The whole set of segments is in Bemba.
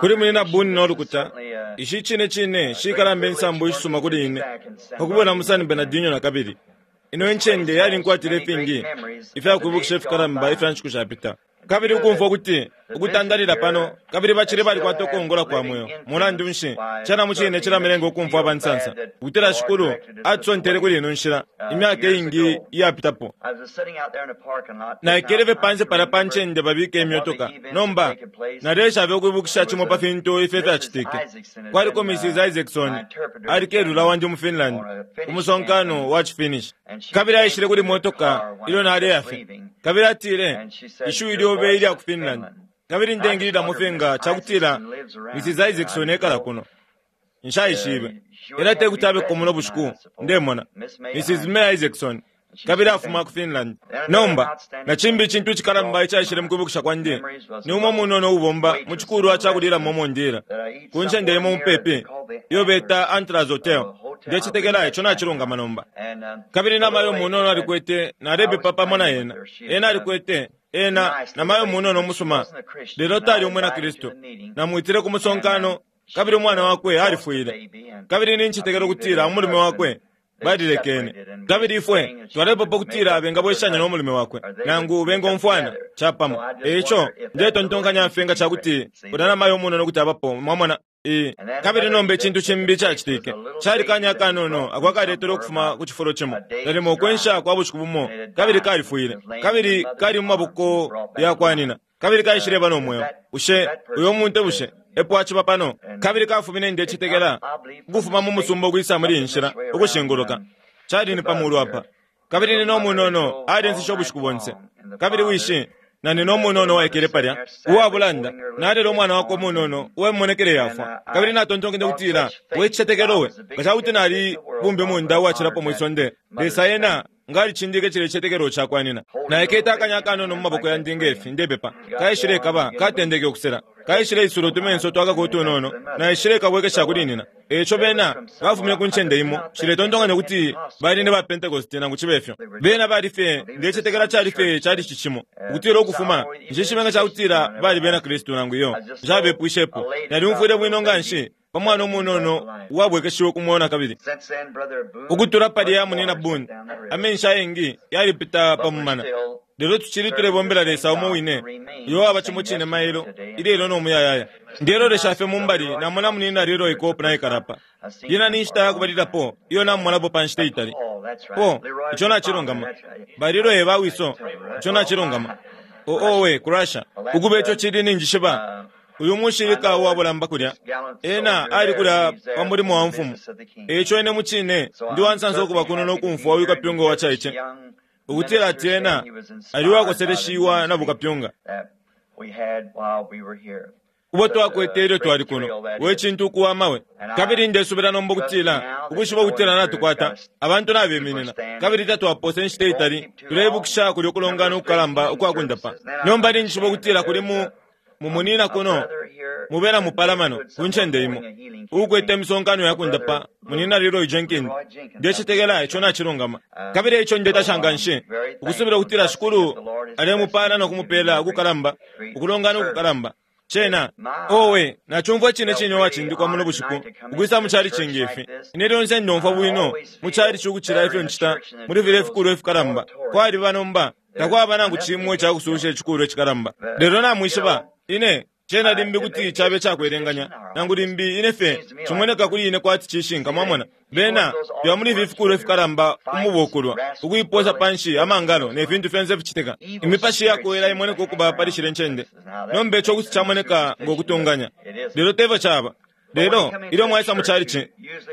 Kuli Munyina Boone no lukuta, ici cine cine shikalamba insambu ishisuma kuli ine pa kubwela mu San Bernardino na kabili. Ino incende yalinkwatila ifingi ifya kwibukisha ifikalamba ifya nshiku shapita. Kabili ukumfwa ukuti ukutandalila pano, kabili bacili balikwata ukongola kwa mweo, mulandu nshi, cena mucine cilamilenga ukumfwa aba nsansa ukutila Shikulu atusontele kuli ino nshila imyaka iingi iyapitapo. Naikele fye panse palya pa ncende babika imyotoka. Nomba, naleesha fye ukwibukisha cimo pa fintu ifyo ifyacitike. Kwaliko Mrs. Isaacson, ali kelula wandi mu Finland, ku musonkano wa ciFinnish. Kabili aishile kuli motoka ilyo naleya fye. Kabili atile, Ishiwi lyobe ilya ku Finland. Kabili ndengililamo fye nga ca kutila Mrs. Isaacson ekala kuno. Nshaishibe. Ena te kuti abeko muno bushiku, ndemona. Mrs. May Isaacson. Kabili afuma ku Finland. Nomba, na cimbi icintu icikalamba icaishile mu kwibukisha kwandi ni umo munono uubomba mu cikulwa ca kulilamo umo ndila, ku ncende imo mupepi iyo beta Antlers Hotel. Ndecetekela ico nacilungama nomba. Kabili namayo munono alikwete, nalepepa pamo na ena. Ena alikwete, ena, namayo munono umusuma, lelo tali umwina Kristu. Namwitile ku musonkano, kabili umwana wakwe alifwile. Kabili nincetekela ukutila umulume wakwe balilekene. Kabili ifwe twalepepa ukutila bengabweshanya no mulume wakwe, nangu bengomfwana capamo. E ico ndetontonkanya fye nga ca kuti ulya namayo umunono kuti abapo, mwamona. E, kabili nomba icintu cimbi icacitike cali kanya akanono ako akaletele ukufuma ku cifulo cimo, nalimo ukwensha kwa bushiku bumo, kabili kalifwile, kabili kali mu maboko ya kwa nyina, kabili kaishileba no mweo. Bushe uyo muntu bushe epo aciba pano? Kabili kafumine, ndecetekela, ukufuma mu musumba ukwisa muli iyi nshila ukushinguluka. Cali ni pa mulu apa. Kabili nina umunono alinsishe ubushiku bonse. Kabili wishi na nina umunono uwaikele palya, uwa bulanda, nalele umwana wakwe umunono uwa mimonekele yafwa. Kabili natontonkenye ukutila, We cicetekelo we, nga ca kuti nali bumbimunda uwacilapo mwi sonde, Lesa ena nga alicindike cilya icicetekelo cakwa nina. Naikete akanya akanono mu maboko yandi nge fi, ndepepa. Kaishilekaba, katendeke ukusela. Kaishileisula utumenso twakako utunono, naishilekabwekesha kuli nina. E ico bena bafumine ku ncende imo, nshiletontonkanya ukuti bali ni ba Pentecost nangu cibe fyo. Bena bali fye, ndecetekela cali fye calici cimo, ukutila ukufuma, nshishibe nga cakutila bali bena Kristu nangu iyo, nshabepwishepo. Nalyumfwile bwino nganshi pa mwana umunono uwabwekeshiwe ku mweo nakabili. Ukutula palya Munyina Boone, amenshi ayengi yalipita pa mumana. Lelo tucili tulebombela Lesa umo wine, uyo waba cimo cine mailo, ilelo no muyayaya. Ndelolesha fye mu mbali namona Munyina Leroy Kopp naikala apa. Yena ni nshita ya kubalilapo iyo namumonapo pa nshita itali. Po, ico nacilungama. Ba Leroy e ba wiso, ico nacilungama. O, owe, ku Russia. Ukuba ico cili ninjishiba, uyu mushilika uwa bulamba kulya, ena ali kulya pa mulimo wa mfumu. E ico ine mucine ndi wansansa ukuba kuno no kumfwa uyu kapyunga wacaice. Ukutila ati ena ali uwakoseleshiwa na bukapyunga ubo twakwete ilyo twali kuno. We cintu ukuwama we! Kabili ndesubila nomba ukutila, ukwishiba ukutila natukwata abantu nabeminina, kabili tatwapose inshita itali tuleibukisha kulyo kulongana ukukalamba ukwa kundapa. Nomba ninjishiba ukutila kuli mu Mumunina kuno mu bena mupalamano ku ncende imo uukwete imisonkano ya kundapa, Munyina Leroy Jenkins. Ndecetekela ico nacilungama. Kabili eico ndetasha nganshi, ukusubila ukutila Shikulu alemupala no kumupela ukukalamba, ukulongana ukukalamba. Cena, owe, nacumfwa icine cine uwacindikwa muno bushiku, ukwisa mu chalichi nge fi. Ine lyonse ndomfwa bwino mu chalichi ukucila ifyo ncita muli filya ifikulwa ifikalamba. Kwaliba nomba Takwaba nangu cimo ica kusuusha icikulwa icikalamba. Lelo namwishiba, ine, cena limbi kuti cabe cakwelenganya, nangu limbi ine fye cimoneka kuli ine kwati cishinka, mwamona. Bena bya muli ifi fikulwa ifikalamba umubokulwa, ukuiposa panshi, amangalo, ne fintu fyonse ificitika. Imipashi iyakowela imoneka ukuba pali shilya ncende. Nomba ico kuti camoneka ngo kutunganya, lelo tefyo caba. Lelo ilyo mwaisa mu chalichi,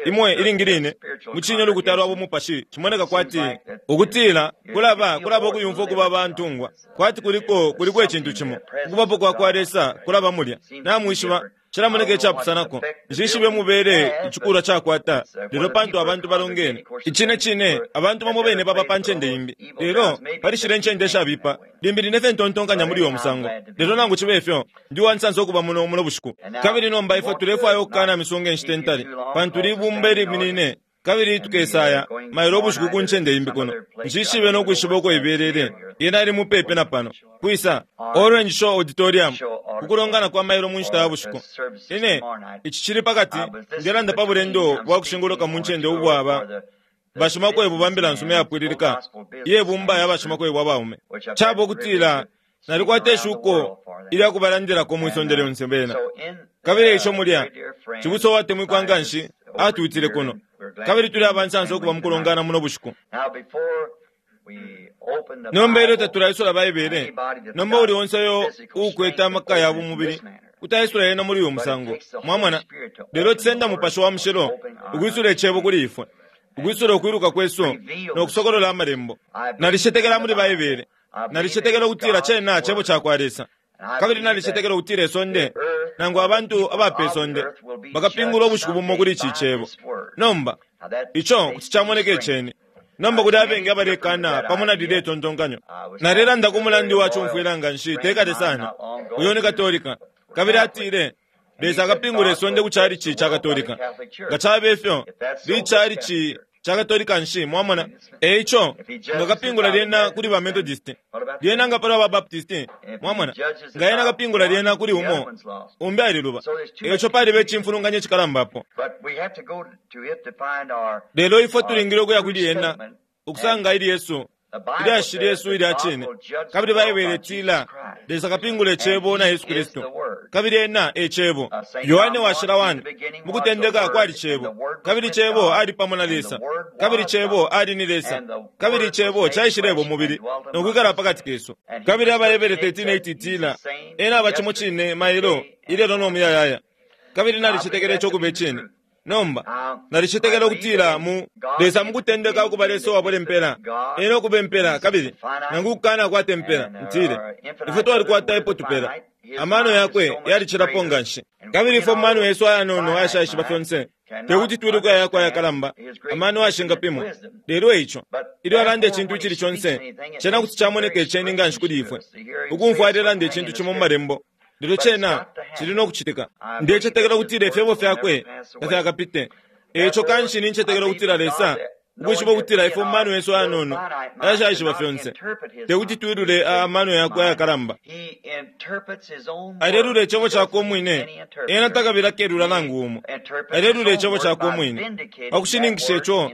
imwe ilingi line mucine ulukuta lwa bumupashi cimoneka kwati ukutila kulaba kulaba ukuyumfwa ukuba abantungwa, kwati kuliko kuliko icintu cimo. Ukubapo kwa kwa Lesa kulaba mulya. Namwishiba, cilamoneka icapusanako. Nshishibe mubele icikulwa cakwata, lelo pantu abantu balongene. Icine cine, abantu bamo bene baba pa ncende imbi. Lelo pali shilya incende ishabipa, limbi line fye ntontonkanya muli uyo musango. Lelo nangu cibe fyo, Ndi uwansansa ukuba muno muno bushiku. Kabili nomba ifwe tulefwaya ukukana misunga inshita intali, pantu libumba iliminine, kabili tukesaya mailo ubushiku ku ncende imbi kuno. Nshishibe no kwishiba uko ibelele. Yena ili mupepi na pano. Kwisa? Orange Show Auditorium. ku kulongana kwa mailo mu nshita ya bushiku. Ine, ici cili pakati, ndelanda pa bulendo bwa kushinguluka mu ncende ubwaba bashimakwebo ba mbila nsuma iyapwililika iye bumba ya bashimakwebo abaume. Caba ukutila nalikwata ishuko ilya kubalandilako mwi sonde lyonse bena. Kabili ico mulya, cibusa uwatemwikwa nga nshi atwitile kuno, kabili tuli abansansa ukuba mu kulongana muno bushiku. Nomba ilyo tatulaisula Baibele, nomba uli onse uyo uukwete amaka ya bumubili kuti aisula yena muli uyu musango, mwamona. Lelo cisenda Mupashi wa Mushilo ukwisula Icebo kuli ifwe, ukwisula ukwiluka kwesu no kusokolola Amalembo. Nalicetekela muli Baibele. Nalicetekela ukutila cena Cebo cakwa Lesa. Kabili nalicetekela ukutila isonde, nangu abantu aba pe sonde, bakapingulwa ubushiku bumo kuli ici Cebo. Nomba, ico kuti camoneka iceni. Nomba kuli abengi abalekana pamo na lilye tontonkanyo. Nalelanda ku mulandi wa cumfwila nga nshi te kale sana, uyo ni Katolika, kabili atile, Lesa akapingula isonde ku chalichi ca Katolika. Nga cabe fyo, lichalichi ca Katolika nshi, mwamona? E ico, nga kapingula lyena kuli ba Methodist, lyena nga palwa ba Baptist, mwamona? Nga ena kapingula lyena kuli umo, umbi aliluba. E ico paliba icimfulunganya icikalamba apo. Lelo ifwe tulingile ukuya kuli ena ukusanga ilyesu, ilyashi lyesu ilya cine. Kabili Baibele itila, Lesa akapingula Icebo na Yesu Kristu, kabili Ena e Cebo. Yohane Washila 1, Mu kutendeka kwali Cebo, kabili Cebo ali pamo na Lesa, kabili Cebo ali ni Lesa, kabili Icebo caishileba umubili no kwikala pa kati kesu. Kabili AbaHebere 13:8 itila, Ena aba cimo cine mailo, ilelo no muyayaya. Kabili nalicetekela ico ukuba icine. Nomba, nalicetekela ukutila mu, Lesa mukutendeka ukuba Lesa uwabula impela, Ena ukuba impela, kabili, nangu ukukana kwata impela, ntile, ifwe twalikwata epo tupela. Amano Yakwe yalicilapo nganshi. Kabili ifwe mu mano yesu ayanono ayashaishiba fyonse, tekuti twiluke Ayakwe ayakalamba, amano ayashingapimwa. Lelo eico, ilyo Alanda icintu icili conse, cena kuti camoneka iceni nganshi kuli ifwe, ukumfwa Alelanda icintu cimo mu Malembo, Lelo cena cili no kucitika. Ndecetekela ukutila ifyebo fyakwe tafyakapite. E ico kanshi nincetekela ukutila Lesa, ukwishiba ukutila ifwe mu mano yesu ayanono ayashaishiba fyonse, te kuti twilule a amano yakwe ayakalamba. Alelula Icebo cakwe umwine, ena takabila kelula nangu umo. Alelula Icebo cakwe umwine, pa kushininkisha ico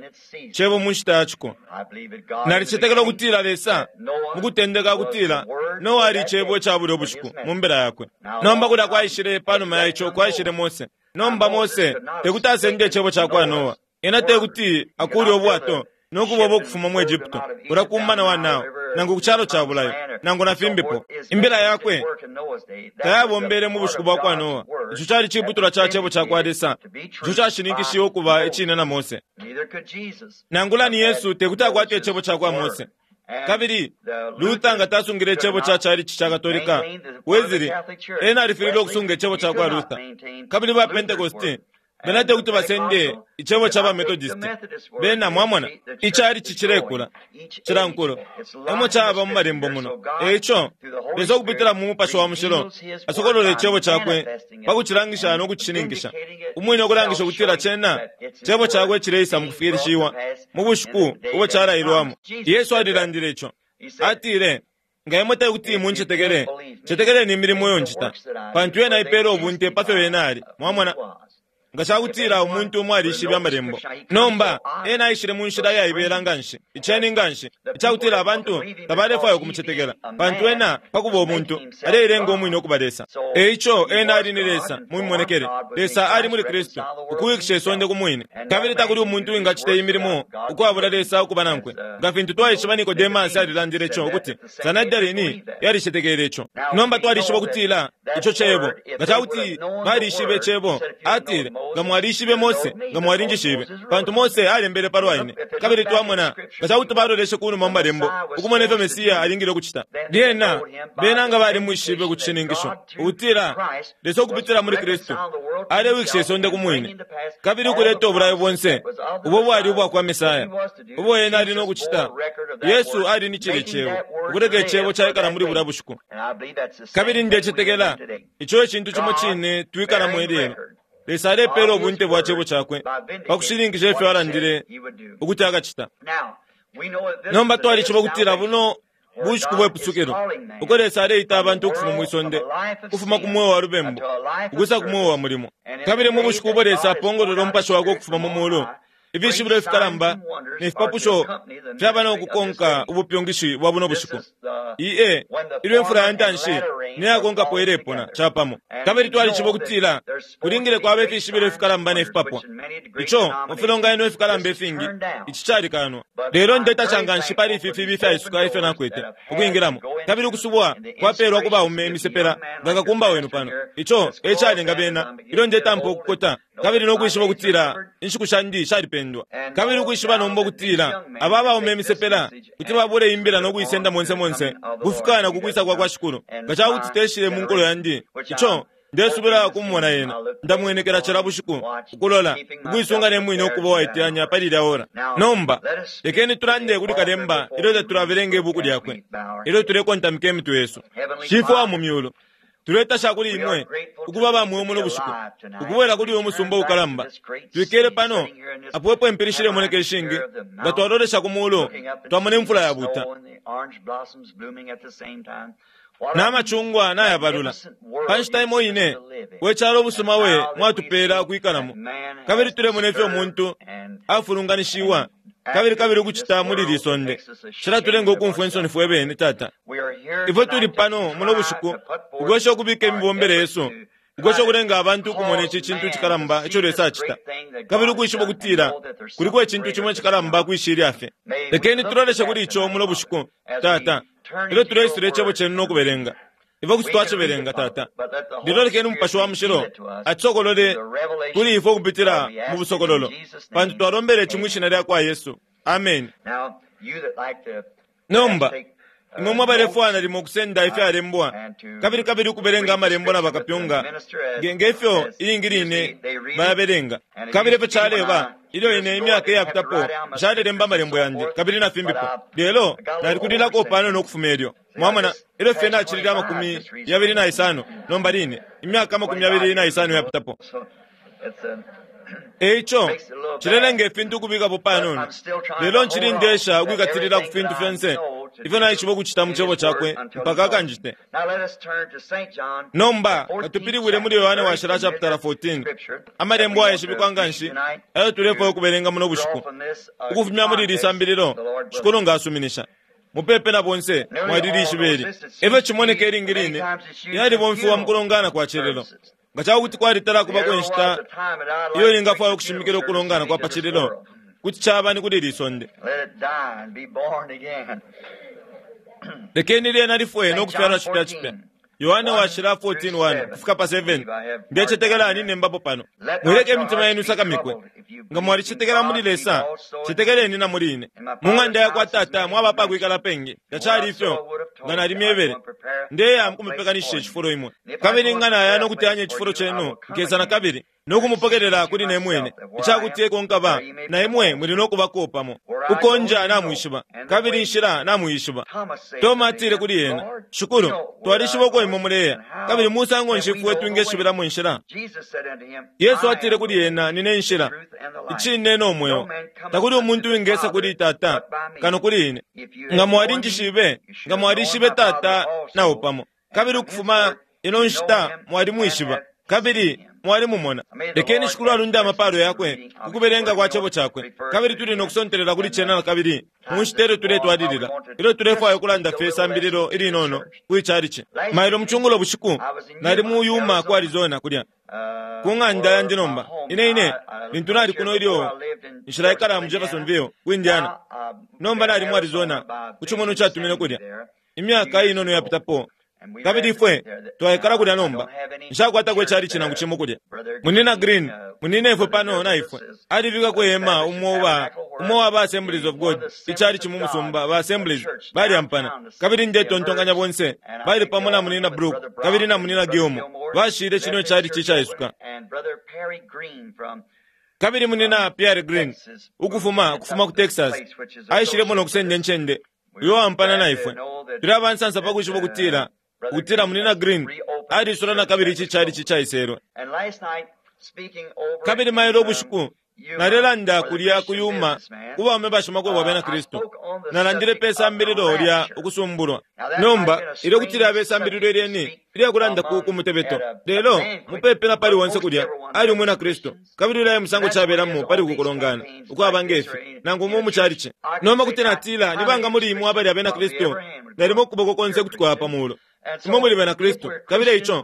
Cebo mu nshita ya ciko. Nalicetekela ukutila Lesa, mu kutendeka, ukutila Noa ali Icebo ica bulyo bushiku mu mbila yakwe. Nomba kulya kwaishile, panuma ya ico, kwaishile Mose. Nomba Mose tekuti asende icebo cakwa Noa. Ena tekuti akuule ubwato no kuboba ukufuma mu Egypto, kulya ku mumana wa Nile, nangu ku calo ca bulayo, nangu na fimbipo. Imbila yakwe tayabombele mu bushiku bwakwa Noa. Ico cali ciputulwa ca Cebo cakwa Lesa ico cashininkishiwe ukuba icine na Mose. Nangula ni Yesu tekuti akwate icebo cakwa Mose. Kabili Luther nga tasungile icebo ca chalichi ca Katolika, Wesley ena alifililwe ukusunga icebo ca kwa Luther. Kabili ba Pentecosti bena tekuti basende icebo ca ba Methodist. Bena, mwamona, ichalichi cilekula, cila nkulo. Emo caba mu Malembo muno. E ico, Lesa ukupitila mu Mupashi wa Mushilo asokolola Icebo Cakwe pa kucilangisha no kucishininkisha Umwine, ukulangisha ukutila cena Cebo Cakwe cileisa mukufikilishiwa mu bushiku ubo calailwamo. Yesu alilandile ico. Atile, Nga imwe tekuti muncetekele, cetekeleni imilimo iyo ncita, pantu yena ipela ubunte pa fyo Ena ali. Mwamona? Nga ca kutila umuntu umo alishibe Amalembo! Nomba, ena aishile mu nshila iyaibela nganshi, iceni nganshi, ica kutila abantu tabalefwaya ukumucetekela, pantu ena, pa kuba umuntu, aleilenga umwine ukuba Lesa. E ico, ena ali ni Lesa, mu mimonekele. Lesa ali muli Kristu, ukuwikisha isonde ku Mwine. Kabili takuli umuntu uwingacita iyi milimo ukwabula Lesa ukuba nankwe. Nga fintu twaishiba, Nikodemasi alilandile ico, ukuti Sanhedrini yalicetekele ico. Nomba twalishiba ukutila ico Cebo. Nga ca kuti balishibe Cebo, atile, Nga mwalishibe Mose, nga mwalinjishibe, pantu Mose alembele palwa ine. Kabili twamona, nga ca kuti baloleshe ku numa mu Malembo, ukumona ifyo Mesia alingile ukucita, lyena bena nga balimwishibe ku cishininkisho, ukutila Lesa ukupitila muli Kristu alewikisha isonde ku Mwine, kabili ukuleta ubulayo bonse ubo bwali ubwa kwa Mesaya, ubo Ena ali no kucita. Yesu ali ni cilye Cebo, ukuleka Icebo caikala muli bulya bushiku. Kabili ndecetekela ico e cintu cimo cine twikalamo ilelo. Lesa alepeela ubunte bwa Cebo Cakwe pa kushininkisha ifyo Alandile ukuti Akacita. Nomba twalishiba ukutila buno Bushiku bwe pusukilo, uko Lesa aleita abantu ukufuma mwi sonde, ukufuma ku mweo wa lubembu ukwisa ku mweo wa mulimo. Kabili mu bushiku ubo Lesa apongolola umupashi wakwe ukufuma mu mulu, ifishibilo ifikalamba ne fipapusho fyaba no kukonka ubupyungishi bwa buno bushiku. Iye, ilyo imfula ya ntanshi neyakonkapo ilepona capamo. Kabili twalishiba ukutila kulingile kwaba ifishibilo ifikalamba ne fipapwa. Ico mu filonganino ifikalamba ifingi ici calikanwa. Lelo ndetasha nganshi pali ifi fibi ifyaisuka ifyo nakwete ukwingilamo. Kabili ukusubwa kwapeelwa ku baume imisepela nga kakumba wenu pano. Ico e calenga bena ilyo ndetampa ukukota kabili no kwishiba ukutila inshiku shandi shalipendwa. Kabili ukwishiba nomba ukutila aba baume imisepela kuti babule imbila no kuisenda monse monse kufika na kukwisa kwa kwa Shikulu. Nga ca kuti teshile mu nkulo yandi, ico ndesubila kumumona yena. Ndamwenekela cila bushiku ukulola ukuisunga ne mwine ukuba uwaiteyanya pali ilya ora. Nomba lekeni tulande kuli kalemba ilyo tatulabelenga ibuku lyakwe, ilyo tulekontamika imitwe yesu. Shifwe wa mu myulu, tuletasha kuli imwe ukuba ba mweo muno bushiku, ukubwela kuli uyu musumba ukalamba. Twikele pano apo epo impili shilemoneka ishingi, nga twalolesha ku mulu twamona imfula yabuta n'amacungwa nayabalula. Pa nshita imo ine, we calo ubusuma we mwatupeela ukwikalamo, kabili tulemona ifyo umuntu afulunganishiwa kabili kabili ukucita muli li sonde. Cilatulenga ukumfwa insoni fwe bene, Tata. Ifwe tuli pano muno bushiku ukwesha ukubika imibombele yesu, ukwesha ukulenga abantu ukumona ici cintu cikalamba ico Lesa acita, kabili ukwishiba ukutila kuliko icintu cimo icikalamba kwishilya fye. Lekeni tuloleshe kuli ico muno bushiku, Tata, ilyo tuleisula icebo cenu no kubelenga. Ifwe kuti twacibelenga, Tata. Lelo lekeni Umupashi wa Mushilo atisokolole kuli ifwe ukupitila mu busokololo, pantu twalombele ici mwi shina lya kwa Yesu. Ameni. Nomba imwe mwabalefwaya nalimo ukusenda ifyalembwa kabili kabili ukubelenga amalembo na bakapyunga ngefyo ilingi line bayabelenga. Kabili efyo caleba ilyo ine imyaka iyapitapo nshalelemba amalembo yandi kabili na fimbipo, lelo nalikulilako panono ukufuma elyo. Mwamona, ilyo fye nacilile 25 nomba line, imyaka 25 iyapitapo. Eico cilelenga ifintu ukubikapo panono, lelo ncili ndesha ukwikatilila ku fintu fyonse ifyo naishiba ukucita mu cebo cakwe mpaka akanjite. Nomba katupilibwile muli Yohane Washila chapitala 14, amalembo ayeshibikwa nganshi ayo tulefwaya ukubelenga muno bushiku ukufumya muli ili sambililo, Shikulu nga asuminisha. Mupepe na bonse mwaliliishiba ili. Efyo cimoneka ilingi line yalibomfiwa mu kulongana kwa cililo. Nga ca kuti kwalitala kubako inshita iyo ningafwaya ukushimikila ukulongana kwa pa cililo, kuti caba ni kuli ili sonde. Lekeni lyena lifwe no kufyalwa cipya cipya. Yohane Washila 14:1 kufika pa 7. Ndecetekela ninembapo pano. Mwileke imitima yenu isakamikwe. Nga mwalicetekela muli Lesa, cetekeleni na muli ine. Mu ng'anda ya kwa Tata mwaba apakwikala pengi. Tacali ifyo nga nalimyebele. Ndeya mukumipekanishisha icifulo imwe. Kabili nga naya no kuteyanya icifulo cenu, nkesa na kabili no kumupokelela kuli ne mwine, ica kuti eko nkaba, na imwe muli no kubako pamo. Uko nja namwishiba, kabili inshila namuyishiba. Toma atile kuli ena, Shikulu, twalishiba uko imwe muleya, kabili musango nshi ifwe twingeshibilamo inshila? Yesu atile kuli ena, Nine inshila, icine no mweo. Takuli umuntu wingesa kuli Tata kano kuli ine. Nga mwalinjishibe, nga mwalishibe Tata nao pamo. Kabili ukufuma ino nshita mwalimwishiba, kabili mwalimumona. Lekeni Shikulu alunde amapalo yakwe ku kubelenga kwa cebo cakwe, kabili tuli no kusontelela kuli cena na kabili mu nshita ilyo tuletwalilila, ilyo tulefwaya ukulanda fye isambililo ilinono kwi calici. Mailo mucungulo bushiku nali mu Yuma ku Arizona kulya ku ng'anda yandi nomba. Ine ine lintu nali kuno ilyo nshilaikala mu Jeffersonville ku Indiana, nomba nali mu Arizona ku cimonwa catumine kulya imyaka inono yapitapo. Kabili ifwe twaikala kulya nomba. Nshakwatako icalici nangu cimo kulya. Munina Green, munina ifwe pano na ifwe, alibikako ihema umo wa umo wa ba Assemblies of God, icalici mu musumba ba Assemblies balyampana. Kabili ndetontonkanya bonse bali pamo na munina Brook kabili na munina Gilmore bashile cino icalici icaisuka. Kabili munina Pierre Green ukufuma kufuma ku Texas aishilemo no kusenda incende uyo wampana na ifwe. Tuli abansansa pa kwishiba ukutila ukutila munina Green alisula na kabili ici calici caiselwe. Kabili mailo ubushiku Nalelanda kulya ku Yuma ku baume bashimakwebo abena Kristu. Nalandile pe sambililo lya Ukusumbulwa. Nomba, ilyo kuti lyaba isambililo ilyeni ilya kulanda ku mutebeto, lelo mupepi na pali onse kulya ali umwina Kristu, kabili ulya e musango cabelamo pali uku kulongana ukwaba nge fi, nangu umo mu calici. Nomba kuti natila, ni banga muli imwe abali abena Kristu? Nalimo ukuboko konse kuti kwaya pa mulu. Imwe muli bena Kristu, kabili eico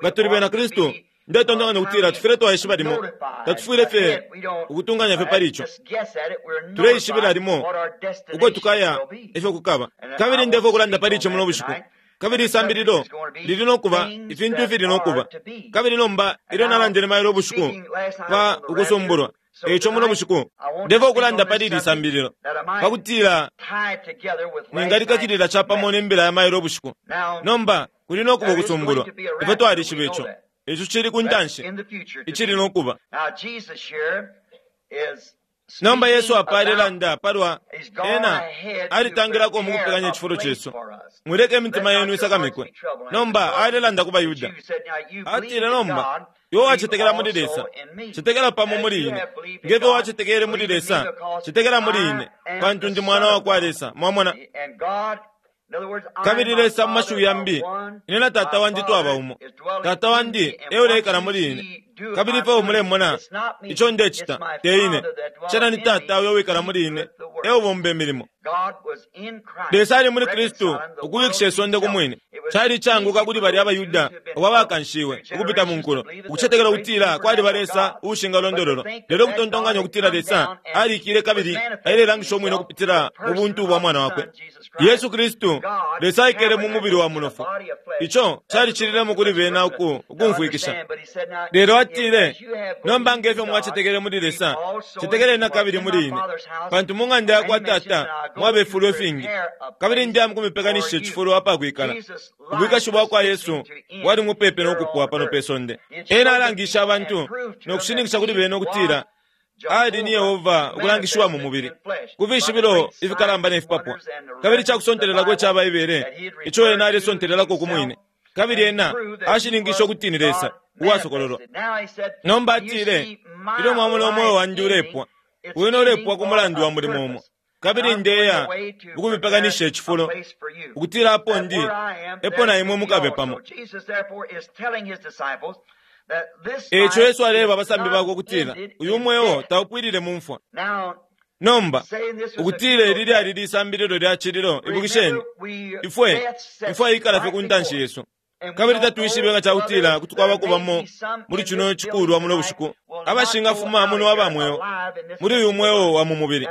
nga tuli bena Kristu, ndetontonkanya ukutila tufwile twaishiba limo, tatufwile fye ukutunganya fye pali ico. Tuleishibila limo uko tukaya ifyo kukaba. Kabili ndefwaya ukulanda pali ico muno bushiku. Kabili isambililo lili no kuba ifintu ifili no kuba. Kabili nomba ilyo nalandile mailo ubushiku pa Ukusumbulwa, eico muno bushiku ndefwaya ukulanda pali ili sambililo pakutila ningalikakilila capamo ne mbila ya mailo ubushiku. Nomba kuli no kuba ukusumbulwa, ifwe twalishiba ico. Ico cili ku ntanshi, icili no kuba. Nomba Yesu apa alelanda palwa ena alitangilako mu kupekanya icifulo cesu. Mwileka imitima yenu isakamikwe. Nomba alelanda ku baYuda. Atile nomba, iwe wacetekela muli Lesa, cetekela pamo muli ine. Nge fyo wacetekele muli Lesa, cetekela muli ine, pantu ndi mwana wa kwa Lesa. Mwamona? Kabili Lesa mu mashiwi yambi, ine na Tata wandi twaba umo. Tata wandi e uleikala muli ine. Kabili ifyo mulemona ico ndecita, te ine. Cena ni Tata uyo wikala muli ine, e ubomba imilimo. Lesa ali muli Kristu ukuwikisha isonde ku mwine. Cali icaanguka kuli balya abaYuda abo abakanshiwe ukupita mu nkulo ukucetekela ukutila kwaliba Lesa uushingalondololwa, lelo ukutontonkanya ukutila Lesa aliikile kabili ailelangisha umwine ukupitila mu buntu bwa Mwana wakwe, Yesu Kristu. Lesa aikele mu mubili wa munofu. Ico calicililemo kuli bena uku ukumfwikisha. Lelo atile, Nomba nge fyo mwacetekele muli Lesa, cetekeleni na kabili muli ine. Pantu mu ng'anda ya kwa Tata mwaba ififulo ifingi, kabili ndeya mu kumipekanishisha icifulo apa kwikala. Ubwikashi bwa kwa Yesu bwali mupepi no kupwa pano pe sonde. Ena alangishe abantu no kushininkisha kuli bena ukutila ali ni Yehova ukulangishiwa mu mubili, ku fishibilo ifikalamba ne fipapwa, kabili ica kusontelelako ica Baibele ico ena alesontelelako ku mwine, kabili ena ashininkishe ukuti ni Lesa uwasokololwa. Nomba atile, Ilyo mwamona umweo wandi ulepwa, wene ulepwa ku mulandu wa mulimo umo, kabili ndeya ukumipekanisha icifulo, ukutila apo ndi, epo na imwe mukabe pamo. E ico Yesu aleeba abasambi bakwe ukutila uyu mweo taupwilile mu mfwa. Nomba, ukutila ili lyali lisambililo lya cililo, ibukisheni, ifwe, imfwa ikala fye ku ntanshi yesu. Kabili tatwishibe nga ca kutila kuti kwabako bamo muli cino cikulwa muno bushiku abashingafuma muno aba mweo muli uyu mweo wa mu mubili.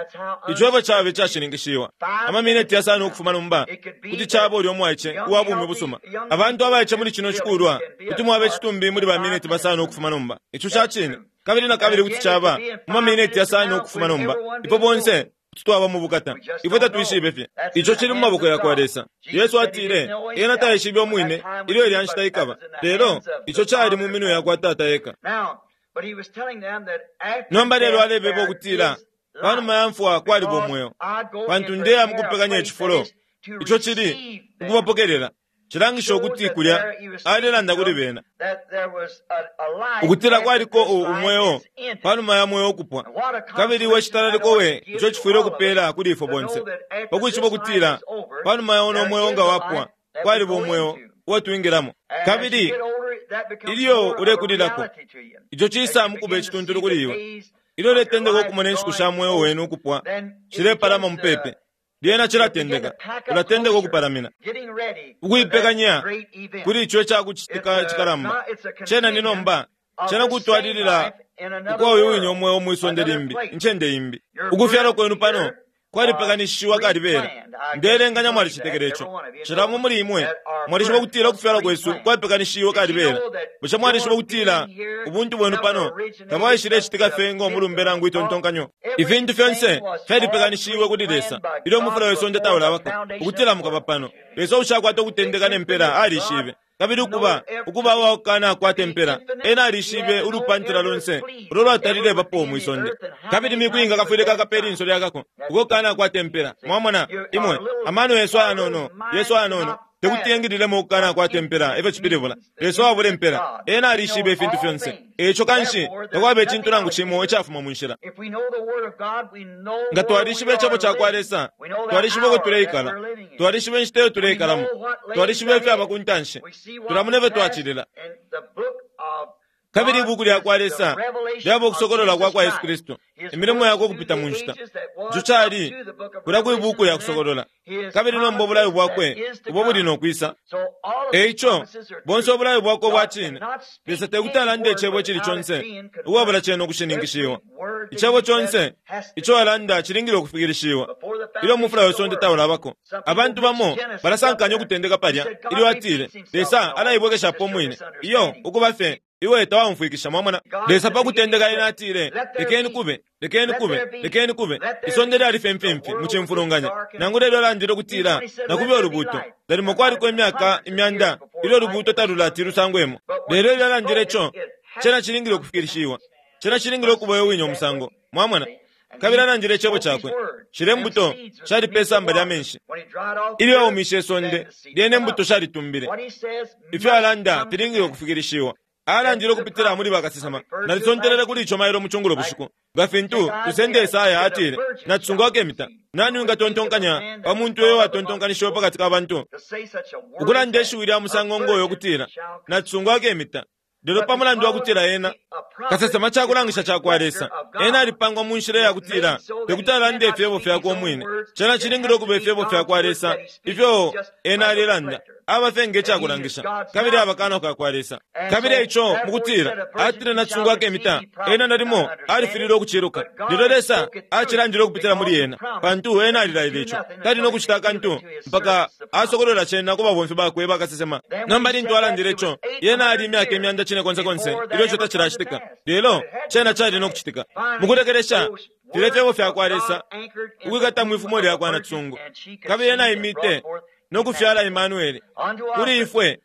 Ico efyo caba icashininkishiwa. Amamineti yasano ukufuma nomba kuti caba ulya umwaice uwa bumi busuma. Abantu abaice muli cino cikulwa kuti mwaba icitumbi muli bamineti basano ukufuma nomba. Ico ca cine. Kabili na kabili kuti caba mu mamineti yasano ukufuma nomba. Ifwe bonse kuti twaba mu bukata. Ifwe tatwishibe fye. Ico cili mu maboko ya kwa Lesa. Yesu atile, Ena taishibe umwine ilyo ilya nshita ikaba, lelo ico cali mu minwe ya kwa Tata eka. Nomba lelo alebeba ukutila pa numa ya mfwa kwaliba umweo, pantu ndeya mu kupekanya icifulo. Ico cili ukubapokelela. Cilangisha ukuti kulya alelanda kuli bena ukutila kwaliko umweo pa numa ya mweo ukupwa. Kabili we citalaliko we ico cifwile ukupeela kuli ifwe bonse pa kwishiba ukutila pa numa ya uno mweo nga wapwa kwaliba umweo uo twingilamo. Kabili ilyo ulekulilako, ico cisa mu kuba icituntulu kuli iwe. Ilyo uletendeka ukumona inshiku sha mweo wenu ukupwa shilepalama mupepi, lyena cilatendeka, ulatendeka ukupalamina, ukuipekanya kuli ico ica kucitika cikalamba. Cena ni nomba, cena kutwalilila ukwa uyu wine umweo mwi sonde limbi, incende imbi. Ukufyalwa kwenu pano kwalipekanishiwa kalibela. Ndeelenganya mwalicetekela ico. Cila umo muli imwe mwalishiba ukutila ukufyalwa kwesu kwalipekanishiwe kalibela. Bushe mwalishiba ukutila ubuntu bwenu pano tabwaishilecitika fye ngo mulumbe nangu itontonkanyo? Ifintu fyonse fyalipekanishiwe kuli Lesa ilyo umufula we sonde taulabako, ukutila mukaba pano. Lesa uushakwata ukutendeka ne mpela alishibe. Kabili ukuba, ukuba uwakukanakwata impela, ena alishibe ulupantila lonse ulo lwatalilebapo mwi sonde. Kabili miku inga kafwile kakapa ilinso lyakako, uko kukanakwata impela. Mwamona, imwe, amano yesu ayanono, yesu ayanono. Tekuti engililemo ukukana kwata impela, efyo cipilibula. Lesa uwabula impela, Ena alishibe ifintu fyonse. Eico kanshi, takwaba icintu nangu cimo icafuma mu nshila. Nga twalishiba Icebo cakwa Lesa, twalishiba uko tuleikala, twalishiba inshita iyo tuleikalamo, twalishiba ifyaba ku ntanshi, tulamona ifyo twacilila. Kabili Ibuku lyakwa Lesa lyaba ukusokolola kwa kwa Yesu Kristu, imilimo yakwe ukupita mu nshita. Ico cali kulya kwi Buku lya Kusokolola. Kabili nomba ubulayo bwakwe ubo buli no kwisa. E ico, bonse ubulayo bwakwe ubwa cine, Lesa tekuti alande icebo icili conse ukwabula cena ukushininkishiwa. Icebo conse ico alanda cilingile ukufikilishiwa ilyo umufula we sonde taulabako. Abantu bamo balasankanya ukutendeka palya ilyo atile, Lesa alaibwekeshapo umwine. Iyo, ukuba fye iwe tawaumfwikisha, mwamona. Lesa pa kutendeka ena atile, lekeni kube, lekeni kube, lekeni kube. Isonde lyali fye mfimfi mu cimfulunganya. Nangu lelo alandile ukutila, nakube ulubuuto. Nalimo kwaliko imyaka imyanda ilyo ulubuuto talulati lusangwemo. Lelo ilyo alandile ico, cena cilingile ukufikilishiwa. Cena cilingile ukuba uyo wine umusango. Mwamona? Kabili alandile icebo cakwe. Shilya imbuto shali pe samba lya menshi. Ilyo aumishe isonde, lyene imbuto shalitumbile. Ifyo alanda filingile ukufikilishiwa. Alandile ukupitila muli bakasesema. Nalisontelele kuli ico mailo mu cungulo bushiku. Nga fintu tusende Esaya atile, Nacisungu akemita. Nani wingatontonkanya pa muntu uyo watontonkanishiwe pakati ka bantu? Ukulanda ishiwi lya musango ngo yo kutila, Nacisungu akemita. Lelo pa mulandu wa kutila ena kasesema ca kulangisha ca kwa Lesa, ena alipangwa mu nshila ya kutila tekuti alande ifyebo fyakwe umwine. Cena cilingile ukuba ifyebo fya kwa Lesa ifyo ena alelanda. Aba fye nge ca kulangisha, kabili aba kanwa ka kwa Lesa. Kabili eico, mu kutila, atile nacisungu akemita, ena nalimo alifililwe ukuciluka. Lelo Lesa acilandile ukupitila muli ena, pantu ena alilaile ico. Tali no kucita akantu mpaka asokolola cena ku babomfi bakwe bakasesema. Nomba lintu alandile ico, yena ali imyaka imyanda cine konse konse ilyo ico tacilacitika. Lelo, cena cali no kucitika. Mukulekelesha, filya fyebo fya kwa Lesa, ukwikata mwi fumo lyakwa nacisungu. Kabili ena aimite no kufyala Emmanuel. Kuli ifwe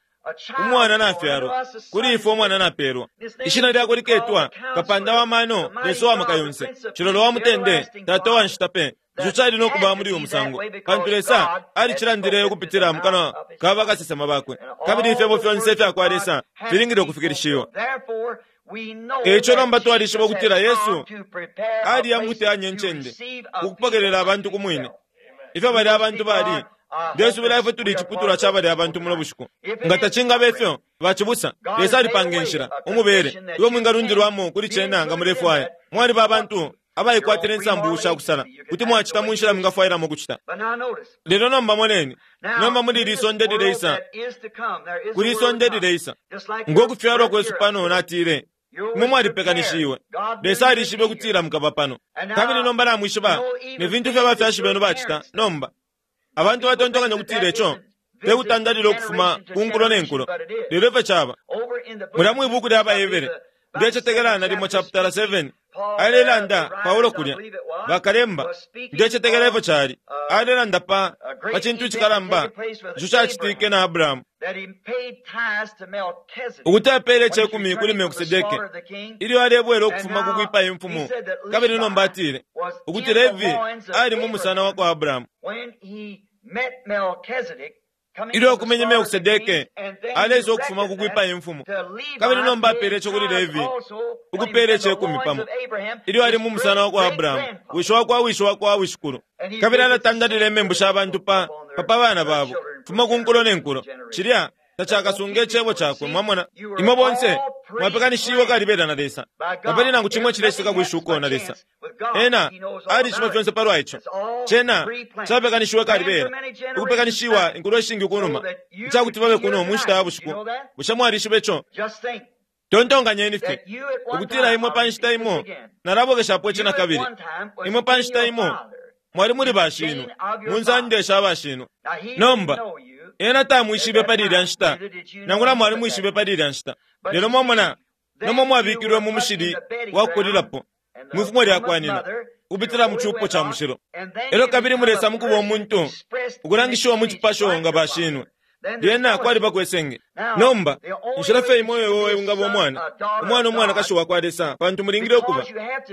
umwana nafyalwa, kuli ifwe umwana napelwa. Ishina lyakwe liketwa Kapanda wa mano, Lesa wa maka yonse, Cilolo wa mutende, Tata wa nshita pe. Ico cali no kuba muli uyu musango, pantu Lesa alicilandile ukupitila mu kanwa ka bakasesema bakwe. Kabili ifyebo fyonse ifya kwa Lesa filingile ukufikilishiwa. Eico nomba twalishiba ukutila Yesu aliya mukuteyanya incende, ukupokelela abantu ku mwine. Ifyo balya abantu bali, ndesubila ifwe tuli iciputulwa ca balya abantu muno bushiku. Nga tacingaba ifyo, bacibusa, Lesa alipanga inshila, umubele, uyo mwingalundilwamo kuli cena nga mulefwaya. Mwaliba abantu abaikwatila insambu sha kusala, kuti mwacita mu nshila mwingafwailamo ukucita. Lelo nomba moneni, nomba muli ili isonde lileisa, kuli isonde lileisa, ngo kufyalwa kwesu pano, natile, imwe mwalipekanishiwe. Lesa alishibe ukutila mukaba pano. Kabili nomba namwishiba ne fintu ifyo abafyashi benu bacita nomba. Abantu batontonkanya ukutila ico te kutandalila ukufuma ku nkulo ne nkulo, lelo ifyo caba. Mulya mwi buku lya baHebere, ndecetekela nalimo chaputala 7, alelanda Paulo kulya, bakalemba, ndecetekela ifyo cali, alelanda pa pa cintu icikalamba ico cacitike na Abrahamu, ukuti apeele icekumi kuli Melkisedeke ilyo alebwela ukufuma ku kwipaya imfumu. Kabili nomba atile ukuti Levi ali mu musana wa kwa Abrahamu. Ilyo akumenye Melkisedeke, aleisa ukufuma ku kwipaya imfumu. Kabili nomba apeele ico kuli Levi, ukupeela icekumi pamo, ilyo ali mu musana wa kwa Abrahamu, wishi wa kwa wishi wa kwa wishikulu. Kabili alatandalila imembu sha bantu pa pa pa bana babo, fuma ku nkulo ne nkulo. Cilya tacakasunge icebo cakwe, mwamona. Imwe bonse mwapekanishiwe kalibela na Lesa. Tapali nangu cimo icilecitika kwi shuko na Lesa. Ena alishiba fyonse palwa ico. Cena capekanishiwe kalibela, ukupekanishiwa inkulo ishingi kunuma, icakuti babe kuno mu nshita ya bushiku. Bushe mwalishiba ico? Tontonkanyeni fye ukutila imwe pa nshita imo, nalabwekeshapo ici nakabili, imwe pa nshita imo mwali muli bashinwe, mu nsande sha bashinwe. Nomba ena tamwishibe pali ilya nshita, nangula mwalimwishibe pali ilya nshita. Lelo mwamona, nomba mwabikilwe mu mushili wa kukulilapo, mwi fumo lya kwa nina, ukupitila mu cupo ca mushilo. Elyo kabili mulesa mukuba umuntu, ukulangishiwa mu cipasho nga bashinwe. Lyena kwalibako isenge. Nomba, inshila fye imo iyo iwe wingaba umwana, umwana umwanakashi wakwa Lesa, pantu mulingile ukuba,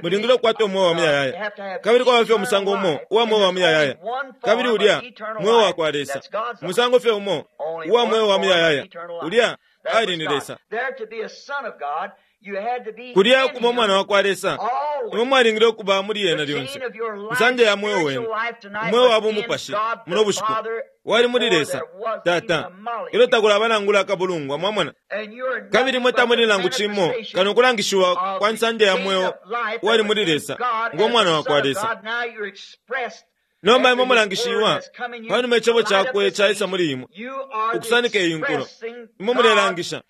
mulingile ukukwata umweo wa muyayaya. Kabili kwaba fye umusango umo uwa mweo wa muyayaya, kabili ulya mweo wakwa Lesa. Umusango fye umo uwa mweo wa muyayaya, ulya ali ni Lesa. Kulya ukuba umwana wakwa Lesa, imwe mwalingile ukuba muli ena lyonse. Nsanje ya mweo wenu, umweo wa bumupashi, muno bushiku, wali muli Lesa, Tata, ilyo takulaba nangula akabulungwa, mwamona. Kabili imwe tamuli nangu cimo kano ukulangishiwa kwa nsanje ya mweo uwali muli Lesa, ngo mwana wakwa Lesa. Nomba imwe mulangishiwa panuma icebo cakwe caisa muli imwe, ukusanika iyi nkulo. Imwe mulelangisha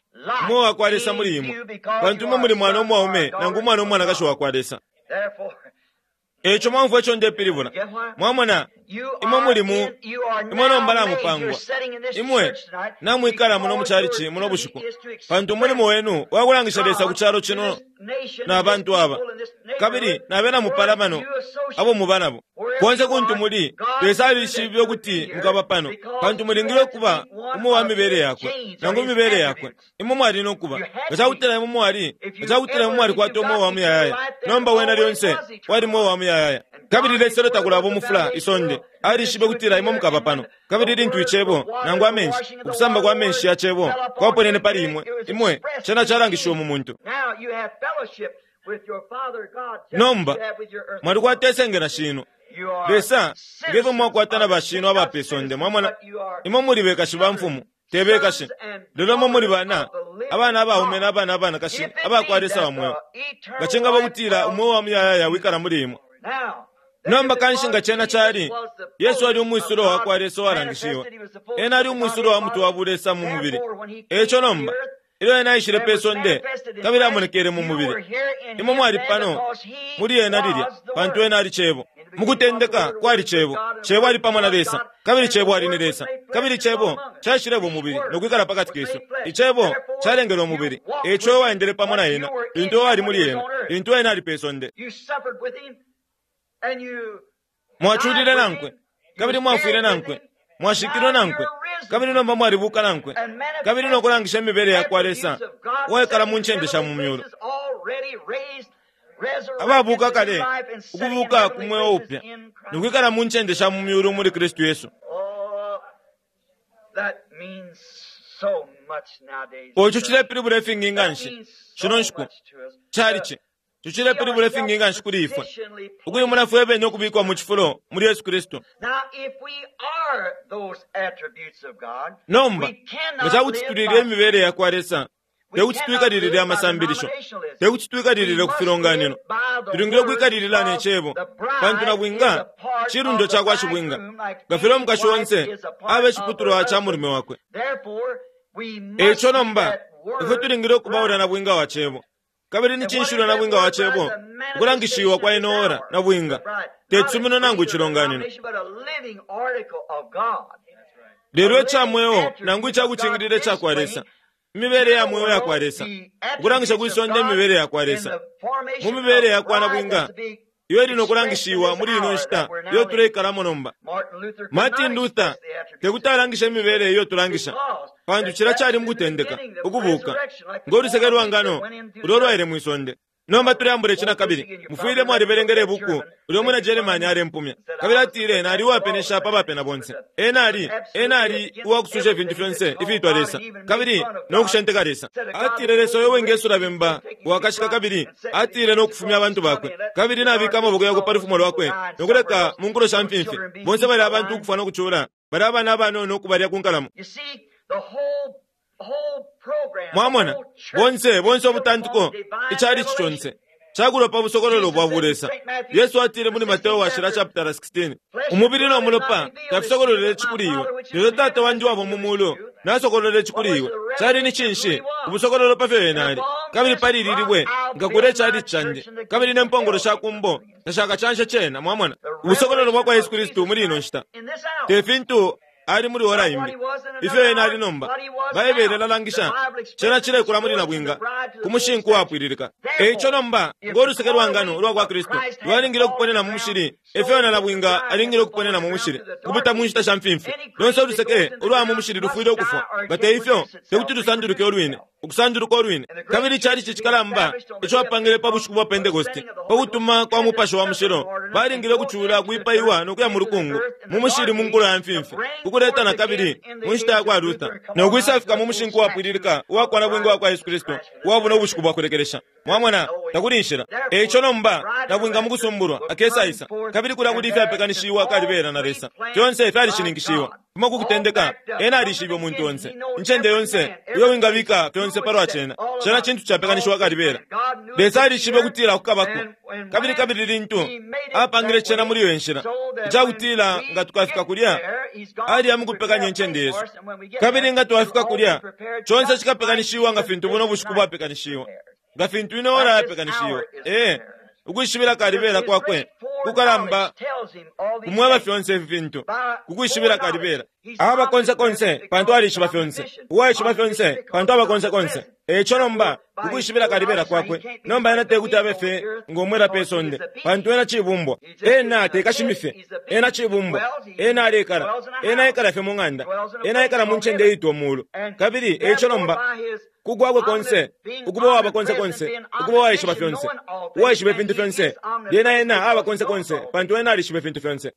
umweo wakwa Lesa muli imwe, pantu imwe muli mwana umwaume nangu umwana umwanakashi wakwa Lesa. Eico mwamfwa ico ndepilibula. Mwamona, imwe muli mu, imwe nomba namupangwa. Imwe namwikala muno mucalici muno bushiku, pantu umulimo wenu wakulangisha Lesa ku calo cino na bantu aba, kabili na bena mupalamano abo muba nabo. Konse kuntu muli, Lesa alishibe ukuti mukaba pano, pantu mulingile ukuba umo wa mibele yakwe, nangu mibele yakwe. Imwe mwali no kuba. Nga cakutila imwe mwali, nga cakutila imwe mwalikwata umweo wa muyayaya, nomba wena lyonse wali mweo wa muyayaya. Kabili Lesa ilyo takulaba umufula isonde, alishibe kutila imwe mukaba pano. Kabili lintu icebo, nangu amenshi, ukusamba kwa menshi ya cebo, kwaponene pali imwe, imwe, cena calangishiwe mu muntu. Nomba, mwalikwata isenge na shino. Lesa, ngefyo mwakwata na bashino aba pe sonde, mwamona, imwe muli bekashi ba mfumu, te bekashi. Lelo imwe muli bana, abana abaume na abana abanakashi, abakwa Lesa wa mweo. Nga cingaba kutila umweo wa muyayaya wikala muli imwe. Nomba kanshi nga cena cali, Yesu ali umwisulo wakwa Lesa uwalangishiwe. Ena ali umwisulo wa mutwe wa bulesa mu mubili. Eico nomba, ilyo ena aishile pe sonde, kabili amonekele mu mubili, imwe mwali pano muli ena lilya, pantu ena ali Cebo. Mukutendeka kwali Cebo, Cebo ali pamo na Lesa, kabili Cebo ali ni Lesa, kabili Cebo caishileba umubili no kwikala pakati kesu. Icebo calengele umubili, eico ewaendele pamo na ena, lintu ewali muli ena, lintu ena ali pe sonde. Mwaculile nankwe, kabili mwafwile nankwe, mwashikilwe nankwe, kabili nomba mwalibuka nankwe, kabili no kulangisha imibele yakwa Lesa uwaikala mu ncende sha mu myulu. Ababuka kale, ukubuka ku mweo upya, no kwikala mu ncende sha mu myulu muli Kristu Yesu. Ico cilepilibula ifingi nganshi shino nshiku. Calici tucilepilibula ifingi nganshi kuli ifwe, ukuimona fwe bene ukubikwa mu cifulo muli Yesu Kristu. Nomba, nga cakuti tulile imibele yakwa Lesa, tekuti twikalilile amasambilisho, tekuti twikalilile ku filonganino. Tulingile ukwikalilila ne cebo, pantu nabwinga cilundo cakwa shibwinga, nga filya umukashi onse abe iciputulwa ca mulume wakwe. Eico nomba, ifwe tulingile ukuba ulya nabwinga wa cebo. Kabili ni cinshi ulya nabwinga wa cebo? Ukulangishiwa kwa ino ora nabwinga, te cisumino nangu icilonganino. Lelo ica mweo nangu icakucingilila icakwa Lesa, imibele ya mweo yakwa Lesa, ukulangisha kwi sonde imibele yakwa Lesa. Mu mibele yakwa nabwinga, iyo ili nokulangishiwa muli ino nshita iyo tuleikalamo nomba. Martin Luther tekuti alangishe imibele iyo tulangisha, pantu cila cali mukutendeka, ukubuka, ngo luseke lwa ngano ulo lwaile mwi sonde. Nomba tuleambula ici nakabili. Mufwile mwalibelengele ibuku ulyo umwina Germany alempumya. Kabili atile nali uwapenesha pa bapena bonse. Ena ali, ena ali uwakususha ifintu fyonse ifiitwa Lesa, kabili no kushenteka Lesa. Atile Lesa uyo wingesula bemba wakashika kabili atile no kufumya abantu bakwe. Kabili nabika amaboko yakwe pa lufumo lwakwe no kuleka mu nkulo sha mfimfi bonse bali abantu ukufwa no kucula, bali abana abanono ukubalya ku nkalamo. Mwamona, bonse, bonse ubutantiko, icalici conse cakulwa pa busokololo bwa bulesa. Yesu atile muli Mateo washila chapter 16, umubili no mulopa tafisokololele ici kuli iwe, lelo Tata wandi wabo mu mulu nasokololele ici kuli iwe. Cali ni cinshi? Ubusokololo pa fyo ena ali. Kabili pali ili libwe nkakula icalici candi, kabili ne mpongolo sha kumbo tashakacanshe cena. Mwamona, ubusokololo bwa kwa Yesu Kristu muli ino nshita te fintu Ali muli ora imbi, ifyo ena ali nomba. Baibele ilalangisha cena cilekula muli nabwinga ku mushinku wapwililika. E ico nomba, ngo luseke lwa ngano ulwa kwa Kristu lwalingile ukuponena mu mushili, efyo na nabwinga alingile ukuponena mu mushili, ukupita mu nshita sha mfimfi. Lonse uluseke ulwa mu mushili lufwile ukufwa, nga te ifyo te kuti lusanduluke ulwine, ukusanduluka ulwine. Kabili icalici cikalamba ico bapangile pa bushiku bwa Pentekoste, pa kutuma kwa Mupashi wa Mushilo, balingile ukucula, kwipaiwa no kuya mu lukungu, mu mushili mu nkulo ya mfimfi, ukuleta na kabili mu nshita ya kwa Luther, no kwisafika mu mushinku wapwililika uwa kwa nabwinga wa kwa Yesu Kristu uwa buno bushiku bwa kulekelesha. Mwamona, takuli inshila. E ico nomba, nabwinga mu kusumbulwa akesaisa, kabili kulya kuli ifyapekanishiwa kalibela na Lesa. Fyonse fyalishininkishiwa. Kuma ku kutendeka, ena alishibe umuntu onse, incende yonse, uyo wingabika fyonse palwa cena. Cena cintu capekanishiwa kalibela. Lesa alishibe ukutila kukabako. Kabili kabili lintu apangile cena muli iyo nshila, icakutila nga tukafika kulya, aliya mukupekanya incende yesu. Kabili nga twafika kulya, conse cikapekanishiwa nga fintu buno bushiku bwapekanishiwa, nga fintu ino ora yapekanishiwa. Ee, ukwishibila kalibela kwakwe kukalamba kumweba fyonse ifi fintu, kukwishibila kalibela. Aba konse konse pantu alishiba fyonse, uwaishiba fyonse pantu aba konse konse. E ico nomba, ukwishibila kalibela kwakwe, nomba ena tekuti abe fye ngomwela pe sonde, pantu ena cibumbwa. Ena tekashimi fye, ena cibumbwa. Ena alekala, ena ekala fye mu ng'anda, ena ekala mu ncende iitwa muulu. Kabili e ico nomba, kukwakwe konse, ukuba uwaba konse konse, ukuba uwaishiba fyonse, uwaishiba ifintu fyonse, lyena ena aba konse konse pantu ena alishiba ifintu fyonse.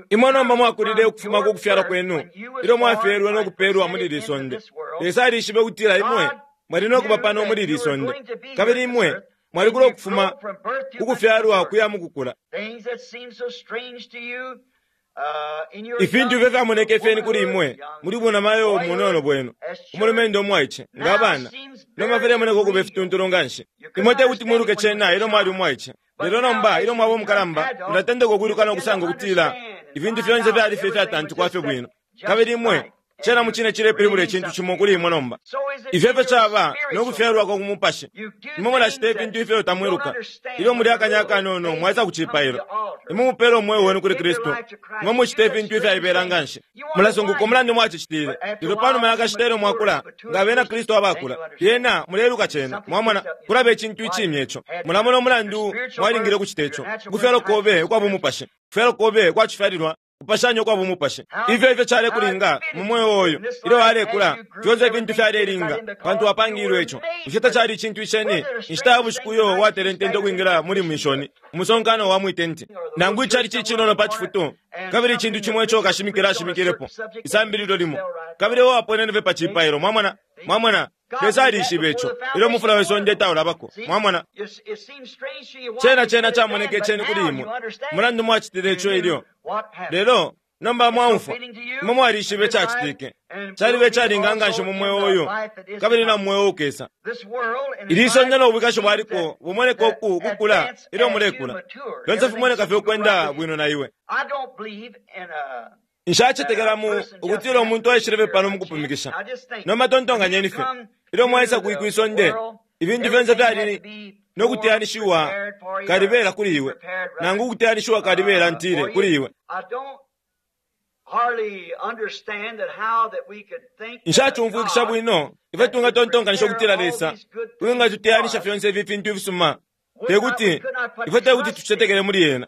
Imwe nomba mwakulile ukufuma ku kufyalwa kwenu, ilyo mwafyelwe no kupelwa muli ili sonde. Lesa alishibe ukutila imwe mwali no kuba pano muli ili sonde, kabili imwe mwalikula ukufuma ku kufyalwa kuya mu kukula. Ifintu ifyo fyamoneke fyeni kuli imwe muli bunamayo munono bwenu, umulumendo umwaice, nga abana, nomba filemoneka ukuba ifituntulu nga nshi. Imwe te kuti mwiluke cena ilyo mwali umwaice, lelo nomba ilyo mwaba umukalamba, mulatendeka ukwiluka no kusanga ukutila ifintu fyonse fyali fye ifyatantikwa fye bwino. Kabili imwe cena mucine cilepilibula icintu cimo kuli imwe nomba. Ifyo efyo caba no kufyalwa kwa ku mupashi. Imwe mulacita ifintu ifyo tamwiluka. Ilyo muli akanya akanono mwaisa ku cipailo, imwe mupela umweo wenu kuli Kristu, imwe mucita ifintu ifyaibela nga nshi. Mulasunguka umulandu mwacicitile. Lelo panuma ya kashita ilyo mwakula nga abena Kristu abakula, lyena muleluka cena. Mwamona, kulaba icintu icimya ico. Mulamona umulandu mwalingile ukucita ico. Ukufyalwa kobe ukwa bumupashi, kufyalwa kobe kwa cifyalilwa kupashanya ukwa bumupashi. Ifyo ifyo calekulinga mu mweo uyu ilyo alekula, fyonse ifintu fyalelinga pantu wapangilwe ico. Bushe tacali icintu iceni inshita ya bushiku uyo watelentente ukwingila muli mwishoni umusonkano wa mwitenti, nangu icali cicinono pa cifutu, kabili icintu cimo ico kashimikila ashimikilepo isambililo limo, kabili uwaponene fye pa cipailo. Mwamona, mwamona, Lesa alishibe ico ilyo mufula we sonde taulabako. Mwamona, cena cena camoneke ceni kuli imwe mulandu mwacitile ico ilyo, lelo nomba mwaumfwa, imwe mwalishibe cacitike. Calibe calinga nga nshi mu mweo uyu kabili na mweo ukesa. Ili sonde no bwikashi bwaliko bumoneka uku kukula ilyo mulekula, fyonse fimoneka fye ukwenda bwino na iwe. Nshacetekela mu ukutila umuntu aishile fye pano mukupumikisha. Nomba tontonkanyeni fye, ilyo mwaisa kwi sonde, ifintu fyonse fyali no kuteyanishiwa kalibela kuli iwe, nangu ukuteyanishiwa kalibela ntile kuli iwe. Nshacumfwikisha bwino ifyo tungatontonkanisha ukutila Lesa uwingatuteyanisha fyonse ifi fintu ifisuma, tekuti ifwe tekuti tucetekele muli ena,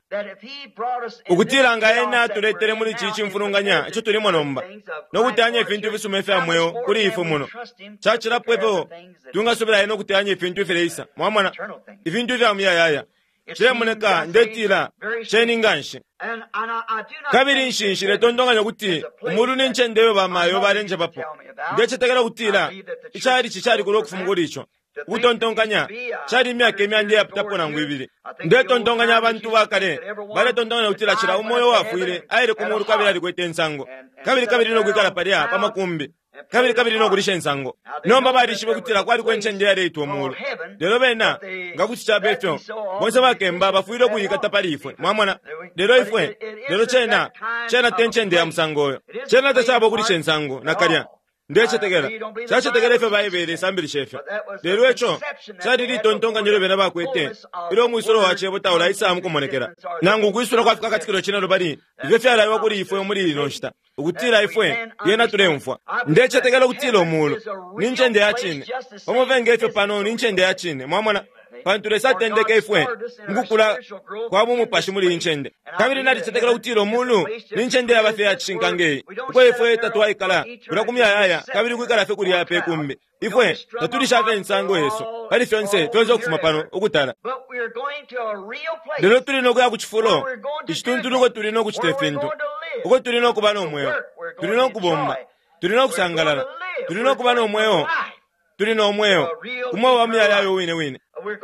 ukutila nga ena atuletele muli ici cimfulunganya ico tulimo nomba no kuteyanya ifintu ifisuma ifya mweo kuli ifwe muno, cacilapo ifyo tungasubila ena ukuteyanya ifintu ifileisa. Mwamona, ifintu ifya muyayaya cilemoneka ndetila ceni nga nshi. Kabili nshinshile tontonkanya ukuti umulu ni ncende iyo bamayo balenjebapo. Ndecetekela ukutila icalici calikula ukufuma kuli ico ukutontonkanya cali imyaka imyanda iyapitapo nangu ibili. Ndetontonkanya abantu bakale baletontonkanya ukutila cila umo uyo wafwile aile ku mulu kabili alikwete insango, kabili kabili no kwikala palya pa makumbi, kabili kabili no kulisha insango. Nomba balishibe ukutila kwaliko incende iyaleitwa umulu, lelo bena nga kuti caba ifyo bonse bakemba bafwile ukuyikata pali ifwe. Mwamona, lelo ifwe, lelo cena cena te ncende ya musango uyo. Cena tacaba ukulisha insango nakalya. Ndecetekela. Nshacetekela ifyo Baibele isambilisha ifyo. Lelo ico cali litontonkanyo ilyo bena bakwete ilyo umwisulo wa Cebo taulaisa mukumonekela, nangu ukwisula kwa Fikakatikilo Cinelubali ifyo fyalaiwa kuli ifwe muli ino nshita, ukutila ifwe lyena tuleumfwa. Ndecetekela ukutila Umuulu ni ncende ya cine, pamo fye nge fyo pano ni ncende ya cine. Mwamona? Pantu Lesa atendeke ifwe mukukula kwa bumupashi muli iyi ncende. Kabili nalicetekela ukutila Umuulu ni ncende yaba fye iyacishinka nge iyi, uko ifwe tatwaikala kulya ku muyayaya kabili ukwikala fye kulya pe kumbi. Ifwe tatulisha fye imisango yesu pali fyonse, fyonse ukufuma pano ukutala. Lelo tuli no kuya ku cifulo icituntulu uko tuli no kucita ifintu, uko tuli no kuba no mweo, tuli no kubomba, tuli no kusangalala, tuli no kuba no mweo, tuli no mweo, umweo wa muyayaya uwine wine.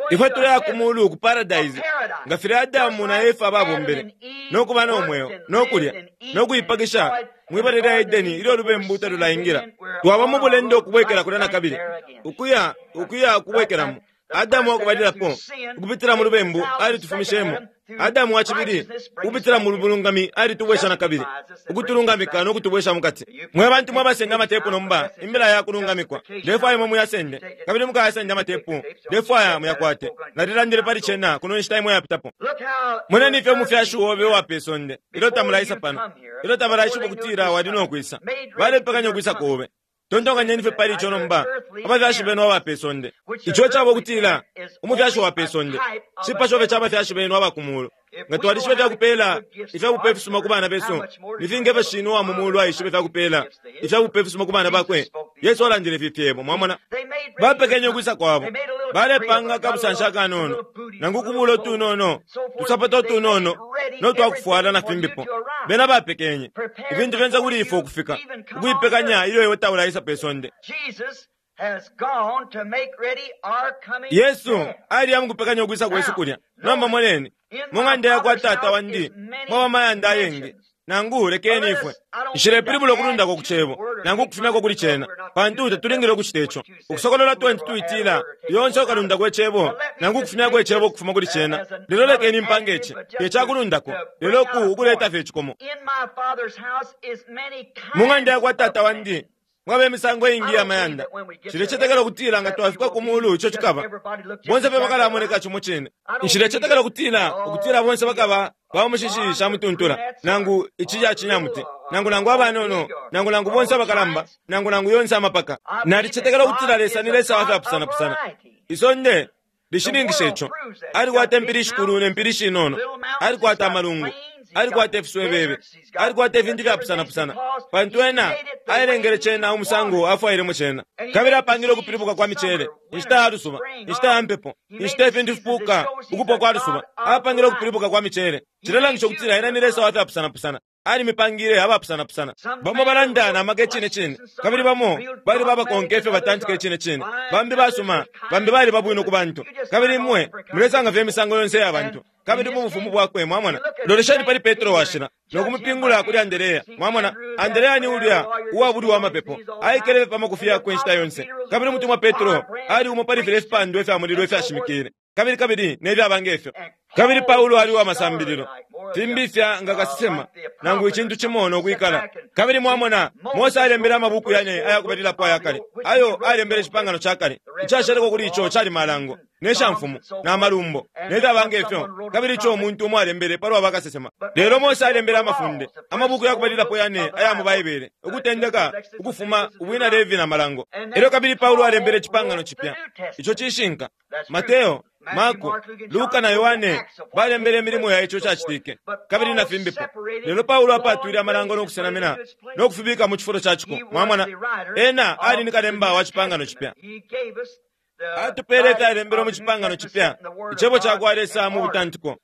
Ifwe tuleya ku mulu ku paradise, nga filya Adamu na Efa babombele, no kuba no mweo, no kulya, no kuipakisha mwibala lya Edeni ilyo ulubembu talulaingila. Twaba mu bulendo ukubwekela kulya nakabili, ukuya, ukuya ukubwekelamo. Adamu wakubalilapo, ukupitila mu lubembu, alitufumishemo. Adamu wa cibili, ukupitila mu bulungami, alitubwesha nakabili, ukutulungamika no kutubwesha mukati. Mwe bantu mwabasenda amatepu nomba, imbila ya kulungamikwa, ndefwaya imwe muyasende, kabili mukayasende amatepu, ndefwaya muyakwate. Nalilandile pali cena kuno nshita imo yapitapo. Moneni ifyo umufyashi obe uwa pe sonde, ilyo tamulaisa pano, ilyo tabalaishiba ukutila wali no kwisa, balepekanya ukwisa kobe. Tontonkanyeni fye pali ico nomba, abafyashi benu aba pe sonde. Ico caba ukutila umufyashi wa pe sonde cipasho fye ca bafyashi benu aba ku muulu. Nga twalishiba ifya kupeela ifya bupe ifisuma ku bana besu, ni finga ifyo Shinwe uwa mu muulu aishiba ifya kupeela ifya bupe ifisuma ku bana bakwe? Yesu alandile ifi fyebo, mwamona. Bapekenye ukwisa kwabo. Balepanga akabusanshi akanono, nangu ukubuula utunono, utusapato utunono, no twa kufwala na fimbipo. Bena bapekenye ifintu fyonse kuli ifwe ukufika, ukuipekanya ilyo iwe taulaisa pe sonde. Yesu aliya mukupekanya ukwisa kwesu kulya. Nomba moneni, mu ng'anda ya kwa Tata wandi mwaba amayanda ayengi. Nangu lekeni ifwe. Nshilepilibula ukulundako ku Cebo, nangu ukufumyako kuli Cena, pantu tatulingile ukucita ico. Ukusokolola 22 itila, Yonse ukalundako Icebo, nangu ukufumyako Icebo ukufuma kuli Cena. Lelo lekeni mpange ici, te ca kulundako, lelo ku ukuleta fye icikomo. Mu ng'anda ya kwa Tata wandi mwaba imisango iingi iya mayanda. Nshilecetekela ukutila nga twafika ku mulu ico cikaba. Bonse fye bakalamoneka cimo cine. Nshilecetekela ukutila ukutila bonse bakaba ba mushishi sha mutuntula, nangu ici ca cinyamuti, nangu nangu abanono, nangu nangu bonse abakalamba, nangu nangu yonse amapaka. Nalicetekela ukutila Lesa ni Lesa wa fyapusanapusana. Isonde lishininkisha ico. Alikwata impili ishikulu ne mpili ishinono. Alikwata amalungu. Alikwata ifiswebebe. Alikwata ifintu ifyapusanapusana. Pantu Ena ailengele cena umusango afwailemo cena. Kabili apangile ukupilibuka kwa miceele, inshita ya lusuba, inshita ya mpepo, inshita ifintu fipuuka, ukupwa kwa lusuba. Apangile ukupilibuka kwa miceele. Cilelangisha ukutila Ena ni Lesa wa fyapusanapusana. Alimipangile abapusanapusana. Bamo balanda na maka icine cine, kabili bamo baliba abakonka ifyo batantika icine cine. Bambi basuma, bambi baliba bwino ku bantu. Kabili imwe mulesanga fye imisango yonse iya bantu. Kabili mu bufumu bwakwe, mwamona. Lolesheni pali Petro washila, no kumupingula kuli Anderea. Mwamona, Anderea ni ulya uwabulwa amapepo. Aikele fye pa makufi yakwe inshita yonse. Kabili umutumwa Petro ali umo pali filya ifipandwa ifya mulilo ifyashimikile. Kabili kabili ne fyaba nge fyo. Kabili Paulo ali uwa masambililo, fimbi fya nga kasesema, nangu icintu cimo no kwikala. Kabili mwamona, Mose alembele amabuku yane aya kubalilapo aya kale, ayo alembele Icipangano ca Kale. Icashaleko kuli ico cali Malango, ne shamfumu, na malumbo, ne fyaba nge fyo, kabili ico umuntu umo alembele palwa bakasesema. Lelo Mose alembele amafunde, amabuku ya kubalilapo yane aya mu Baibele, Ukutendeka, Ukufuma, Ubwina Levi na Malango. Elyo kabili Paulo alembele Icipangano Cipya. Ico cishinka. Mateo, Marko, Luka na Yohane balembele imilimo ya ico cacitike, kabili na fimbipo. Lelo Paulo apaatwile Amalango no kusenamina no kufibika mu cifulo ca ciko. Mwamona, ena ali ni kalemba wa Cipangano Cipya. Atupeele ifyalembelwe mu Cipangano Cipya, Icebo ca kwa Lesa mu butantiko.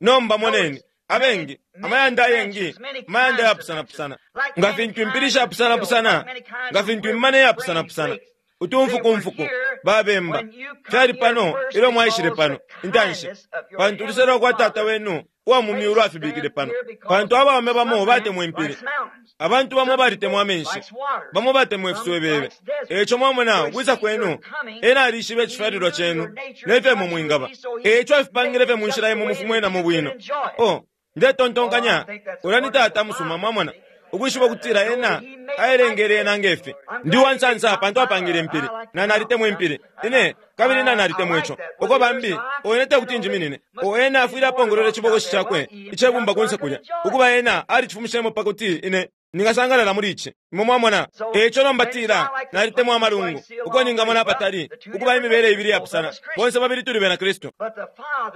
Nomba moneni, abengi, amayanda ayengi, amayanda ayapusanapusana. Nga fintu impili shapusanapusana, nga fintu imimana iyapusanapusana, utumfukumfuku, babemba, fyali pano ilyo mwaishile pano, intanshi, pantu uluse lwa kwa Tata wenu uwa mu myulu afibikile pano. Pantu abaume bamo batemwa impili, abantu bamo balitemwa amenshi, bamo batemwa ifiswebebe. E ico mwamona ukwisa kwenu, ena alishiba icifyalilwa cenu ne fyo imwe mwingaba. E ico afipangile fye mu nshila imwe mufumwenamo bwino. Oh, ndetontonkanya, ulya ni Tata musuma, mwamona. Ukwishiba ukutila Ena aelengele ena nge fi. Ndi uwansansa pantu apangile impili, na nalitemwa impili. Ine, kabili na nalitemwa ico. Uko bambi, o ine tekuti njiminine. O ena afwile apongolwele icibokoshi cakwe icebumba kunse kulya. Ukuba ena alicifumishemo pakuti ine ningasangalala muli ici. Imwe mwamona? E ico nomba tila, nalitemwa amalungu, uko ningamona apatali, ukuba imibele ibili iyapusana. Bonse babili tuli bena Kristu.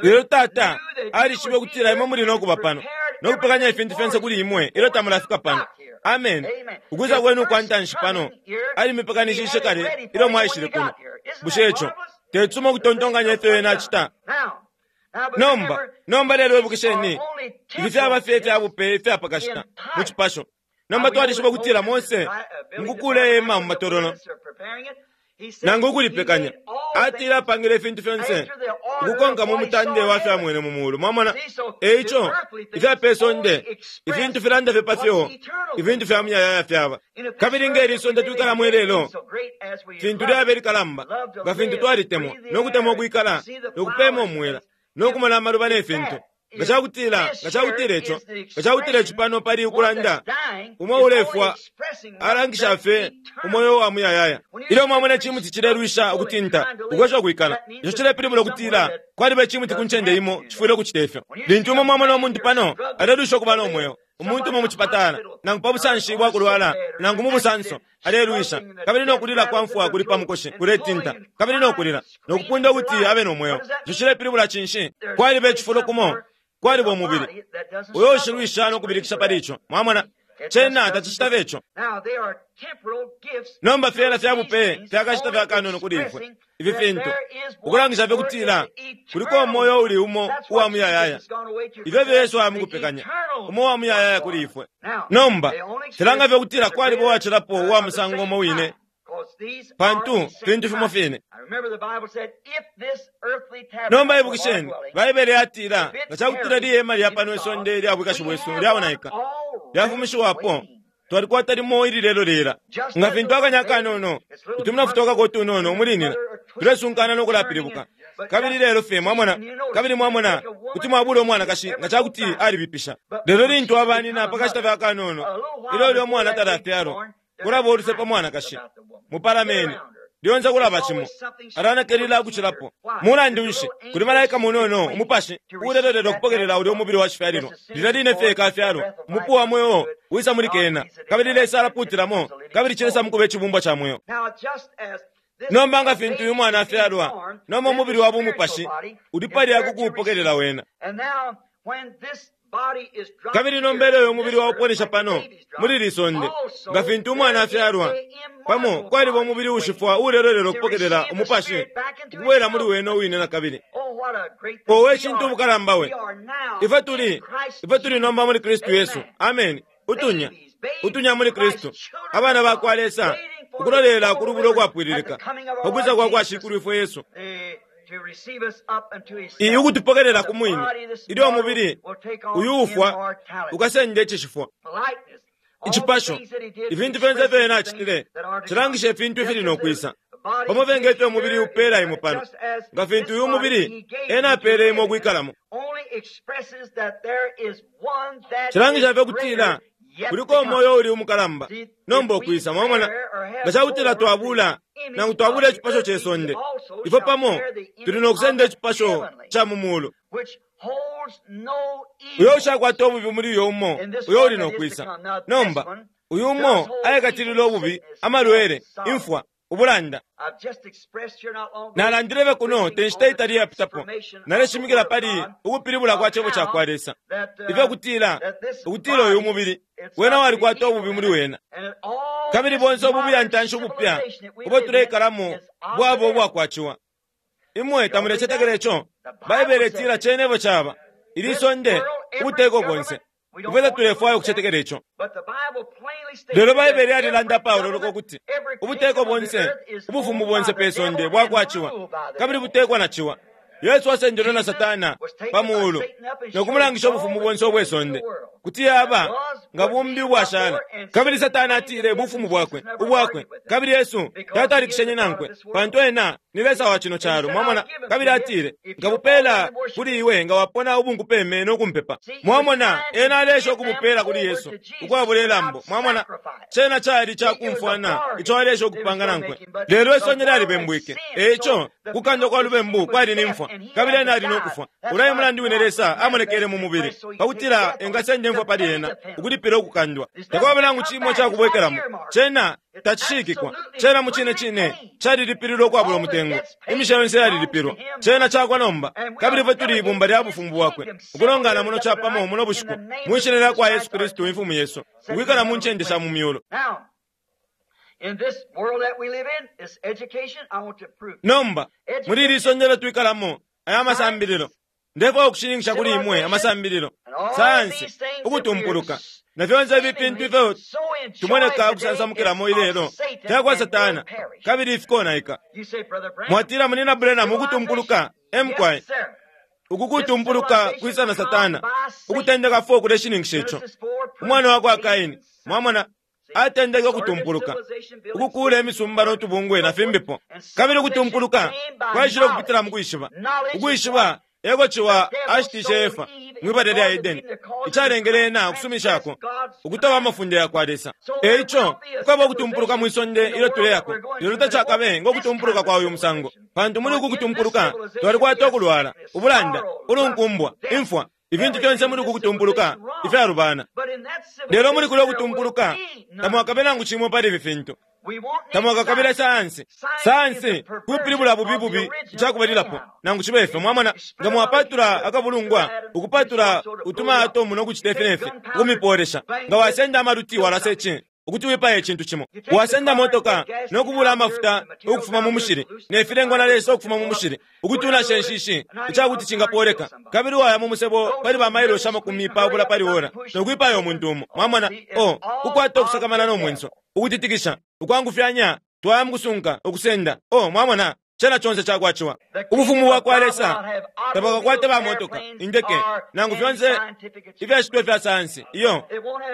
Lelo Tata alishibe ukutila imwe muli no kuba pano, no kupekanya ifintu fyonse kuli imwe ilyo tamulafika pano. Amen. Ukwisa kwenu ukwa ntanshi pano, alimipekanishishe kale ilyo mwaishile kuno. Bushe ico te cisuma ukutontonkanya ifyo ena acita? Nomba, nomba lelo ibukisheni, ifi fyaba fye ifya bupe ifya pa kashita mu cipasho. Nomba twalishiba ukutila Mose mukukuula ihema mu matololo nangu ukulipekanya, atile apangile ifintu fyonse ukukonka mu mutande wa fyamwene mu muulu. Mwamona? E ico, ifya pe sonde, ifintu filanda fye pa fyo ifintu fya muyayaya fyaba. Kabili nge li sonde twikalamo ilelo, fintu lyaba ilikalamba, nga fintu twalitemwa, no kutemwa ukwikala, no kupeema umwela, no kumona amaluba ne fintu. Nga cakutila, nga cakutila ico, nga cakutila ici pano pali ukulanda, umo ulefwa alangisha fye umweo wa muyayaya. Ilyo mwamona icimuti cilelwisha ukutinta, ukwesha ukwikala, ico cilepilibula ukutila kwaliba icimuti ku ncende imo cifwile ukucita ifyo. Lintu imwe mwamona umuntu pano alelwisha ukuba no mweo, umuntu umo mu cipatala, nangu pa busanshi bwa kulwala, nangu mu busanso, alelwisha, kabili no kulila kwa mfwa kuli pa mukoshi kuletinta, kabili no kulila, no kupunda ukuti abe no mweo. Ico cilepilibula cinshi? Kwaliba icifulo kumo, kwaliba umubili uyo ushilwisha no kubilikisha pali ico. Mwamona? Cena tacicitave ico. Nomba fyena fya bupe fya kashita fya kanono kuli ifwe, ifi fintu, ukulangisha fye kutila kuliko umoyo uli umo uwa muyayaya. Ifyo efyo Yesu aya mukupekanya, umo uwa muyayaya kuli ifwe. Nomba, filanga fye kutila kwaliba uwacilapo uwa musango umo wine, pantu fintu fimo fine. Nomba ibukisheni, Baibele yatila, nga ca kutila lihema lya pano isonde ilya bwikashi bwesu lyaonaika, lyafumishiwapo, twalikwata limo ililelo-lela. Nga fintu akanya akanono, utumina futokako utunono umulinina, tulesunkana no kulapilibuka. Kabili lelo fye, mwamona, kabili mwamona, kuti mwabula umwanakashi nga ca kuti alibipisha. Lelo lintu abanina pa kashita fye akanono, ilyo ulya umwana talafyalwa, kulaba uluse pa mwanakashi. Mupalameni. Lyonse kulaba cimo. Alanakelila ukucilapo. Mulandu nshi? Kuli malaika munono, umupashi, uulelolela ukupokelela ulya umubili wa cifyalilwa. Lilya line fye kafyalwa, umupu wa mweo wisa muli kena, kabili Lesa alapuutilamo, kabili cilesa mukuba icibumbwa ca mweo. Nomba nga fintu uyu mwana afyalwa, nomba umubili wa bumupashi uli palya ku kuupokelela wena. Kabili nomba ilyo uyu mubili wauponesha pano, muli li sonde, nga fintu umwana afyalwa, pamo kwaliba umubili uushifwa uulelolela ukupokelela umupashi ukubwela muli wene uwine na kabili. Owe cintu ubukalamba we! Ifwe tuli, ifwe tuli nomba muli Kristu Yesu. Ameni. Utunya, utunya muli Kristu, abana ba kwa Lesa, ukulolela ku lubulo ukwapwililika, pa kwisa kwa kwa Shikulwifwe Yesu. Iyi ukutupokelela ku mwine, ilyo umubili uyu ufwa ukasenda icishifwa. Icipasho, ifintu fyonse ifyo ena acitile, cilangisha ifintu ifili no kwisa. Pamo fye nge fyo umubili upeela imwe pano, nga fintu uyu mubili ena apeele imwe ukwikalamo. Cilangisha fye ukutila kuliko umoyo uli umukalamba nomba ukwisa. Mwamona, nga ca kutila twabula nangu twabula icipasho ce sonde, ifwe pamo tuli no kusenda icipasho ca mu mulu. Uyo ushakwata ububi muli uyo umo uyo uli no kwisa. Nomba, uyu umo aikatilila ububi, amalwele, imfwa, ubulanda. Nalandile kuno te nshita itali iyapitapo, naleshimikila pali ukupilibula kwa Cebo ca kwa Lesa, ifyo kutila, ukutila uyu mubili wena walikwata ububi muli wena. Kabili bonse ubu buyantanshi ubupya ubo tuleikalamo bwaba ubwakwaciwa. Imwe tamulecetekela ico? Baibele itila cene efyo caba. Ili sonde, ubuteko bonse, ifwe tatulefwaya ukucetekela ico. Lelo Baibele yalilanda apaololoka ukuti ubuteko bonse, ubufumu bonse pe sonde bwakwa ciwa, kabili butekwa na ciwa. Yesu asendelwe na Satana pa muulu no kumulangisha ubufumu bonse ubwe sonde, kuti yaba nga bumbi ubwashala. Kabili Satana atile bufumu bwakwe ubwakwe, kabili Yesu tatalikishenye nankwe, pantu ena ni lesa wa cino calo. Mwamona? Kabili atile, nkabupela kuli iwe nga wapona ubunkupeme no kumpepa. Mwamona, ena aleesha ukubupela kuli Yesu ukwabula ilambo. Mwamona, cena cali cakumfwana ico aleesha ukupanga nankwe, lelo isonde lyalibembwike. E ico kukandwa kwa lubembu kwali ni mfwa, kabili ena ali no kufwa. Ulya e mulandu wine Lesa amonekele mu mubili, pakutila engasenda imfwa pali ena, ukulipila ukukandwa. Takwaba nangu cimo icakubwekelamo. Cena tacishikikwa. Cena mucine cine calilipililwe ukwabula umutengo. Imisha yonse yalilipilwa. Cena cakwa nomba. Kabili ifwe tuli ibumba lya bufumu bwakwe, ukulongana muno capamo muno bushiku, mwi Shina lyakwa Yesu Kristu Imfumu yesu, ukwikala mu ncende sha mu myulu. Nomba, muli ili sonde ilyo twikalamo, aya masambililo, ndefwaya ukushininkisha kuli imwe amasambililo, sayansi, ukutumpuluka, na fyonse ifi fintu ifyo tumoneka ukusansamukilamo ilelo fyakwa Satana, kabili fikonaika. Mwatila, Munyina Branham, ukutumpuluka? E mukwai. Uku kutumpuluka kwisa na Satana. Ukutendeka 4 kuleshininkisha ico. Umwana wa kwa Kaini, mwamona, atendeke ukutumpuluka, ukukuula imisumba no tubungwe na fimbipo. Kabili ukutumpuluka kwaishile ukupitila mu kwishiba. Ukwishiba eko Ciwa ashitishe Efa mwi bala lya Edeni, icalengele ena ukusumishako ukutoba amafunde ya kwa Lesa. E ico, kukaba ukutumpuluka mwi sonde ilyo tuleyako, lelo tacakabe ngo kutumpuluka kwa uyu musango, pantu muli uku kutumpuluka twalikwata ukulwala, ubulanda, ulunkumbwa, imfwa, ifintu fyonse muli uku kutumpuluka ifyalubana. Lelo muli kulya ukutumpuluka tamwakabe nangu cimo pali ifi fintu. Tamwakakabila sayansi. Sayansi kupilibula bubi bubi icakubalilapo, nangu cibe ifyo. Mwamona, nga mwapatula akabulungwa, ukupatula utuma atomu no kucita ifi ne fi, ukumipolesha. Nga wasenda amaluti walasa ici, ukuti wipaye icintu cimo. Wasenda motoka no kubula amafuta ukufuma mu mushili, ne filengwa na Lesa ukufuma mu mushili, ukuti unashe inshishi icakuti cingapoleka. Kabili waya mu musebo pali ba mailoshi 20 pali ora, no kwipaya umuntu umo. Mwamona, oh, kukwata ukusakamana no mwenso, ukutitikisha, ukwangufyanya, twaya mukusunka, ukusenda. Oh, mwamona, cena conse cakwa Ciwa. Ubufumu bwakwa Lesa tabwakakwate ba motoka, indeke, nangu fyonse ifyashitwa ifya sayansi. Iyo,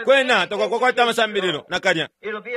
kwena takwakakwata amasambililo nakalya.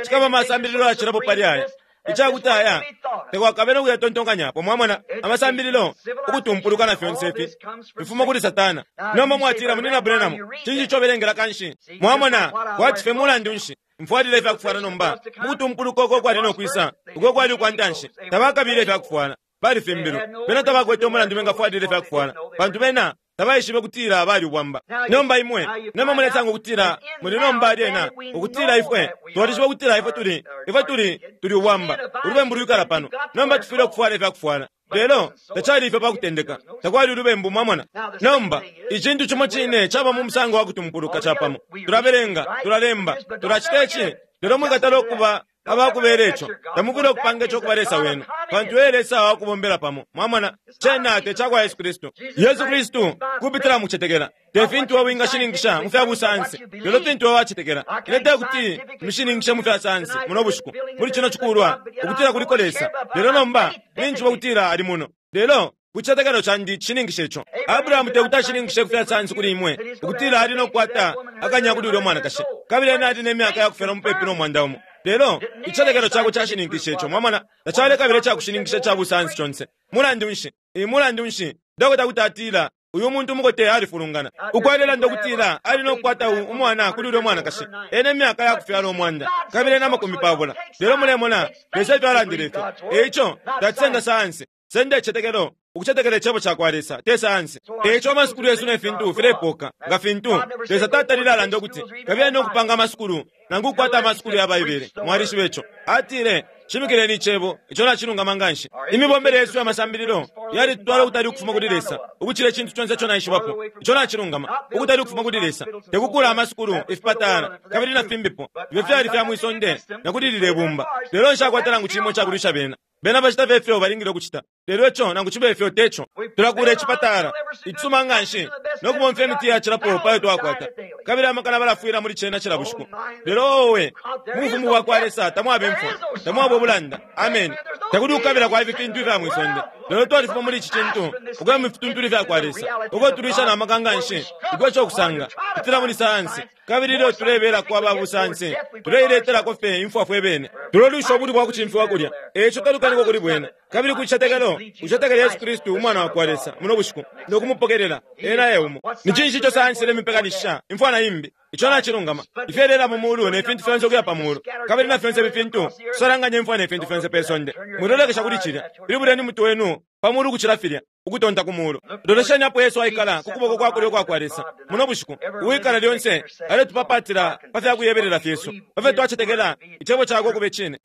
Cikaba amasambililo yacilapo pali aya, icakuti aya takwakabe no kuyatontonkanyapo. Mwamona, amasambililo, ukutumpuluka na fyonse ifi fifuma kuli Satana. Nomba mwatila, Munyina Branham, cinshi ico ubelengela kanshi? Mwamona, kwati fye mulandu nshi mfwalile ifya kufwala nomba? Mukutumpuluka uko kwali no kwisa, uko kwali ukwa ntanshi, tabakabile ifya kufwala. Balifimbilwe. Bena tabakwete umulandu bengafwalila ifya kufwala, pantu bena tabaishibe ukutila bali ubwamba. Nomba imwe, nomba mulesanga ukutila muli nomba lyena, ukutila ifwe twalishiba ukutila ifwe tuli, ifwe tuli, tuli ubwamba. Ulubembu lwikala pano. Nomba tufwile ukufwala ifya kufwala. Lelo tacali ifyo pa kutendeka. Takwali ulubembu, mwamona. Nomba, icintu cimo cine caba mu musango wa kutumpuluka capamo. Tulabelenga, tulalemba, tulacita ici, lelo mwikatala ukuba abakubela ico. Tamufwile ukupanga ico kuba Lesa wenu, pantu e Lesa wa kubombela pamo. Mwamona, cena te cakwa Yesu Kristu. Yesu Kristu kupitila mu kucetekela, te fintu iwe wingashininkisha mu fya busayansi, lelo fintu iwe wacetekela. Ine te kuti mishininkishe mu fya sayansi muno bushiku, muli cino cikulwa, ukutila kuliko Lesa, lelo nomba ninjishiba ukutila Ali muno. Lelo ku cicetekelo candi cishininkisha ico. Abrahamu te kuti ashininkishe ku fya sayansi kuli imwe ukutila ali no kukwata akanya kuli ulya mwanakashi, kabili ena ali ne myaka ya kufyalwa mupepi no mwanda umo. Lelo icicetekelo cakwe cashininkishe ico. Mwamona, tacalekabila icakushininkisha ica busayansi conse. Mulandu nshi, ee, mulandu nshi, dokota kuti atila, Uyu muntu umukote alifulungana. Uko alelanda ukutila ali no kukwata u, umwana kuli ulya mwanakashi, ena imyaka ya kufyalwa 100 kabili ena 50. Lelo mulemona, Lesa efyo alandile ifyo. E ico, tacisenda sayansi. Senda icicetekelo, ukucetekela Icebo cakwa Lesa, te sayansi. E ico amasukulu yesu ne fintu filepoka, nga fintu, Lesa tatalile alanda ukuti, Kabiyeni no kupanga amasukulu, nangu ukukwata amasukulu ya Baibele. Mwalishiba ico. Atile, Shimikileni Icebo, ico nacilungama nganshi. Imibombele yesu ya masambililo yalitutwala ukutali ukufuma kuli Lesa ukucila icintu conse ico naishibapo. Ico nacilungama, ukutali ukufuma kuli Lesa. Te kukuula amasukulu, ifipatala, kabili na fimbipo, ifyo fyali fya mwi sonde na kuli lilye bumba. Lelo nshakwata nangu cimo ica kulwisha bena. Bena bacita fye ifyo balingile ukucita. Lelo ico nangu cibe ifyo te co. Tulakula icipatala icisuma nga nshi no kubomfya imiti yacilapo pa yo twakwata, kabili amakana balafwila muli cena cila bushiku. Lelo owe, mu Bufumu bwa kwa Lesa tamwaba imfwa, tamwaba ubulanda. Ameni. Takuli ukukabila kwa ifi fintu ifya mwi sonde. Lelo twalifuma muli ici cintu ukuya mu fituntulu ifya kwa Lesa, uko tulwisha na maka nga nshi ukwesha ukusanga kupitila muli sayansi. Kabili ilyo tulebelako aba busayansi, tuleiletelako fye imfwa fwe bene. Tulolwisha ubulwi bwa kucimfiwa kulya. E ico talukaniko kuli bwena. Kabili ku cicetekelo, ucetekele Yesu Kristu, Umwana wa kwa Lesa, muno bushiku, no kumupokelela. Ena e umo. Ni cinshi ico sayansi ilemipekanishisha? Imfwa na imbi. Ico nacilungama. Ifyelela mu muulu ne fintu fyonse ukuya pa muulu, kabili na fyonse ifi fintu, kusalanganya imfwa ne fintu fyonse pe sonde. Mwilolekesha kuli cilya. Pilibuleni umutwe wenu pa muulu ukucila filya, ukutonta ku muulu. Lolesheni apo Yesu aikala ku kuboko kwa kulyo ukwa kwa Lesa, muno bushiku, uwikala lyonse aletupapatila pa fya kuyebelela fyesu, pa fyo twacetekela Icebo cakwe ukube cine.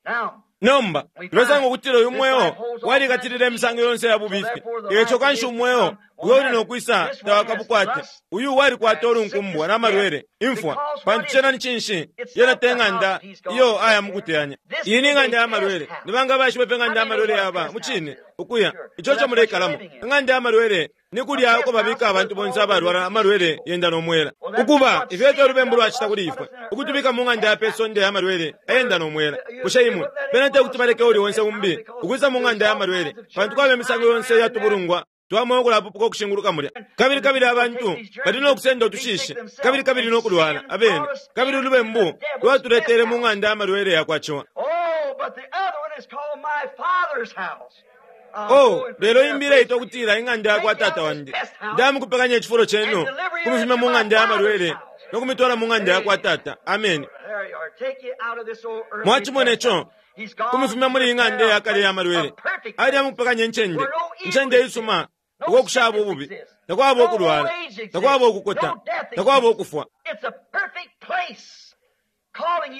Nomba, tulesanga ukutila uyu mweo walikatilila imisango yonse ya bubifi. Eco kanshi umweo uyo uli no kwisa tawakabukwate. Uyu walikwata ulunkumbwa na malwele, imfwa. Pantu cena ni cinshi? Yena te ng'anda iyo aya mu kuteyanya. Iyi ni ng'anda ya malwele. Ni banga abaishiba ifyo ing'anda ya malwele yaba? Mucine, ukuya. Ico eco muleikalamo. Ing'anda ya malwele ni kulya uko babika abantu bonse abalwala amalwele yenda no mwela. Ukuba, ifyo efyo ulubembu lwacita kuli ifwe, ukutubika mu ng'anda ya pe sonde ya malwele ayenda no mwela. Bushe imwe bena te kuti baleke uuli onse umbi ukwisa mu ng'anda ya malwele, pantu kwaba imisango yonse iya tubulungwa twa mweo ukulapupuka ukushinguluka mulya. Kabili, kabili abantu bali no kusenda utushishi, kabili, kabili no kulwala abene. Kabili ulubembu lwatuletele mu ng'anda ya malwele ya kwa ciwa. Oh, but the other one is called my Father's house. Oh, lelo imbi ileitwa ukutila ing'anda ya kwa tata wandi. Ndamukupekanya icifulo cenu, kumifumya mu ng'anda ya malwele no kumitwala mu ng'anda ya kwa tata. Ameni. Mwacimone co, kumifumya muli ing'anda ya kale ya malwele. Ali amukupekanya incende, incende isuma, uko kushaba ububi, takwaba ukulwala, takwaba ukukota, takwaba ukufwa.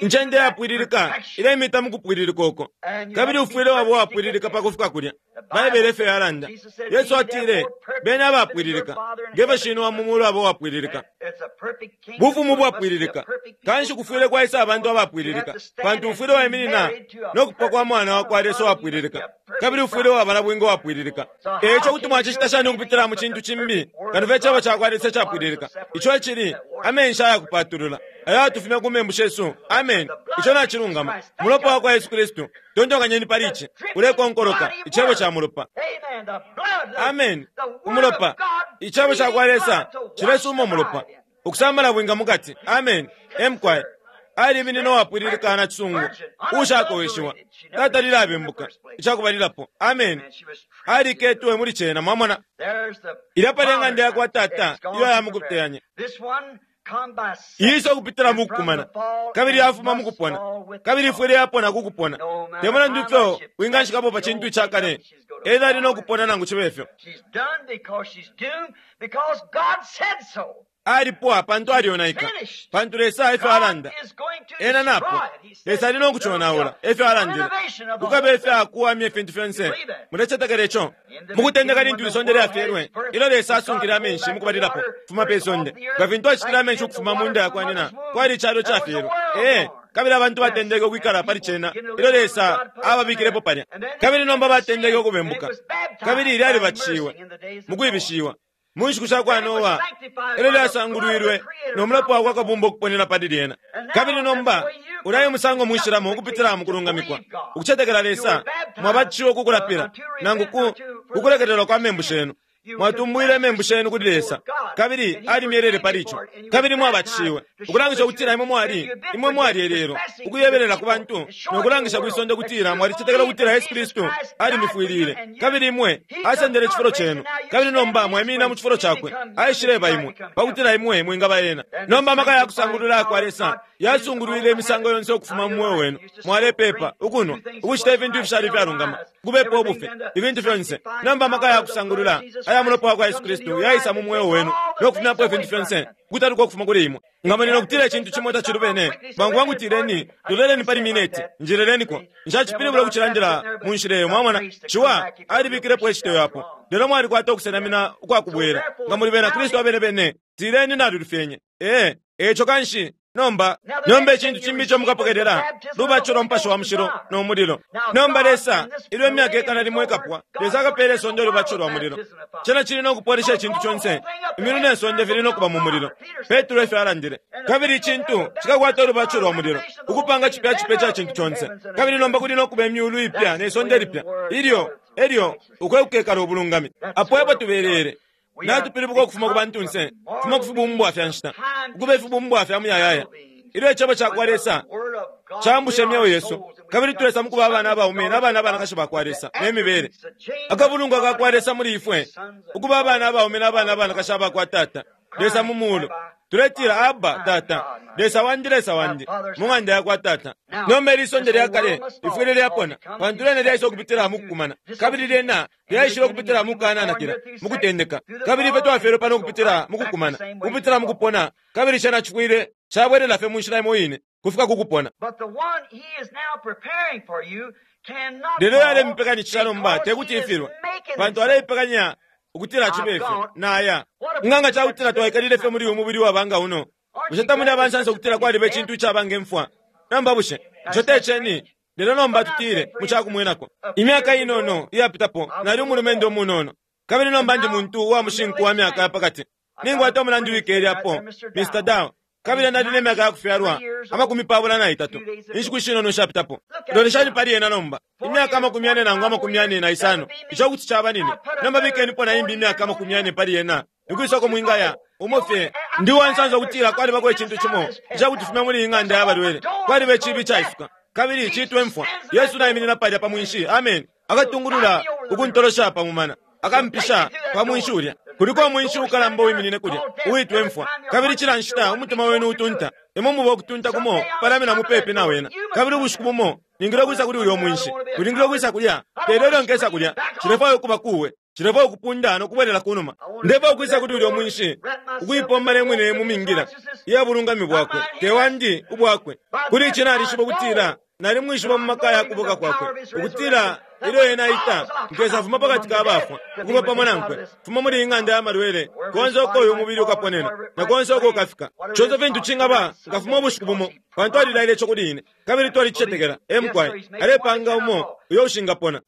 Incende yapwililika ilemita mu kupwililika uko, kabili ufwile waba uwapwililika pa kufika kulya. Baibele efyo yalanda. Yesu atile, Beni abapwililika, nge fyo Shinwe wa mu mulu aba uwapwililika. Bufumu bwapwililika. Kanshi kufwile kwaisa abantu abapwililika, pantu ufwile waiminina no kupwa kwa Mwana wa kwa Lesa uwapwililika, kabili ufwile waba na bwinga uwapwililika. E ico kuti mwacicita shani ukupitila mu cintu cimbi kano fye Icebo ca kwa Lesa icapwililika, ico icili amenshi ayakupatulula ayatufumya ku membu shesu? Ameni. Ico nacilungama. Mulopa wa kwa Yesu Kristu. Tontonkanyeni pali ici. Ulekonkoloka, Icebo ca mulopa. Ameni. Umulopa. Icebo ca kwa Lesa cilesuma umulopa. Ukusambala bwinga mukati. Ameni. Emkwai. Aliminine uwapwililika na cisungu, uushakoweshiwa. Tatalile abembuka, icakubalilapo. Ameni. Aliketwe muli cena, mwamona. Ilya pali ing'anda ya kwa Tata iyo aya mukuteyanya. Iisa ukupitila mu kukumana, kabili yafuma mu kupona, kabili ifwile yapona ku kupona. Te mulandu ifyo winganshikapo pa cintu ica kale, ena ali no kupona nangu cibe fyo. Alipwa pantu alyonaika, pantu Lesa efyo alanda. Ena napwa. Lesa ali no kuconaula, efyo alandile. Kukaba ifya kuwamya ifintu fyonse. Mulecetekela ico? Mu kutendeka lintu isonde lyafyelwe, ilyo Lesa asunkile amenshi mukubalilapo kufuma pe sonde, nga fintu acitile amenshi ukufuma mu nda ya kwa nyina, kwali icalo cafyelwe. Ee, kabili abantu batendeke ukwikala pali cena ilyo Lesa ababikilepo palya. Kabili nomba batendeke ukubembuka, kabili lyalibatishiwe mu kwibishiwa. Mu nshiku sha kwa Noa, elyo lyasangulwilwe no mulopa wa kwa Kabumba ukuponena pali lyena. Kabili nomba, ulya e musango mwishilamo ukupitila mu kulungamikwa, ukucetekela Lesa, mwabatishiwe ku kulapila, nangu ku, ku kulekelelwa kwa membu shenu. Mwatumbwile imembu shenu kuli Lesa, kabili alimyelele pali ico. Kabili mwabatishiwe, ukulangisha ukutila imwe mwali, imwe mwali elelo, ukuyebelela ku bantu, no kulangisha kwi sonde ukutila mwalicetekela ukutila Yesu Kristu alimifwilile, kabili imwe asendele icifulo cenu, kabili nomba mwaiminina mu cifulo cakwe, aishileba imwe, pa kutila imwe mwingaba ena. Nomba amaka ya kusangulula ayakwa Lesa yasungulwile imisango yonse ukufuma mu mweo wenu. Mwalepepa, ukunwa, ukucita ifintu ifishali ifyalungama, ukubepa ubufi, ifintu fyonse. Nomba amaka ya kusangulula aya mulopa wa kwa Yesu Kristu yaisa mu mweo wenu no kufumyapo ifintu fyonse ukutaluka ukufuma kuli imwe. Nga muli no kutila icintu cimo tacilubene, bwangu bwangu tileni, loleleni pali mineti, njelelenikwo. Nshacipilibula ukucilandila mu nshila iyo, mwamona. Ciwa alibikilepo iciteyo apo. Lelo mwalikwata ukusenamina ukwa kubwela. Nga muli bena Kristu abene bene, tileni nalilufyenye. Ee, e ico kanshi. Nomba, nomba icintu cimbi ico mukapokelela lubatisho lwa Mupashi wa Mushilo no mulilo. Nomba Lesa, ilyo imyaka ikana limo ikapwa, Lesa akapela isonde ulubatisho lwa mulilo. Cena cili no kupwalisha icintu conse. Imyulu ne sonde fili no kuba mu mulilo. Petro efyo alandile. Kabili icintu cikakwata ulubatisho lwa mulilo, ukupanga cipya cipya ica cintu conse. Kabili nomba kuli no kuba imyulu ipya ne sonde lipya. Ilyo, elyo, uko ekukekala ubulungami. Apo epo tubelele. Natupilibuka ukufuma ku bantunse, kufuma ku fibumbwa fya nshita, ukuba ifibumbwa fya muyayaya. Ilyo Icebo ca kwa Lesa caambusha imyeo yesu, kabili tulesa mu kuba abana abaume na bana abanakashi ba kwa Lesa ne mibele, akabulungwa ka kwa Lesa muli ifwe, ukuba abana abaume na bana abanakashi aba kwa Tata, Lesa mu mulu. Tuletila, Abba, Tata, Lesa wandi, Lesa wandi, mu ng'anda ya kwa Tata. Nomba ili isonde lya kale lifwile lyapona, pantu lyena lyaisa ukupitila mu kukumana, kabili lyena lyaishile ukupitila mu kukananakila, mu kutendeka. Kabili ifwe twafyelwe pano ukupitila mu kukumana, ukupitila mu kupona, kabili cena cifwile cabwelela fye mu nshila imo ine, kufika ku kupona. Lelo uyo alemipekanishisha nomba te kuti ifilwe, pantu aleipekanya ukutila cibe ifyo. Naya. Nga nga ca kutila twaikalile fye muli uyu mubili uwaba nga uno, bushe tamuli abansansa ukutila kwaliba icintu icaba nge mfwa? Nomba bushe ico te ceni? Lelo nomba tutile, mu ca kumwenako, imyaka inono iyapitapo nali umulumendo umunono, kabili nomba ndi muntu uwa mushinku wa myaka ya pa kati. Ninkwata umulandu wikele apo, Mr. Dow, kabili nali ne myaka ya kufyalwa 23 inshiku ishinono ishapitapo. Loleshani pali ena nomba, imyaka 40 nangu 45, ico kuti caba nine. Nomba bikenipo na imbi imyaka 40 pali ena, nikwisa uko mwingaya? Umo fye. Ndi uwansansa ukutila kwalibako icintu cimo icakutifumya muli iyi ng'anda ya balwele. Kwaliba iciibi icaisuka, kabili ciitwa imfwa. Yesu naiminina palya pa mwinshi, ameni, akatungulula ukuntolosha pa mumana. Akampisha pa mwinshi ulya. Kuliko umwinshi ukalamba uwiminine kulya, uwitwa imfwa. Kabili cila nshita umutima wenu utunta, imwe muba ukutunta kumo kupalamina mupepi na wena. Kabili ubushiku bumo ningile ukwisa kuli uyo mwinshi. Ulingile ukwisa kulya. Lelo ilyo nkesa kulya, nshilefwaya ukuba kuwe. Nshilefwaya ukupunda no kubwelela kunuma. Ndefwaya ukwisa kuli ulyo mwinshi, ukuipomba ne mwine mu mingila iya bulungami bwakwe, te wandi, ubwakwe. Kuli ici nalishiba ukutila Nalimwishiba mu maka ya kubuka kwakwe, ukutila ilyo ena aita, nkesafuma pa kati ka bafwa, ukuba pamo nankwe, fuma muli iyi ng'anda ya malwele, konse uko uyu mubili ukaponena, na konse uko ukafika. Conse fintu cingaba, nkafuma ubushiku bumo, pantu alilaile ico kuli ine, kabili twalicicetekela. Ee, mukwai. Alepanga umo uyo ushingapona.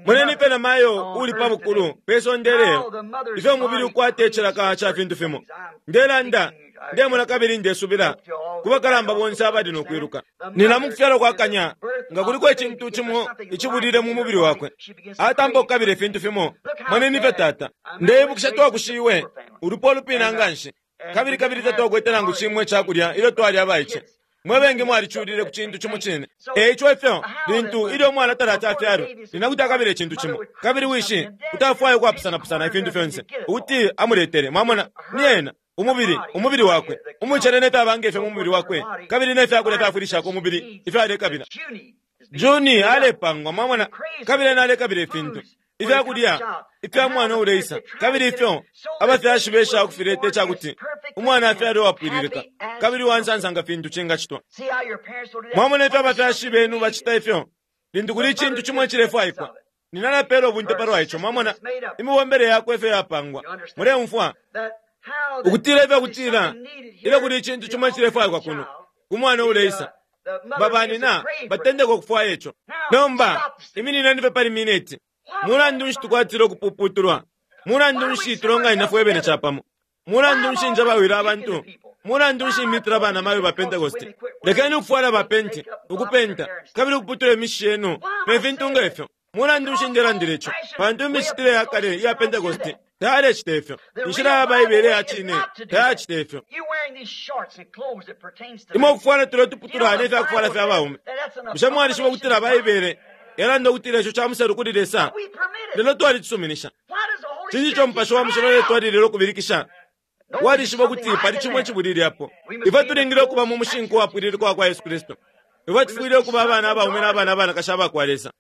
Moneni ifyo namayo uuli pa bukulu pe sonde ilelo, ifyo umubili ukwata icilaka ca fintu fimo. Ndelanda, ndemona kabili ndesubila ku bakalamba bonse abali no kwiluka. Nina mu kufyalwa kwa kanya, nga kuliko icintu cimo icibulile mu mubili wakwe, atampa ukukabila ifintu fimo. Moneni ifyo tata. Ndeibukisha twakushiwe, ulupwa ulupina nga nshi, kabili kabili tatwakwete nangu cimo ica kulya ilyo twali abaice. Mwe bengi mwaliculile ku cintu cimo cine. E ico ifyo, lintu ilyo umwana talati afyalwe, nyina kuti akabila icintu cimo, kabili wishi kuti afwaya ukwapusanapusana ifintu fyonse ukuti amuletele. Mwamona? Ni ena, umubili, umubili wakwe, umucele ne fyaba nge fyo mu mubili wakwe, kabili ne fya kulya fyafwilishako umubili ifyo alekabila. Juni alepangwa, mwamona, kabili ena alekabila ifintu, ifya kulya ifya mwana uleisa, kabili ifyo abafyashi besha ukufileta ica kuti umwana afyalwe uwapwililika kabili uwa nsansa nga fintu cingacitwa. Mwamona ifyo abafyashi benu bacita ifyo lintu kuli icintu cimo icilefwaikwa. Nina napeela ubunte palwa ico, mwamona, imibombele yakwe ifyo yapangwa. Muleumfwa? Ukutila ifyo kutila ilyo kuli icintu cimo icilefwaikwa kuno ku mwana uleisa, babanina batendeka ukufwaya ico. Nomba iminineni fye pali mineti. Mulandu nshi tukwatila ukupuputulwa? Mulandu nshi tulonganina fwe bene capamo? Mulandu nshi njabawila abantu? Mulandu nshi imitila banamayo ba Pentekoste? Lekeni ukufwala ba penti, ukupenta, kabili ukuputula imishishi yenu, ne fintu nge fyo. Mulandu nshi ndelandila ico? Pantu imicitile ya kale iya Pentekoste tayalecita ifyo. Inshila ya Baibele ya cine tayacita ifyo. Imwe ukufwala tulya tuputula ne fya kufwala fya baume. Bushe mwalishiba ukutila Baibele yalanda ukutila ico ca muselu kuli Lesa? Lelo twalicisuminisha. Cinshi ico Mupashi wa Mushilo uletwalilila ukubilikisha? Walishiba ukuti pali cimo icibulile apo. Ifwe tulingile ukuba mu mushinku wapwililika wa kwa Yesu Kristu. Ifwe tufwile ukuba abana abaume na abana abanakashi abakwa Lesa.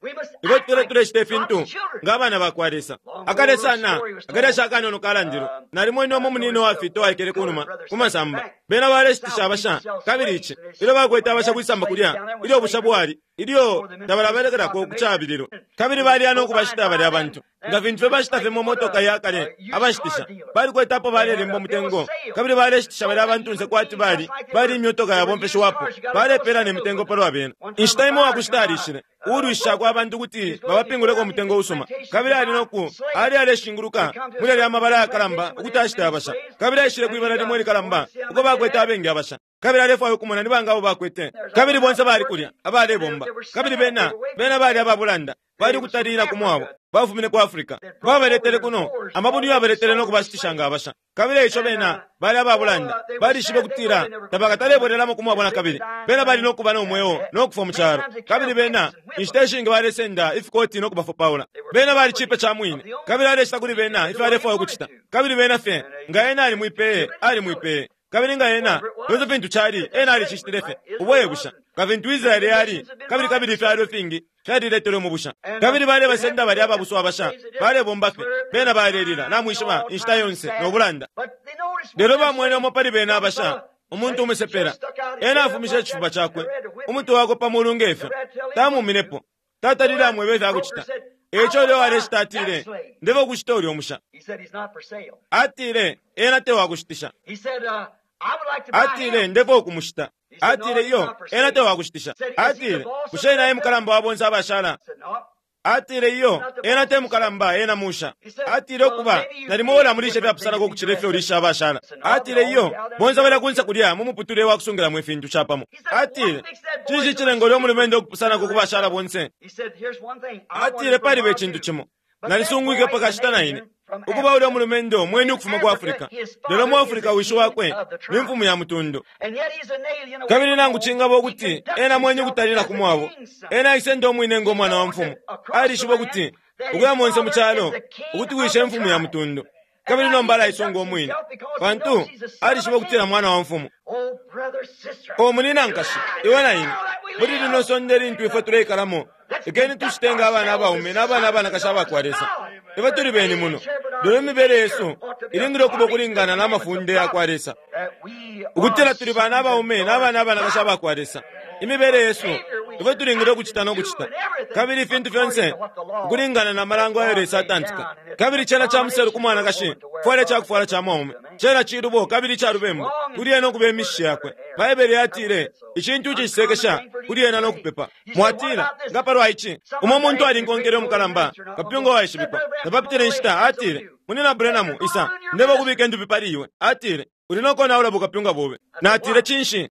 Ifwe tufwile tulecita ifintu nga abana bakwa Lesa. Akale sana, akalyashi akanono kalandilwe. Nalimwene umo munino uwafita uwaikele ku numa, ku masamba. Bena baleshitisha abasha, kabili ici, ilyo bakwete abasha kwisamba kulya, ilyo ubusha bwali, ilyo tabalabelekelako ku cabililwe. Kabili baliya no kubashita balya bantu. Nga fintu fye bashita fye mu motoka ya kale, abashitisha. Balikwete apo balelemba umutengo, kabili baleshitisha balya bantunse kwati bali, bali imyotoka yabomfeshiwapo. Balepeela ne mitengo palwa bena. Inshita imo uwakushita alishile, uulwisha kwa bantu kuti babapinguleko umutengo usuma. Kabili ali no ku, ali aleshinguluka muli yalya mabala yakalamba ukuti ashite abasha. Kabili aishile kwibala limo ilikalamba uko bakwete abengi abasha. Kabili alefwaya ukumona ni banga abo bakwete. Kabili bonse bali kulya, abalebomba. Kabili bena, bena bali ababulanda. Bali ukutalila ku mwabo. Bafumine ku Africa. Babaletele kuno, amabuni yabaletele no kubashitisha nga abasha. Kabili eico bena bali ababulanda. Balishibe kutila tabakatalebwelelamo ku mwabo na kabili. Bena bali no kuba no mweo no kufwa mu calo. Kabili bena inshita ishingi balesenda ifikoti no kubafopaula. Bena bali cipe ca mwine. Kabili aleshita kuli bena ifyo alefwaya ukucita. Kabili bena fye nga ena alimwipeye, alimwipeye. Kabili nga ena, fyonse fintu cali, ena alicishitile fye. Ubo e busha. Nga fintu Israele yali, kabili kabili ifyalo ifingi fyaliletelwe mu busha. Kabili balebasenda balya ababusu abasha, balebomba fye. Bena balelila, namwishiba, inshita yonse, no bulanda. Lelo bamwene umo pali bena abasha, umuntu umusepela. Ena afumishe icifuba cakwe, umutwe wakwe pa mulu nge fyo. Tamuminepo. Tatalile amwebe ifya kucita. Eico ulya uwaleshita atile, Ndeba ukushita ulya umusha. Atile, ena te wakushitisha. Atile, ndefwaya ukumushita. Atile, iyo, ena te wakushitisha. Atile, bushe ena e mukalamba wa bonse abashala? Atile, iyo, ena te mukalamba, ena musha. Atile, ukuba, nalimo ulamulisha ifyapusanako ukucila ifyo ulisha abashala. Atile, iyo, bonse abalya kunse kulya mu muputule wa kusungilamo ifintu capamo. Atile, cinshi cilenga ulya umulumendo ukupusanako ku bashala bonse? Atile, paliba icintu cimo. Nalisungwike pa kashita na ine. Ukuba ulya mulumendo mweni ukufuma ku Africa. Lelo mu Africa wishi wakwe ni mfumu ya mutundu. Kabili nangu cingaba ukuti ena mweni ukutalila ku mwabo, ena aisenda umwine ngo mwana wa mfumu. Alishiba ukuti ukuya monse mu calo ukuti wishe mfumu ya mutundu. Kabili nomba alaisonga umwine, pantu alishiba ukutila mwana wa mfumu. O munina nkashi, iwe na ine, muli lino sonde lintu ifwe tuleikalamo, lekeni tushite nga abana abaume na abana abanakashi abakwa Lesa. Ifwe tuli beni muno, lelo imibele yesu ilingile ukuba ukulingana na mafunde ya kwa Lesa. Ukutila tuli bana abaume na abana abanakashi abakwa Lesa. Imibele yesu, ifwe tulingile ukucita no kucita. Kabili ifintu fyonse ukulingana na malango ayo Lesa atantika. Kabili cena ca muselu ku mwanakashi, kufwala icakufwala ca mwaume. Cena cilubo kabili ca lubembu kuli ena ukuba imishishi yakwe. Baibele yatile, icintu icisekesha kuli ena no kupepa. Mwatila, nga palwa ici, umo muntu alinkonkele umukalamba, kapyunga uwaishibikwa. Tapapitile inshita, atile, Munina Branham, isa, ndeba ukubika indupi pali iwe. Atile, uli no konaula bukapyunga bobe. Natile, cinshi?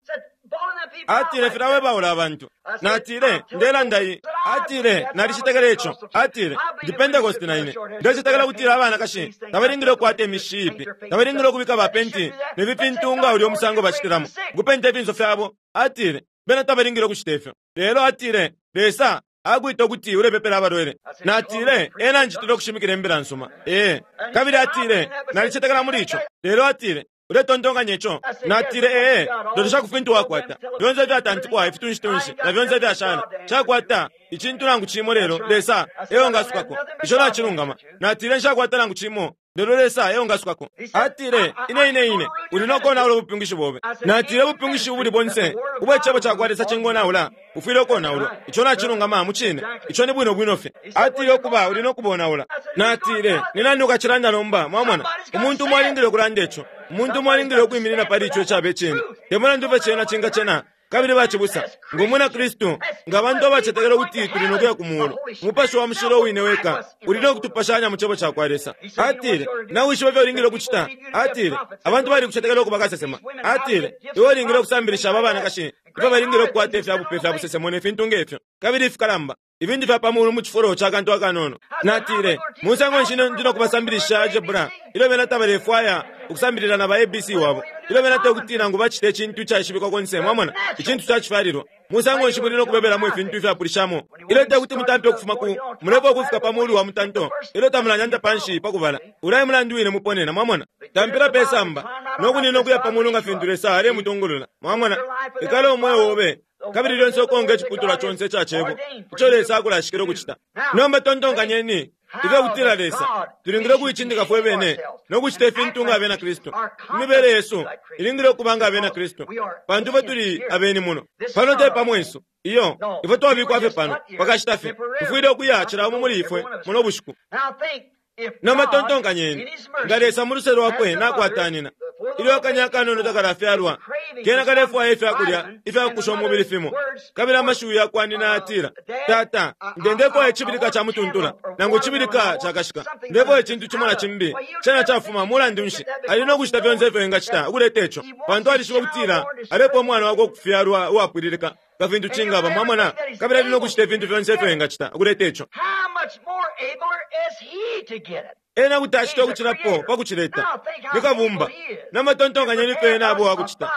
Atile, filawebaula abantu. Natile, ndelanda iyi. Atile, nalicitekela ico. Atile, ndi Pentecost na ine. Ndecetekela kutila abanakashi tabalingile ukukwata imishishi iipi, tabalingile ukubika ba penti ne fi fintu nga ulya umusango bacitilamo, ukupenta ifinso fyabo. Atile, bena tabalingile ukucita ifyo. Lelo atile, Lesa akwita ukuti ulepepela abalwele. Natile, ena anjitile ukushimikila imbila nsuma. Ee. Kabili atile, nalicetekela muli ico. Lelo atile, uletontonkanya ico? Natile, ee, lolesha ku fintu wakwata. Fyonse ifyatantikwa, ifitunshi-tunshi, na fyonse ifyashala. Nshakwata icintu nangu cimo lelo Lesa eo ngasukako. Ico nacilungama. Natile, nshakwata nangu cimo lelo Lesa eo ngasukako. Atile, ine ine ine, uli no konaula ubupyungishi bobe. Natile, ubupyungishi ubuli bonse ubwe Cebo cakwa Lesa cingonaula, bufwile ukonaulwa. Ico nacilungama, mucine. Ico ni bwino bwino fye. Atile, ukuba, uli no kubonaula. Natile, ni nani ukacilanda nomba? Mwamona? Umuntu umo alingile ukulanda ico. Umuntu umo alingile ukwiminina pali ico icaba icine. Te mulandu fye cena cingacena, kabili bacibusa, ngo mwina Kristu, nga bantu abacetekela ukuti tuli no kuya ku Muulu, Umupashi wa Mushilo uwine weka uli no kutupashanya mu Cebo cakwa Lesa. Atile, Nawishiba ifyo ulingile ukucita? Atile, Abantu balikucetekela ukuba kasesema. Atile, Iwe ulingile ukusambilisha aba banakashi ifyo balingile ukukwata ifya bupe fya busesemo ne fintu nge fyo, kabili ifikalamba, ifintu fya pa mulu mu cifulo ca kantu akanono. Natile, Musango nshi ndi no kubasambilisha algebra ilyo bena tabalefwaya ukusambilila na ba ABC wabo, ilyo bena te kuti nangu bacite icintu icaishibikwa konse, mwamona, icintu ca cifyalilwa? Musango nshi muli no kubebelamo ifintu ifyapulishamo ilyo te kuti mutampe ukufuma ku mulepo ukufika pa mulu wa mutanto ilyo tamulanyanta panshi pa kubala? Ulya e mulandu wine muponena, mwamona. Tampila pe samba no kunina ukuya pa mulu nga fintu Lesa alemutungulula, mwamona. Ikala umweo obe. Kabili lyonse ukonka iciputulwa conse ica Cebo ico Lesa akulashikila ukucita. Nomba tontonkanyeni ifyo kutila Lesa tulingile ukuicindika fwe bene no kucita ifintu nga abena Kristu. Imibele yesu ilingile ukuba nga abena Kristu, pantu ifwe tuli abeni muno. Pano te pa mwesu. Iyo, ifwe twabikwa fye pano pakashita fye. Tufwile ukuya cila umo muli ifwe muno bushiku. Nomba tontonkanyeni, nga Lesa mu luse lwakwe nakwatanina, ilyo akanya akanono takalafyalwa, kena kalefwaya ifya kulya ifya kukusha umubili fimo, kabili amashiwi ya kwa nina yatila, Tata, nde ndefwaya icibilika ca mutuntula, nangu icibilika cakashika, ndefwaya icintu cimo na cimbi, cena cafuma. Mulandu nshi, ali no kucita fyonse ifyo engacita ukuleta ico, pantu alishiba ukutila alepa umwana wakwe ukufyalwa uwapwililika nga fintu cingaba, mwamona, kabili ali no kucita ifintu fyonse ifyo engacita ukuleta ico. How much more abler is he to get it? Ena kuti acita ukucilapo pa kucileta. Ni kabumba. Namatontonkanyeni ifyo ena abo wakucita.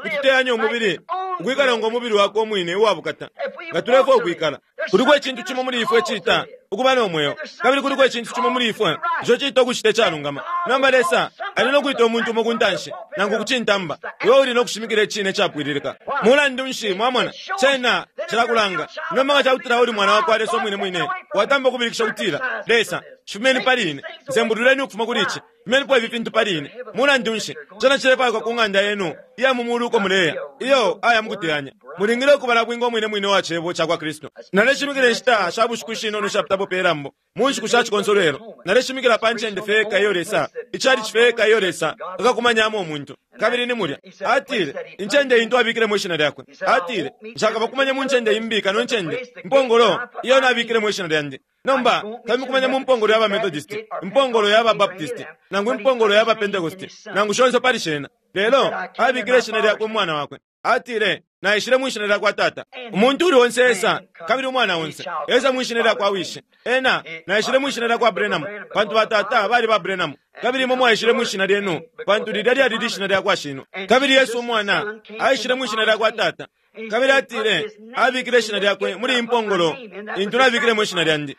Kututeyanya umubili, ukwikala ngo mubili wakwe umwine uwabukata. Nga tulefwaya ukwikala, kuliko icintu cimo muli ifwe iciita ukuba no mweo, kabili kuliko icintu cimo muli ifwe ico ciita ukucita icalungama. Nomba Lesa ali no kwita umuntu umo ku ntanshi, nangu kucintamba, iwe uli no kushimikila icine icapwililika. Mulandu nshi, mwamona, cena cilakulanga. Nomba nga cakutila uli mwana wakwa Lesa umwine mwine, watamba ukubilikisha ukutila, Lesa, shifumeni pali ine, nsembululeni ukufuma kuli ici, fumenipo ifi fintu pali ine. Mulandu nshi, cena cilefwaikwa ku ng'anda yenu iya mu mulu uko muleya, iyo aya mukuteyanya. Mulingile ukuba na bwinga umwine mwine wa Cebo cakwa Kristu. Naleshimikila inshita sha bushiku ishinono ishapitapo pe lambo, mu nshiku sha cikonsolwelo. Naleshimikila pa ncende fye iyo Lesa, icalici fye iyo Lesa akakumanyamo umuntu. Kabili ni mulya. Atile, incende intu abikilemo ishina lyakwe. Atile, nshakabakumanye mu ncende imbi kano incende, impongolo iyo nabikilemo ishina lyandi. Nomba, tamikumanya mu mpongolo ya ba Methodist, impongolo ya ba Baptist, nangu impongolo ya ba Pentecost, nangu shonse pali shena. Lelo, abikile ishina lyakwe umwana wakwe. Atile, naishile mu ishina lyakwa tata. Umuntu uli onse esa, kabili umwana onse, esa mu ishina lyakwa wishi. Ena, naishile mu ishina lyakwa Branham, pantu batata bali ba Branham. Kabili imwe mwaishile mu ishina lyenu, pantu lilya lyali lishina lyakwa shino. Kabili Yesu umwana, aishile mu ishina lyakwa tata. Kabili atile, abikile ishina lyakwe muli impongolo, intu nabikilemo ishina lyandi.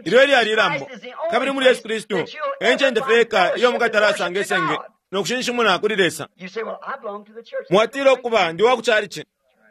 Ilyo lyali ilambo. Kabili muli Yesu Kristu, e ncende fye yeka iyo mukatala isenge no kushinshimuna kuli Lesa. You say, well, I belong to the church. Mwatila ukuba ndi wa ku chalichi.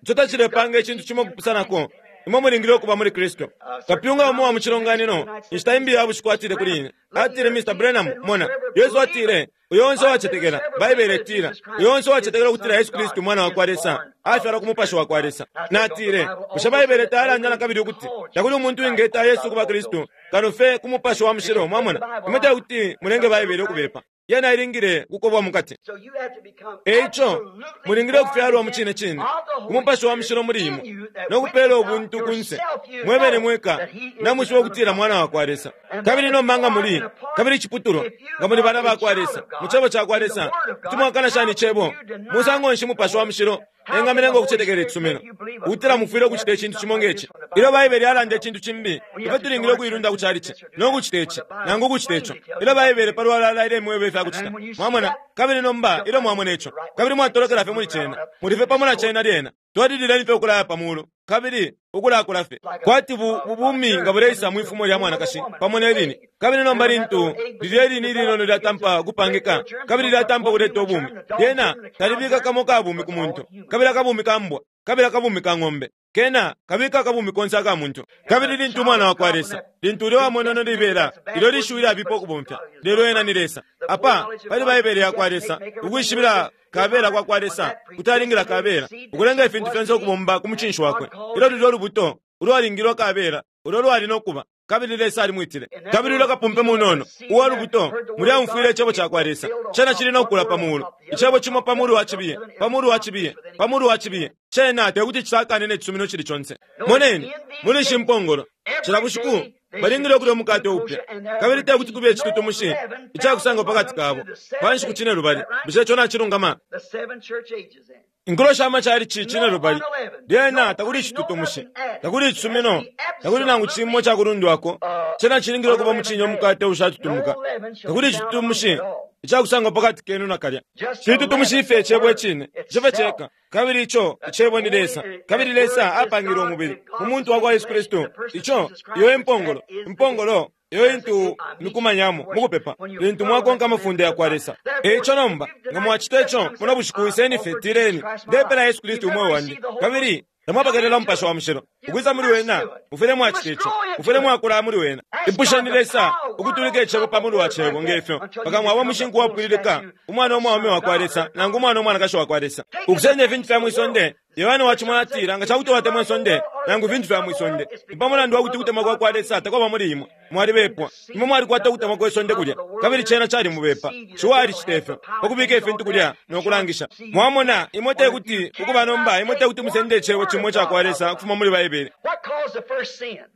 Ico tacilepanga icintu cimo kupusanako. Imwe mulingile ukuba muli Kristu. Kapyunga umo wa mu cilonganino, inshita imbi ya bushiku atile kuli ine. Atile, Mr. Branham, mona, Yesu atile, uyo onse uwacetekela, Baibele itila, uyo onse uwacetekela ukutila Yesu Kristu mwana wakwa Lesa, afyalwa ku mupashi wakwa Lesa. Natile, bushe Baibele tayalanda na kabili ukuti, takuli umuntu uwingeta Yesu kuba Kristu, kano fye ku mupashi wa mushilo, mwamona. Imwe tekuti mulenge Baibele ukubepa. Yena ilingile kukobwa mukati. So you have to become Eico, absolutely mulingile ukufyalwa mu born cine again cine, of the Holy umupashi wa mushilo Spirit muli in imwe, you that no kupela witness out ubuntu kunse, yourself you mwebene know mweka, that he is the namwishiba Son of ukutila God. mwana wakwa Lesa. And Kabili then nomba nga if you muli, are in a part, kabili iciputulwa, if you nga muli bana are a bakwa child Lesa, of God, mu cebo cakwa in the Lesa, Word of kuti God, mwakana shani how icebo, can you deny musango nshi mupashi wa mushilo, How can the engamilenga Holy ukucetekela Spirit icisumino, make you believe a ukutila mufwile crazy ukucita icintu something cimo like ngeci. this when the Ilyo Bible Baibele yalanda icintu cimbi, We ifwe have to tulingile join ukuilunda ku church and chalichi, do this or do no that kucita when ici, the Bible nangu ukucita ico. plainly tells Ilyo you what to Baibele do. palwalala ilemweba ifya And kucita. then when you see Mwamona, that, kabili nomba jump ilyo right mwamona into ico, the right way. kabili mwatolokela fye Move muli right cena, on up muli fye and pamo na just go cena lyena. Twalilileni fye ukulaya pa mulu, kabili ukulakula fye. like Kwati a bubumi germ nga buleisa coming mwi into fumo a lya womb of a mwanakashi woman, pamo an ne lini. egg. Kabili And nomba when that lintu little egg lilye begins to lini develop, linono it gets lyatampa a great kupangika, little germ, kabili so but lyatampa one kuleta human ubumi. germ, the dog Lyena germ, the cow talibika germ, kamo kabumi but ku it's all muntu, human. kabili akabumi ka mbwa, kabili akabumi ka ng'ombe. Kena kabika akabumi konse aka muntu. And when Kabili a lintu child umwana of wakwa God, when Lesa, that lintu ulya wamonono predestined, libela, that's a bad ilyo word to lishiwi use, lyabipa but ukubomfya, God is lelo ena ni Lesa. The Apa, foreknowledge of pali God, Baibele he yakwa has to Lesa, make, make everything work ukwishibila with kabela honor kwa kwa on Lesa, that kutalingila predestinated kabela, seed that ukulenga she ifintu was fyonse to be. ukubomba ku And mucinshi God wakwe. called Ilyo you lulyo lubuto, ulwalingilwa kabela, ulo lwali no kuba, kabili Lesa alimwitile. And that Kabili ulya little kapumpe seed, munono, seed uwa there, lubuto, heard the word mulya of umfwile God, icebo it cakwa will Lesa. build on Cena top, cili no one kukula word pa on mulu. top the other, Icebo on cimo top pa the mulu other, wa on top the cibiye, other, and pa it mulu wa will cibiye, accomplish within pa mulu wa each cibiye. Cena tekuti cisakane ne cisumino cili conse. Notice Moneni, in these muli ishi days, mpongolo, cila every bushiku day they should balingile ukulya eat umukate new upya. kosher, and there Kabili would tekuti be kube no icitutumushi leaven found icakusangwa among pakati them kabo. through the Pa 7 nshiku days. cine Is lubali. that right? Bushe ico nacilungama? The 7 church ages then. Inkulo sha machalichi cine No lubali. unleavened, Lyena no takuli no icitutumushi, nothing added. takuli It has to icisumino, be takuli nangu cimo absolutely cakulundwako. Cena cilingile ukuba unleavened mucinye bread. umukate No ushatutumuka. leaven shall Takuli be found among you icitutumushi at all. icakusangwa pakati kenu nakalya. Just the Citutumushi leaven, ife the icebo word icine, cife itself. ceka. Kabili ico That's the icebo ni only, Lesa. that Kabili word Lesa is apangile God, umubili and mu God muntu was wa kwa made Yesu flesh in Kristu. the person of Ico Jesus iyo Christ, which impongolo, that is the gate. impongolo iyo That's the intu gate I meet you mikumanyamo to worship. mukupepa When you lintu follow mwakonka the amafunde commandments ya of kwa God. Lesa. Therefore, Eico if nomba you've nga denied mwacita just ico come muno say, bushiku I iseni fye offer Jesus tireni Christ my ndepela life. Yesu Kristu You've umweo never wandi received the Holy kabili Ghost. Tamwapokelela Umupashi wa Mushilo ukwisa muli wena. Mufwile mwacita ico. Mufwile mwakula muli wena. Ipusheni Lesa ukutulika Icebo pa mulu wa Cebo nge fyo, mpaka mwaba umushinku wapwililika, umwana umwaume wakwa Lesa nangu umwana umwanakashi wakwa Lesa. Ukusenda ifintu fya mwi sonde, Yohane wacimona atila, nga ca kuti watemwa isonde nangu ifintu fya mwi sonde, ni pa mulandu wa kuti ukutemwa kwa kwa Lesa takwaba muli imwe. Mwalibepwa. Imwe mwalikwata ukutemwa kwe sonde kulya, kabili cena calimubepa. Ciwa alicita ifyo, pa kubika ifintu kulya no kulangisha. Mwamona, imwe te kuti, ukuba nomba, imwe te kuti musende Icebo cimo ica kwa Lesa ukufuma muli Baibele.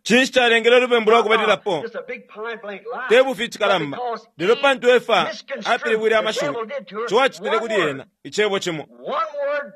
Cinshi calengele ulubembu lwa kubalilapo? Te bufi icikalamba, lelo pantu Efa apilibwile amashiwi, Ciwa acitile kuli ena, Icebo cimo.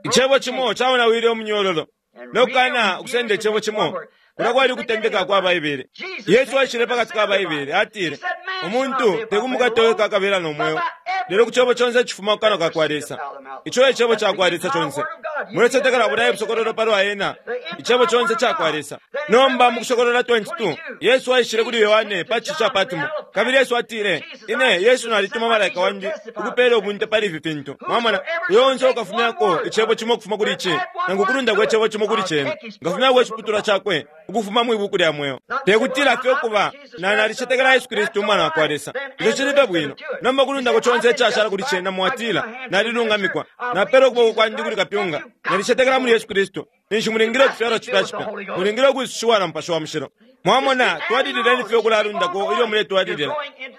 Icebo cimo caonawile umunyololo, no kukana ukusenda Icebo cimo. Kulya kwali ukutendeka kwa Baibele. Yesu aishile pakati ka Baibele, atile, Umuntu te ku mukate weka akabela no mweo, lelo ku Cebo conse icifuma ku kanwa ka kwa Lesa. Ico e Cebo ca kwa Lesa conse. Mulecetekela bulya e busokololo palwa Ena, Icebo conse ca kwa Lesa. Nomba mu Kusokolola 22, Yesu aishile kuli Yohane pa cishi ca Patmo, kabili Yesu atile, Ine, Yesu, nalituma malaika wandi ukupela ubunte pali ifi fintu. Mwamona, uyo onse ukafumyako icebo cimo ukufuma kuli ici, nangu ukulundako icebo cimo kuli cena, nkafumyako iciputulwa cakwe ukufuma mwi buku lya mweo. Te kutila fye ukuba, na nalicetekela Yesu Kristu Umwana wa kwa Lesa. Ico cili fye bwino. Nomba ukulundako conse icashala kuli cena, mwatila, Nalilungamikwa. Napela ukuboko kwandi kuli kapyunga. Nalicetekela muli Yesu Kristu. Ninshi mulingile ukufyalwa cipya cipya. Mulingile ukwisushiwa na Mupashi wa Mushilo. Mwamona, twalilileni fye ukulalundako ilyo muletwalilila.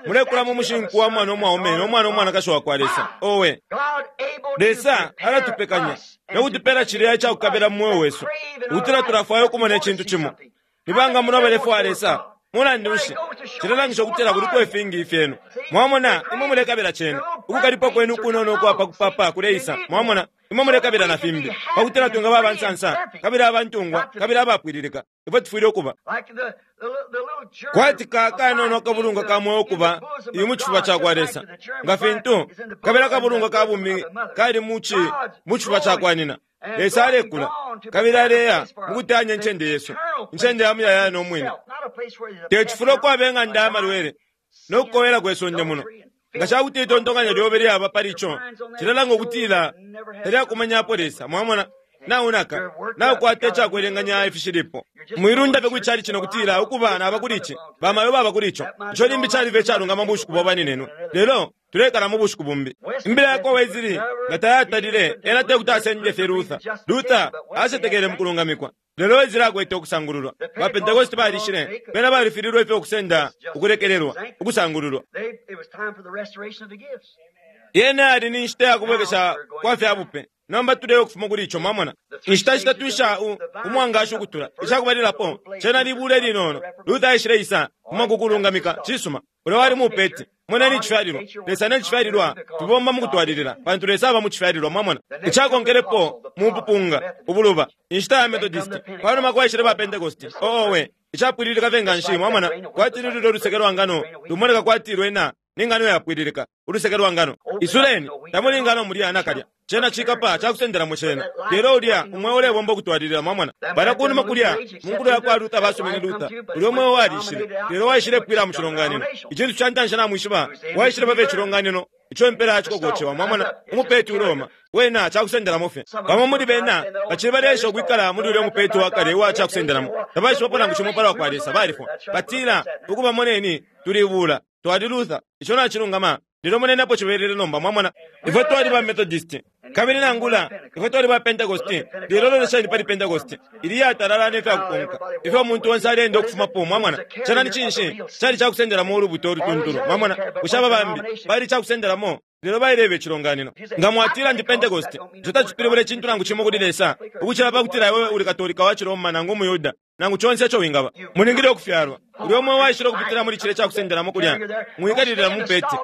Mulekula mu mushinku wa mwana umwaume no mwana umwanakashi wa kwa Lesa. Owe! Lesa alatupekanya no kutupela cilya ica kukabila mu mweo wesu, ukutila tulafwaya ukumona icintu cimo. Ni banga muno abalefwaya Lesa? Mulandu nshi, cilelangisha ukutila kuliko ifingi ifyenu. Mwamona, imwe mulekabila cena. Ukukalipwa kwenu ukunono ukwa pa kupapa kuleisa. Mwamona, imwe mulekabila na fimbi, pa kutila twingaba aba nsansa, kabili abantungwa, kabili abapwililika. Ifwe tufwile ukuba. Kwati ka kanono akabulungwa ka mweo kuba iyi mu cifuba ca kwa Lesa, nga fintu kabili akabulungwa ka bumi kali mu ci mu cifuba ca kwa nyina. Lesa alekula kabili aleya mu kuteyanya incende yesu, incende ya muyayaya no mwine. Te cifulo ukwaba ing'anda ya malwele no kukowela kwe sonde muno. Nga ca kuti itontonkanyo lyobe lyaba pali ico, cilelanga ukutila talyakumanyapo Lesa. Mwamona? Naunaka, naukwata icakwelenganya ifishilipo. Mwilunda fye kwi calici no kutila, Ukuba, naba kuli ici. Bamayo baba kuli ico. Ico limbi caliba icalungama mu bushiku bwa baninenwe. Lelo, tulekala mu bushiku bumbi. Imbila yakwa Wesley nga tayatalile, ena tekuti asende fye Luther. Luther acetekele mu kulungamikwa. Lelo Wesley akwete ukusangululwa. Ba Pentecost balishile, bena balifililwe fye ukusenda ukulekelelwa, ukusangululwa. Yena yali ni nshita ya kubwekesha kwa fya bupe. Nomba tuleya ukufuma kuli ico, mwamona. Inshita shitatu isha u, umwangashi ukutula. Icakubalilapo, cena libula ilinono. Luther aishile isa, kuma ku kulungamika. Cisuma. Ulya wali mupeti. Moneni icifyalilwa. Lesa ne cifyalilwa fibomba mukutwalilila, pantu Lesa aba mu cifyalilwa, mwamona. Icakonkelepo, mupupunga, ubuluba, inshita ya Methodist. Panuma kwaishile ba Pentecost. Oh, owe. Icapwililika fye nganshi, mwamona, kwati ni lulyo luseke lwa ngano, lumoneka kwati lwena ni ngano yapwililika, uluseke lwa ngano. Isuleni, tamuli ngano mulya nakalya. Cena cikapa ca kusendelamo cena. Lelo ulya umweo ulebomba ukutwalilila, mwamona. Balya kunuma kulya, mu nkulo yakwa Luther basumine Luther, ulya umweo walishile, lelo waishile pwila mu cilonganino. Icintu ca ntanshi namwishiba, waishile pa fye icilonganino, ico impela ya ciko kocewa, mwamona, umupeti uleoma. Wena cakusendelamo fye. Bamo muli bena bacili baleesha ukwikala muli ulya mupeti wa kale uwa cakusendelamo. Tabaishibapo nangu cimo palwa kwa Lesa, balifwa. Batila, Ukuba, moneni, tulibuula. Twali Luther. Ico nacilungama. Lelo moneni apo cibelele nomba, mwamona. Ifwe twali ba Methodist. Kabili nangula, ifwe twali ba Pentecost. Lelo lolesheni pali Pentecost. Ili iyatalala ne fya kukonka. Ifyo umuntu onse aleenda ukufumapo, mwamona. Cena ni cinshi? Cali cakusendelamo ulubuto ulutuntulu. Mwamona? Bushe aba bambi bali icakusendelamo? Lelo baileba icilonganino. Nga mwatila ndi Pentecost, ico tacipilibula icintu nangu cimo kuli Lesa, ukucila pa kutila iwe uli Katolika wa ciRoma nangu umuYuda, nangu conse ico wingaba. Mulingile ukufyalwa. Ulya umweo waishile ukupitila muli cilya icakusendelamo kulya. Mwiikalilila mu mpete.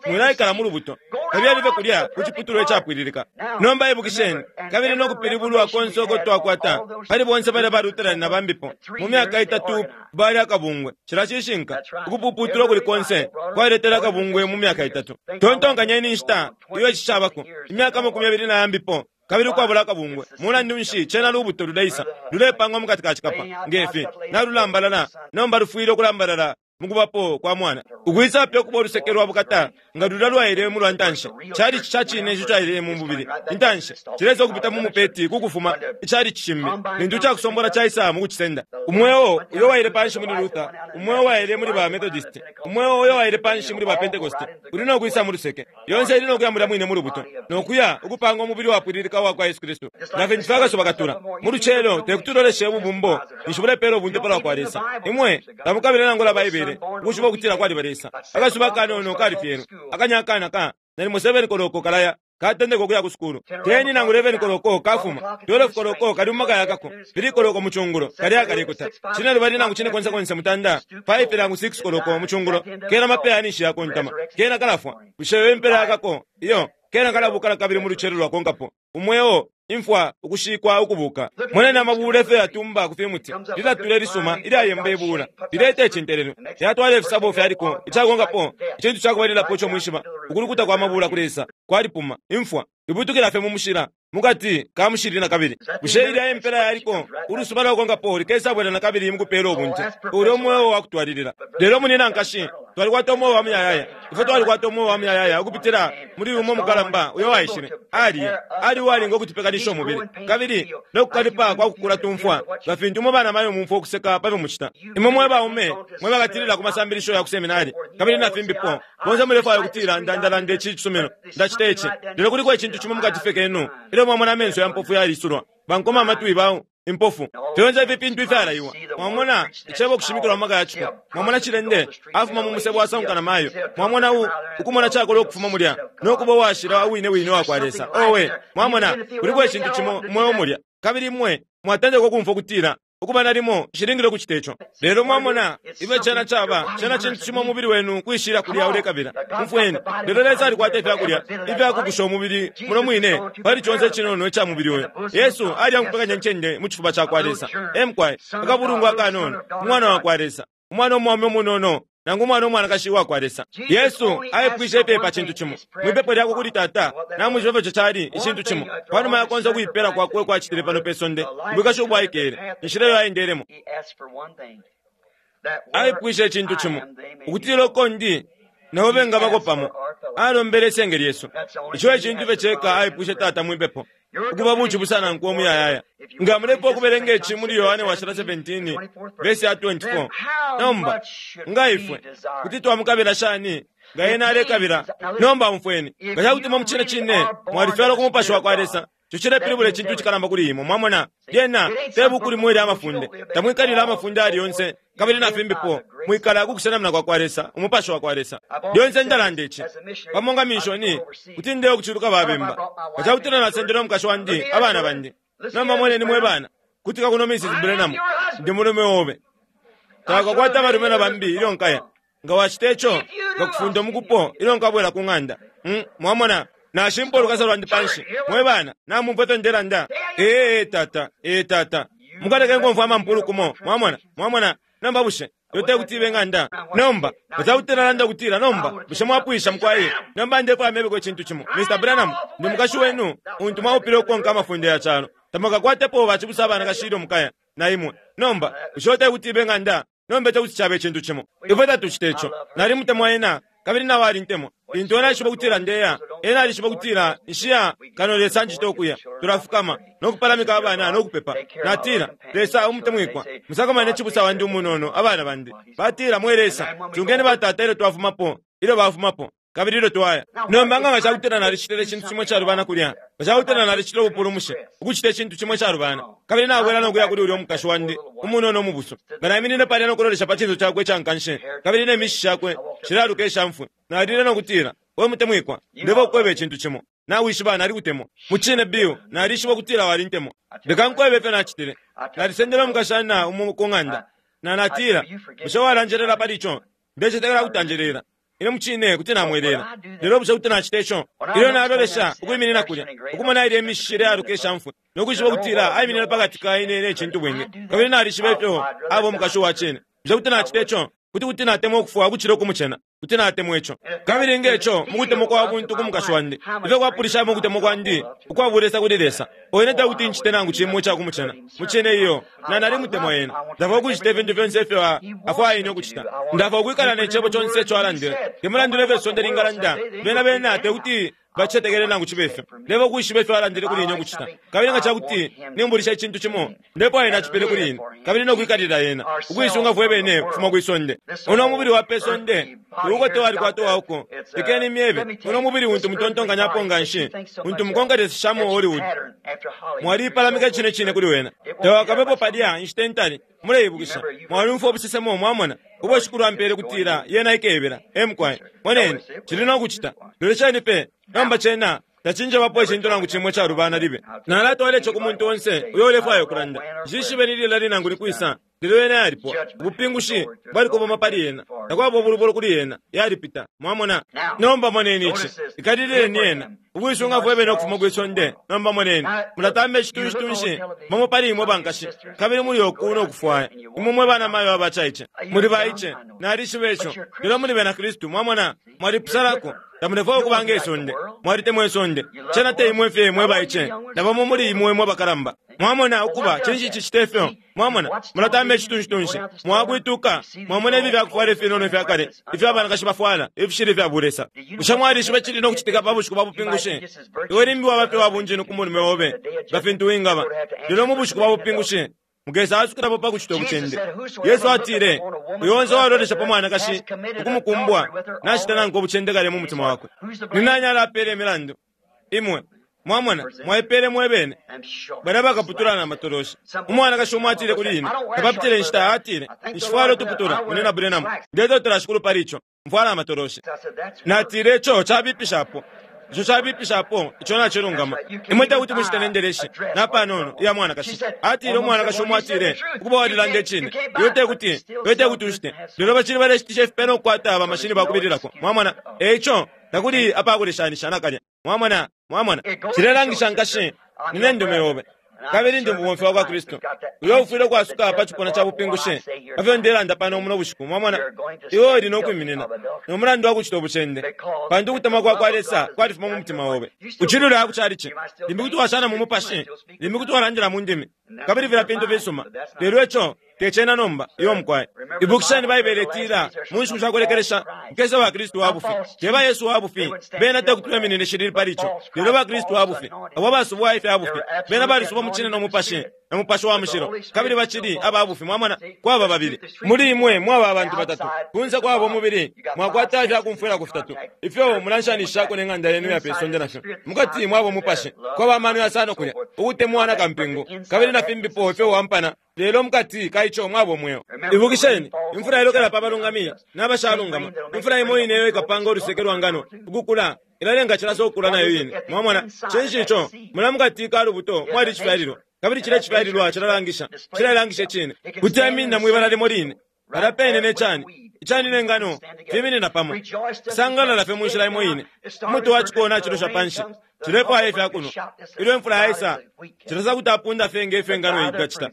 Mwilaikala mu lubuto. Kabiyeni fye kulya ku ciputulwa icapwililika. Nomba ibukisheni, kabili no kupilibulwa konse uko twakwata, pali bonse balya ba Lutheran na bambipo, mu myaka itatu bali akabungwe. Cilya cishinka. Ukupuputulwa ukuli konse kwaletele akabungwe mu myaka itatu. Tontonkanyeni inshita iyo ici cabako, imyaka amakumi yabili na yambipo, kabili ukwabula akabungwe. Mulandu nshi, cena lubuto luleisa, lulepangwa mukati ka cikapa, nge fi, nalulambalala, nomba lufwile ukulambalala. Mukubapo kwa Mwana. Ukwisa fye ukuba uluseke lwa bukata nga lulya lwaile mu lwa ntanshi. Chalichi ca cine ico caile mu bubili intanshi, cilesa ukupita mu mupeti ku kufuma ichalichi cimbi, lintu icakusombola caisa mu kucisenda. Umweo uyo waile panshi muli Luther, umweo waile muli ba Methodist, umweo uyo waile panshi muli ba Pentecost, uli no kwisa mu luseke. Yonse ili no kuya mulya mwine mu lubuto, no kuya ukupanga umubili wapwililika uwa kwa Yesu Kristu. Nga fintu fye akasuba katula mu lucelo, te kuti uloleshe ububumbo ninshi bulepeela ubunte palwa kwa Lesa. Imwe tamukabila nangula Baibele ukwishiba ukutila kwaliba Lesa. Akasuba akanono kalifyelwe, akanya akana ka nalimo 7 koloko kalaya katendeka ukuya ku sukulu. 10 nangu 11 koloko kafuma, 12 koloko kali mu maka yakako, 3 koloko mu cungulo kali akalekuta, cine lubali nangu cine konse konse mutanda, 5 nangu 6 koloko mu cungulo kena mapeya ninshi yakontama, kena kalafwa. Bushe iyo impela yakako? Iyo, kena kalabuka nakabili mu lucelo lwakonkapo. Umweo, imfwa, ukushikwa, ukubuka. Moneni amabuula ifyo yatumba ku fimuti, lilatula ilisuma ilyayemba ibuula, lileta icintelelwe, lyatwala ifisabo fyaliko. Icakonkapo, icintu ca kubalilapo ico mwishiba, ukulukuta kwa mabuula kulesa, kwalipuma, imfwa, libutukila fye mu mushila, mu kati ka mushili na kabili. Bushe ilya e mpela yaliko? Ulusuba lwakonkapo likesabwela na kabili mu kupeela ubunte. Ulya umweo wa kutwalilila. Lelo munyina, nkashi, twalikwata umweo wa muyayaya. Ifwe twalikwata umweo wa muyayaya ukupitila muli umo mukalamba uyo waishile. Ali, ali uwalinga ukutupekanisha umubili. Kabili no kukalipa kwa kukula tumfwa, nga fintu imwe banamayo mumfwa ukuseka pa fyo mucita. Imwe mwe baume mwe bakatilila ku masambilisho ya ku seminari, kabili na fimbipo, bonse mulefwaya ukutila, Nda, ndalanda ici cisumino. Ndacita ici. Lelo kuliko icintu cimo mukati fye kenu, ilyo mwamona amenso ya mpofu yalisulwa, bankoma amatwi ba impofu, fyonse ifi fintu ifyalaiwa. Mwamona Icebo ukushimikilwa mu maka ya ciko. Mwamona cilende afuma mu musebo asanguka na mayo. Mwamona u, ukumona cakolwa ukufuma mulya, no kuba uwashila uwine wine uwakwa Lesa. Owe, mwamona, kuliko icintu cimo umweo mulya. Kabili imwe mwatendeka ukumfwa ukutila, Ukuba nalimo nshilingile ukucita ico. Lelo mwamona ifyo cena caba, cena cintu cimo umubili wenu kwishila kulya ulekabila. Umfweni, lelo Lesa alikwata ifyakulya ifyakukusha umubili muno mwine pali conse icinono ica mubili uyu. Yesu aliyangupekanya incende mu cifuba cakwa Lesa. E mukwai, akabulungwa akanono, Umwana wakwa Lesa, Umwana umwaume umunono, nangu umwana umwanakashi uwakwa Lesa. Yesu aipwishe fye pa cintu cimo mwi pepo lyakwe kuli Tata. Namwishiba ifyo ico cali, icintu cimo. Panuma ya konse ukuipela kwakwe uko acitile pano pe sonde, ubwikashi ubo aikele, inshila iyo aendelemo, aipwishe icintu cimo, ukutila uko ndi, nabo bengabako pamo. Alombele isenge lyesu. Ico e cintu fye ceka aipwishe Tata mwi pepo, ukuba bucibusa nankwe umuyayaya. Nga mulepwa ukubelenga ici muli Yohane Washila 17, vesi ya 24, nomba, nga ifwe, kuti twamukabila shani nga ena alekabila? Nomba umfweni. Nga ca kuti imwe mucine cine mwalifyalwa ku Mupashi wa kwa Lesa, ico cilepilibula icintu icikalamba kuli imwe. Mwamona? Lyena te buku limo ilya mafunde. Tamwikalila amafunde ayali yonse, kabili na fimbipo. Mwikala ku kusenamina kwa kwa Lesa, Umupashi wa kwa Lesa. Lyonse ndalanda ici. Pamo nga minshoni, kuti ndeya ukuciluka ba bemba. Nga ca kutila nasendele umukashi wandi, abana bandi. Nomba moneni mwe bana, kutika kuno Missis Branham, ndi mulume obe. Tawakakwate abalume na bambi ilyo nkaya. Nga wacita ico, nkakufunda umukupo ilyo nkabwela ku ng'anda. Um, mwamona? Nashimpa ulukasa lwandi panshi. Mwe bana, namumfwa ifyo ndelanda? Ee, tata. Ee, tata. Mukaleke nkomfwa amampulu kumo. Mwamona? Mwamona? Nomba bushe iyo te kuti ibe ng'anda? Nomba, nga ca kuti nalanda ukutila, Nomba, bushe mwapwisha, mukwai? Nomba ndefwaya mebeko icintu cimo. Mr. Branham, ndi mukashi wenu untu mwaupile ukukonka amafunde ya calo. Tamwakakwatepo bacibusa abanakashi ilyo mukaya na imwe. Nomba, bushe iyo te kuti ibe ng'anda? Nomba ico kuti caba icintu cimo. Ifwe tatucita ico. Nalimutemwa ena, kabili nao alintemwa. Lintu ena aishiba ukutila ndeya, ena alishiba ukutila nshiya kano Lesa anjita ukuya. Tulafukama, no kupalamika abana no kupepa. Natila, Lesa umutemwikwa, musakamane cibusa wandi umunono, abana bandi. Batila, Mwe Lesa, sungeni batata ilyo twafumapo, ilyo bafumapo. Kabili ilyo twaya nomba, nga cakutila nalicitile icintu cimo icalubana kulya, nga cakutila nalicitile ubupulumushi, ukucita icintu cimo icalubana, kabili nabwela no kuya kuli ulya umukashi wandi umunono umubusu, nga naiminine palya no kulolesha pa cinso cakwe ica nkanshi, kabili ne mishishi shakwe shilealuka isha mfwi, nalile no kutila, We mutemwikwa, ndeba ukukweba icintu cimo. Nawishiba nalikutemwa. Mucine, Bill, nalishiba ukutila walintemwa. Leka nkwebe ifyo nacitile. Nalisendele umukashana umo ku ng'anda, na natila, Bushe walanjelela pali ico? Ndecetekela kuti anjelela. Ine mucine kuti namwelela. Lelo bushe kuti nacita ico? Ilyo nalolesha ukwiminina kulya, ukumona ilye mishishi ilealuka isha mfwi, no kwishiba ukutila aiminine pa kati ka ine ne cintubwingi, kabili nalishiba ifyo aba umukashi uwa cine. Bushe kuti nacita ico? Kuti kuti natemwa ukufwa ukucila ukumucena. Kuti natemwa ico. Kabili nge co mukutemwa kwa buntu ku mukashi wandi, ifyo kwapulishamo ukutemwa kwandi ukwa bulesa kuli Lesa. O ine tekuti ncite nangu cimo ica kumucena. Mucine iyo. Na nalimutemwa ena. Ndafwaya ukucita ifintu fyonse ifyo afwaya ine ukucita. Ndafwaya ukwikala ne Cebo conse ico alandile. Te mulandu nefyo isonde lingalanda, bena bena tekuti bacetekele nangu cibe fyo. Ndefwaya ukwishiba ifyo alandile kuli ine ukucita. Kabili nga cakuti nimbulisha icintu cimo, ndefwaya ena acipele kuli ine, kabili no kwikalila ena, ukuisunga fwe bene ukufuma kwi sonde. Uno mubili wa pe sonde, uukote walikwata uwauko. Lekeni imyebe, uno mubili untu mutontonkanyapo nganshi, untu mukonkeleseshamo Hollywood. Mwaliipalamika icine cine kuli wena. Tawakabepo palya inshita intali. Muleibukisha, mwaliumfwa ubusesemo, mwamona, ubo Shikulu ampele kutila yena ikebela. E mukwai. Moneni, cili no kucita. Lolesheni pe, nomba cena tacinjebapo icintu nangu cimo icalubana libe. Nalatwala ico ku muntu onse uyo ulefwaya ukulanda. Nshishibe ni lilali nangu ni kwisa, lelo yena yalipwa. Ubupingushi bwalikoboma pali yena. Takwaba ubulubolo kuli yena. Yalipita. Mwamona? Nomba moneni ici. Ikalilileni yena. Ukuisunga fwe bene ukufuma kwi sonde. Nomba moneni. Mulatamba icitunshi-tunshi, bamo pali imwe bankashi, kabili muli uku no kufwaya. Imwe mwe banamayo abacaice. Muli baice. Nalishiba ico. Lelo muli bena Kristu. Mwamona? Mwalipusanako. Tamulefwaya ukuba nge sonde. Mwalitemwa isonde. Cena te imwe fye mwe baice, na bamo muli imwe mwe bakalamba. Mwamona ukuba cinshi icicite fyo? Mwamona, mulatamba icitunshi-tunshi, mwakwituka, mwamona ifi fyakufwala ifinono ifya kale ifyo abanakashi bafwala, ifishili ifya bulesa. Bushe mwalishiba icili no kucitika pa bushiku bwa bupingushi? Iwe limbi waba fye wa bunjinu ku mulume obe, nga fintu wingaba. Lelo mu bushiku bwa bupingushi, mukesa asukilapo pa kucita ubucende. Yesu atile, Uyo onse uwalolesha pa mwanakashi ukumukumbwa, nacita nankwe ubucende kale mu mutima wakwe. Ni nani alapeela imilandu? Imwe. Mwamona, mwaipeele mwe bene. Balya bakaputula na matoloshi. Umwanakashi umo atile kuli ine, tapapitile inshita, atile, Nshifwala utuputula, Munyina Branham. Ndetotela Shikulu pali ico. Mfwala amatoloshi. Natile, Ico cabipishapo. Ico cabipishapo. Ico nacilungama. Imwe tekuti mushite ne ndeleshi, napanono, iya mwanakashi. Atile, umwanakashi umo atile, Ukuba walilanda icine. Iwe tekuti, iwe tekuti ushite. Lelo bacili baleshitisha ifipe no kukwata ba mashini bakubililako. Mwamona? E ico, takuli apakuleshanisha nakalya. Mwamona? Mwamona? Cilelangisha nkashi, nine ndume yobe, kabili ndi mubomfi wakwa Kristu, uyo ufwile ukwasuka pa cipuna ca bupingushi pa fyo ndelanda pano muno bushiku. Mwamona? Iwe uli no kwiminina no mulandu wa kucita ubucende, pantu ukutemwa kwa kwa Lesa kwalifuma mu mutima obe. Ucili uleya ku calici, limbi kuti washana mu mupashi, limbi kuti walandila mu ndimi, kabili filya fintu fisuma, lelo ico te cena nomba. Iyo mukwai. Ibukisheni, Baibele itila, mu nshiku sha kulekelesha kukesa ba Kristu wa bufi. Te ba Yesu wa bufi, bena tekuti beminine shilili pali ico, lelo ba Kristu wa bufi, abo abasubwa ifya bufi. Bena balisubwa mu cine no mupashi, na Mupashi wa Mushilo, kabili bacili aba bufi. Mwamona, kwaba babili muli imwe, mwaba abantu batatu. Kunse kwaba umubili, mwakwata ifya kumfwilako fitatu ifyo mulanshanishishako ne ng'anda yenu ya pe sonde nafyo. Mukati mwaba umupashi, kwaba amano yasano kulya, ukutemwa na kampingu, kabili na fimbipo ifyo wampana. Lelo mukati ka ico mwaba umweo. Ibukisheni, imfula ilokela pa balungami na bashalungama. Imfula imo ine iyo ikapanga uluseke lwa ngano ukukula, ilalenga cilasa ukukula nayo ine. Mwamona? Cinshi ico? Mulya mukati ka lubuto mwali icifyalilwa, kabili cilya icifyalilwa cilalangisha, cilelangisha icine. Kuti aiminina mwi bala limo line, palya pene ne cani, icani ne ngano fiminina pamo, fisangalala fye mu nshila imo ine. Umuti wa ciko nacilosha panshi, cilefwaya ifya kunwa. Ilyo imfula yaisa, cilasa kuti apunda fye nge fyo ingano ingacita.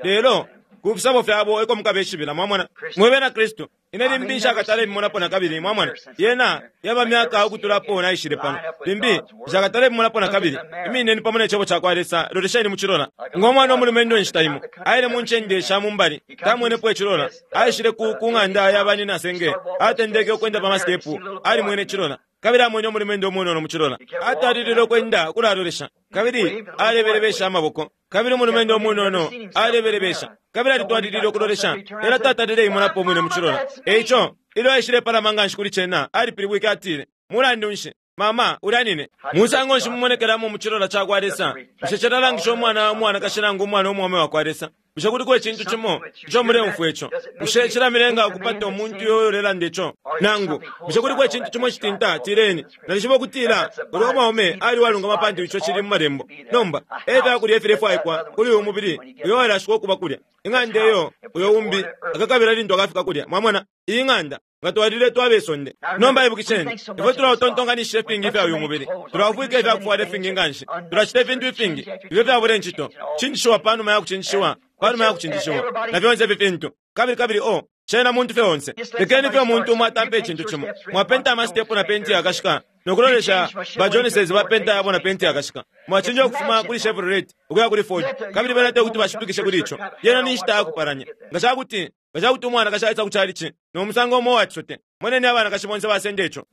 Lelo ku fisabo fyabo eko mukabeshibila. Mwamona? Mwe bena Kristu, ine limbi nshakatale mimonapo nakabili. Mwamona? Yena yaba myaka ukutulapo naishile pano. Limbi nshakatale mimonapo nakabili. Imineni pamo ne Cebo cakwa Lesa, lolesheni mu cilola. Ngo mwana umulumendo inshita imo, aile mu ncende sha mu mbali, tamwenepo icilola. Aishile ku, ku ng'anda ya banyina senge, atendeke ukwenda pa masitepu, alimwene icilola. Kabili amwene umulumendo umunono mu cilola. Atwalilile ukwenda ukulalolesha, kabili alebelebesha amaboko. Kabili umulumendo umunono alebelebesha, kabili alitwalilile ukulolesha, lelo tatalile imonapo umwine mu cilola. E ico, ilyo aishilepalama nga nshi kuli cena, alipilibwike atile, Mulandu nshi, mama, ulya nine. Musango nshi mumonekelamo mu cilola ca kwa Lesa? Bushe cilalangisha umwana umwanakashi nangu umwana umwaume wa kwa Lesa? Bushe kuliko icintu cimo ico muleumfwa ico? Bushe cilamilenga ukupata umuntu uyo ulelanda ico? Nangu, bushe kuliko icintu cimo icitinta? Tileni, Nalishiba ukutila ulya umwaume ali uwalungama pantu ico cili mu Malembo. Nomba, e fya kulya ifilefwaikwa kuli uyu mubili uyo walashikwa ukuba kulya. Ing'anda iyo uyo umbi akakabila lintu akafika kulya. Mwamona? Iyi ng'anda. Nga twalile twaba isonde. Nomba ibukisheni, ifwe tulautontonkanishisha ifingi ifya uyu mubili. Tulaufwika ifya kufwala ifingi nganshi. Tulacita ifintu ifingi ifyo fyabula incito, cinjishiwa panuma ya kucinjishiwa, panuma ya kucinjishiwa, na fyonse ifi fintu. Kabili, kabili, oh, Cena muntu fye onse. Lekeni fye umuntu umo atampe icintu cimo. Mwapenta amasitepu na penti yakashika nokulolesha ba Joneses bapenta yabo na penti yakashika. Mwachinja ukufuma kuli Chevrolet ukuya kuli Ford, kabili bena te kuti bashipikishe kuli ico. Yena ni nshita yakupalanya. Nga ca kuti umwanakashi aisa ku chalichi no musango umo uwa cisote, moneni abanakashi bonse basenda ico.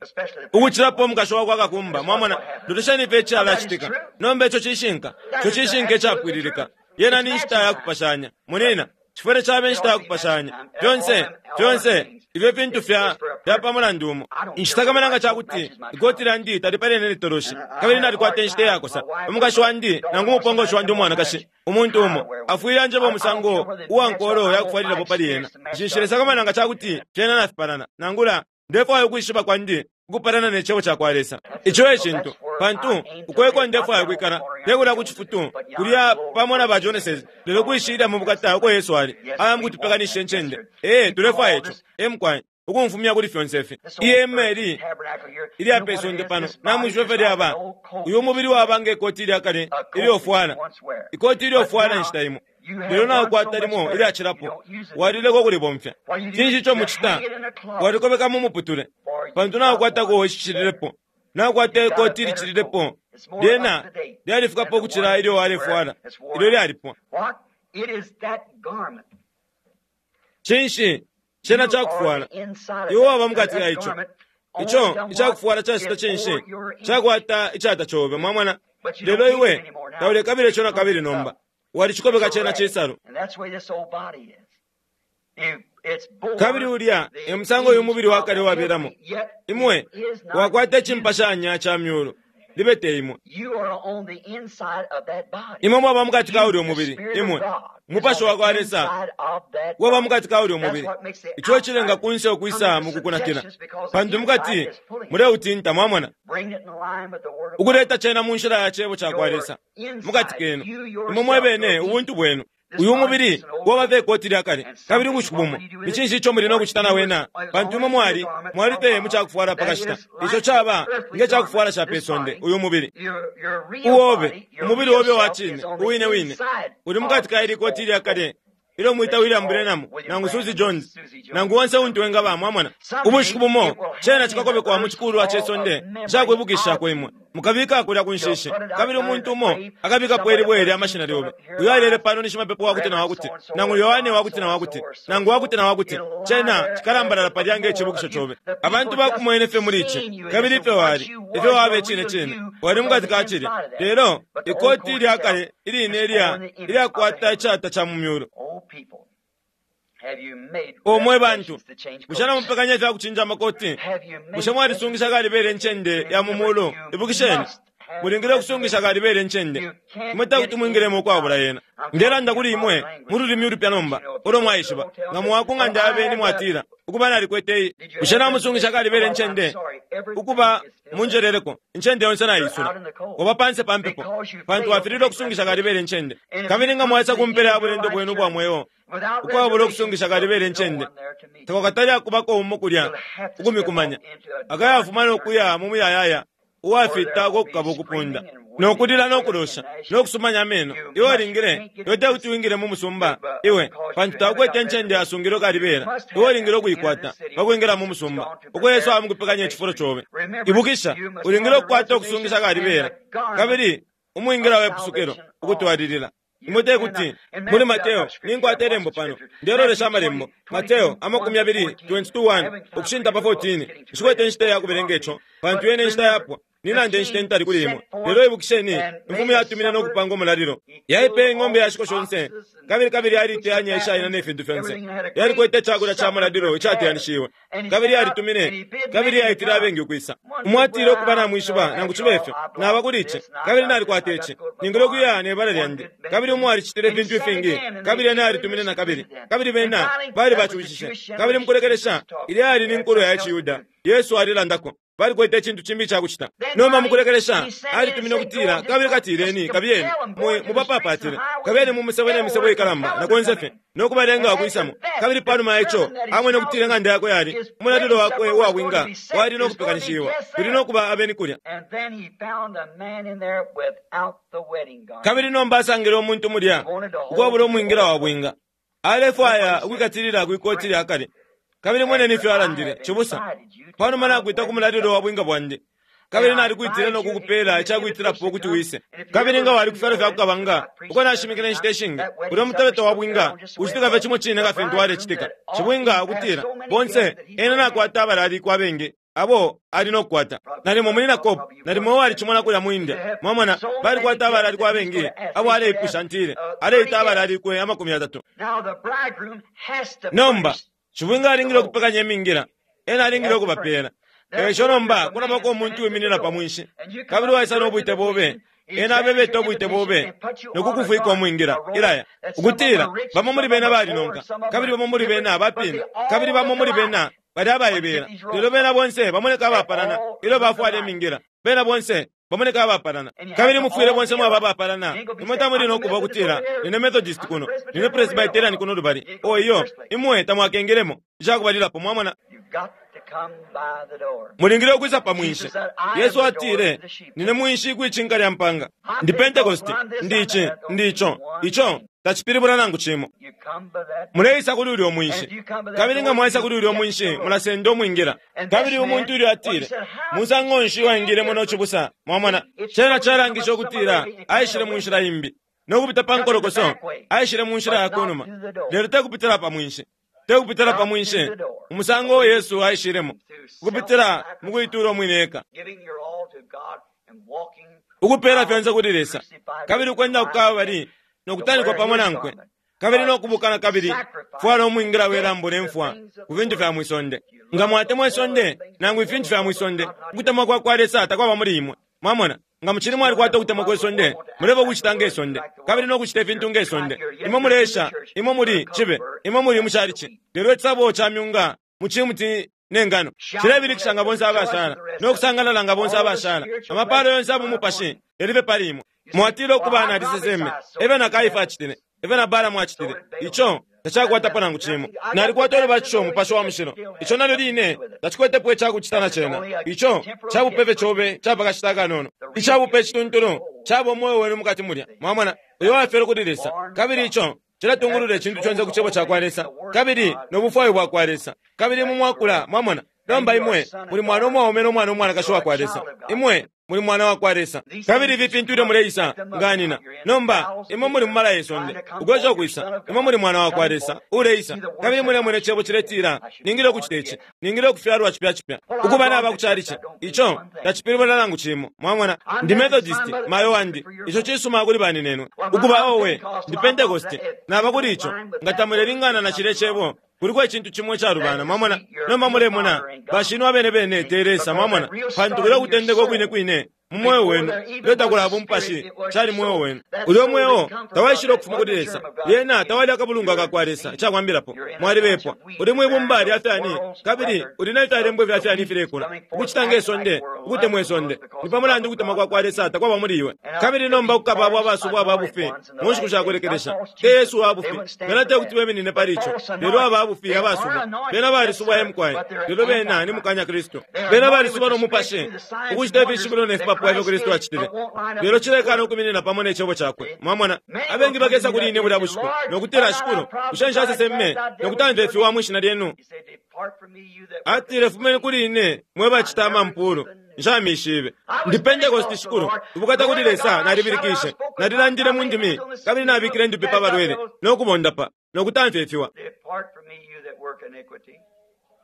Ukucilapo umukashi wakwa kakumba, mwamona, lolesheni fye icalacitika. Nomba ico cishinka, ico cishinka icapwililika. Yena ni nshita yakupashanya. Monena, cifwile cabe inshita yakupashanya. Fyonse, fyonse, ifyo fintu fya fya pa mulandu umo. Nshitakamana nga ca kuti ikoti lyandi talipalene ne toloshi, kabili nalikwata inshita iyakosa. Umukashi wandi nangu umupongoshi wandi umwanakashi, umuntu umo afwile anjeba umusango uwa nkolo yakufwalilapo pali ena. Nshilesakamana nga ca kuti fyena nafipalana, nangula ndefwaya ukwishiba kwandi ukupalana ne cebo cakwa Lesa. Ico e cintu, pantu uko eko ndefwaya ukwikala, te kulya ku cifutu kulya pamo na ba Joneses, lelo kwishilya mu bukata uko Yesu ali, aya mukutupekanishisha incende. Ee, tulefwaya ico. E mukwai, ukumfumya kuli fyonse ifi. Ihema ili ilya pe sonde pano, namwishiba ifyo lyaba. Uyu mubili waba nge koti ilya kale ilyofwala, ikoti ilyofwala inshita imo, lelo naukwata limo ilyacilapo, walileka ukulibomfya. Cinshi ico mucita? Walikobeka mu muputule, pantu naukwatako icicililepo, naukwata ikoti ilicililepo, lyena lyalifikapo ukucila ilyo walefwala, ilyo lyalipwa. Cinshi? Cena cakufwala. Iwe waba mukati ka ico. Ico icakufwala cacita cinshi? Cakwata icata cobe, mwamona. Lelo iwe taulekabila ico nakabili nomba. Walicikobeka cena cisalu. Kabili ulya e musango uyu mubili wakale wabelamo. Imwe wakwata icimpashanya ca myulu, libe te imwe. Imwe mwaba mukati ka ulya umubili, imwe umupashi wa kwa Lesa waba mukati ka ulya umubili. Ico ecilenga kunse ukwisa mukukunakila, pantu mukati muleutinta, mwamona, ukuleta cena mu nshila ya cebo ca kwa Lesa mukati kenu, imwe mwebene ubuntu bwenu. Uyu mubili waba fye ikoti lya kale, kabili ubushiku bumo ni cinshi ico muli no kucita na wena? Pantu imwe mwali mwali fye mu cakufwala pa kashita, ico caba nge cakufwala ca pe sonde. Uyu mubili uobe, umubili obe wa cine uwine wine uli mukati ka ili koti lya kale ilyo mwita William Branham nangu Susie Jones nangu onse untu wengaba, mwamona. Ubushiku bumo cena cikakobekwa mu cikulwa ce sonde cakwibukishako imwe, mukabika kulya ku nshishi, kabili umuntu umo akabikapo ilibwe lya mashina lyobe. Uyo alele pano ni shimapepo wakuti na wakuti, nangu Yohane wakuti na wakuti, nangu wakuti na wakuti. Cena cikalambalala palya nge cibukisho cobe. Abantu bakumwene fye muli ici, kabili ifyo wali, ifyo wabe cine cine, wali mukati ka cilya. Lelo ikoti lya kale iline ilya ilyakwata icata ca mu myulu. O mwe bantu, bushe namupekanya ifya kucinja amakoti? Bushe mwalisungisha kalibele incende ya mu mulu? Ibukisheni, mulingile ukusungisha kalibele incende. Imwe takuti mwingilemo ukwabula yena. Ndelanda kuli imwe mu lulimi ulupya nomba ulo mwaishiba. Nga mwa ku ng'anda ya beni mwatila, ukuba nalikwete iyi. Bushe namusungisha kalibele incende? Ukuba munjeleleko, incende yonse naisula. Oba panse pa mpepo, pantu wafililwe ukusungisha kalibele incende. Kabili nga mwaisa ku mpela ya bulendo bwenu ubwa mweo ukwabula ukusungisha kalibele incende, takwakatali akubako umo kulya ukumikumanya, akayafuma no kuya mu muyayaya uwafita uko kukaba ukupunda no kulila no kulosha no kusumanya ameno. Iwe ulingile, iwe tekuti wingile mu musumba iwe, pantu takwete incende yasungilwe kalibela. Iwe ulingile ukuikwata pakwingila mu musumba uko Yesu amukupekanya icifulo cobe. Ibukisha, ulingile ukukwata ukusungisha kalibela kabili umwingila we pusukilo ukutwalilila. Imwe tekuti muli Mateo ninkwata ilembo pano, ndelolesha amalembo. Mateo 22:1 ukushinta pa 14. Nshikwete inshita ya kubelenga ico, pantu yene inshita yapwa. Ninande inshita intali kuli imwe. Lelo ibukisheni, imfumu yatumine no kupanga umulalilo. Yaipeye ing'ombe yashiko shonse, kabili kabili yaliteyanya ishaina ne fintu fyonse. Yalikwete icakulya ca mulalilo icateyanishiwe, kabili yalitumine, kabili yaitile abengi ukwisa. Umwatile ukuba namwishiba, nangu cibe ifyo, naba kuli ici, kabili nalikwata ici, ningile ukuya ne bala lyandi. Kabili umo alicitile ifintu ifingi, kabili ena yalitumine na kabili, kabili bena bali bacushishe. Kabili mukulekelesha, ilya yali ni nkulo ya ciYuda, Yesu alilandako. Balikwete icintu cimbi icakucita. Nomba mukulekelesha alitumine ukutila, kabili katileni, kabiyeni mubapapatile, kabiyeni mu musebo ne misebo ikalamba na konse fye, no kubalenga ukwisamo. Kabili panuma ya ico amwene ukutila ing'anda yakwe yali umulalilo wakwe uwa bwinga wali no kupekanishiwa, kuli no kuba abeni kulya. Kabili nomba asangile umuntu mulya ukwabula umwingila wa bwinga. Alefwaya ukwikatilila kwikoti lya kale. Kabili moneni ifyo alandile, Cibusa, panuma nakwita ku mulalilo wa bwinga bwandi, kabili nalikwitile no kukupela icakwitilapo ukuti wise. Kabili nga wali ku fyalo fya kukabanga, uko nashimikile inshita ishingi, ulya mutebeto wa bwinga ucitika fye cimo cine nga fintu walecitika. Cibwinga ukutila, bonse, ena nakwata abalalikwa abengi abo ali no kukwata. Nalimo Munyina Kopp, nalimo walicimona kulya mu India. Mwamona, balikwata abalalikwa abengi abo aleipusha, ntile, aleita abalalikwe 30. Nomba, cibwinga alingile ukupekanya imingila, ena alingile ukubapela. Eico nomba kulabako umuntu uwiminina pa mwinshi, kabili waisa no bwite bobe, ena abebeta ubwite bobe no kukufwika umwingila ilaya ukutila bamo muli bena balinonka, kabili bamo muli bena bapina, kabili bamo muli bena bali abaibela, lelo bena bonse bamoneka abapalana ilyo bafwala imingila, bena bonse bamoneka abapalana. Kabili mufwile bonse mwaba abapalana. Imwe tamuli no kuba ukutila nine Methodist kuno, nine Presbyterian kuno lubali. O iyo, imwe tamwakengelemo icakubalilapo, mwamona. Mulingile ukwisa pa mwinshi. Yesu atile, nine mwinshi kwicinka lya mpanga. Ndi Pentecost, ndi ici, ndi ico. Ico tacipilibula nangu cimo. Muleisa kuli ulyo mwinshi. Kabili nga mwaisa kuli ulyo mwinshi, mulasenda umwingila. Kabili umuntu ulyo atile, musango nshi waingilemo no cibusa, mwamona. Cena calangisha ukutila aishile mu nshila imbi, no kupita pa nkolokoso, aishile mu nshila ya kunuma, lelo tekupitila pa mwinshi. Tekupitila pa mwinshi, umusango Yesu aishilemo, ukupitila mu kuitula umwine eka, ukupela fyonse kuli Lesa, kabili ukwenda ku Kalbali no kutanikwa pamo nankwe, kabili no kubukana, kabili fwala umwingila we lambo ne mfwa ku fintu fya mwisonde. Nga mwatemwa isonde nangu ifintu fya mwisonde, ukutemwa kwa kwa Lesa takwaba muli imwe. Mwamona, nga mucili mwalikwata ukutemwa kwe sonde, muleba ukucita nge sonde, kabili no kucita ifintu nge sonde. Imwe muleesha, imwe muli cibe, imwe muli mucalici, lelo icisabo ca myunga mu cimuti ne ngano cilebilikisha nga bonse abashala, no kusangalala nga bonse abashala. Amapalo yonse abo mupashi yalibe pali imwe. Mwatile ukuba naliseseme, ebe na Kaifa acitile, ebe na Balamu acitile. Ico tacakwatapo nangu cimo. Nalikwata ulubatisho umupashi wa mushilo. Ico nalyo line tacikwetepo icakucita na cena. Ico cabupefe cobe capakashita akanono. Icabupe icituntulu caba umweo wenu mukati mulya. Mwamona, uyo wafyelwe kuli Lesa, kabili ico cilatungulula icintu conse ku cebo cakwa Lesa, kabili no bufwayo bwakwa Lesa. Kabili mu mwakula, mwamona, nomba imwe muli mwana umwaume no mwana umwanakashi wakwa Lesa. Imwe muli mwana wakwa Lesa. Kabili ifi fintu ilyo muleisa nganina. Nomba imwe muli mu mala ye sonde, ukwesha ukwisa. Imwe muli mwana wakwa Lesa uleisa. Kabili mulemona icebo ciletila, ningile ukucita ici, ningile ukufyalwa cipya cipya, ukuba naba kucalici. Ico tacipilibula nangu cimo. Mwamona, ndi Methodist, mayo wandi. Ico cisuma kuli baninenwe. Ukuba owe, ndi Pentecost, naba kuli ico. Nga tamulelingana na cilya cebo, kuliko icintu cimo icalubana. Mwamona, nomba mulemona bashinwe abene bene te Lesa. Mwamona, pantu kulya kutendeka ukwine kwine mu mweo wenu, ilyo takulaba umupashi, cali mweo wenu. Ulyo mweo tawaishile ukufuma kuli Lesa, lyena tawali akabulungwa ka kwa Lesa. Icakwambilapo, mwalibepwa. Uli mwibumba lya fyani, kabili uli ne fyalembwa ifya fyani ifilekula, ukucita nge sonde, ukutemwa isonde. Ni pa mulandu ukutemwa kwa kwa Lesa takwaba muli iwe. Kabili nomba kukaba abo abasubwa aba bufi mu nshiku sha kulekelesha. Te Yesu wa bufi, bena te kuti beminine pali ico, lelo aba bufi abasubwa. Bena balisubwa emukwaye, lelo bena ni mukanya Kristu. Bena balisubwa no mupashi, ukucita ifishibilo ne fipapu ifyo Kristu acitile, lelo cilekana ukuminina pamo ne cebo cakwe. Mwamona, abengi bakesa kuli ine bulya bushiku no kutila, Shikulu, bushe nshaseseme no kutamfya ifiwa mwi shina lyenu? Atile, fumeni kuli ine mwe bacita amampulu, nshamishibe. Ndi Pentecost, Shikulu, ubukata kuli Lesa, nalibilikishe, nalilandile mu ndimi, kabili nabikile indupi pa balwele no kubondapa no kutamfya ifiwa.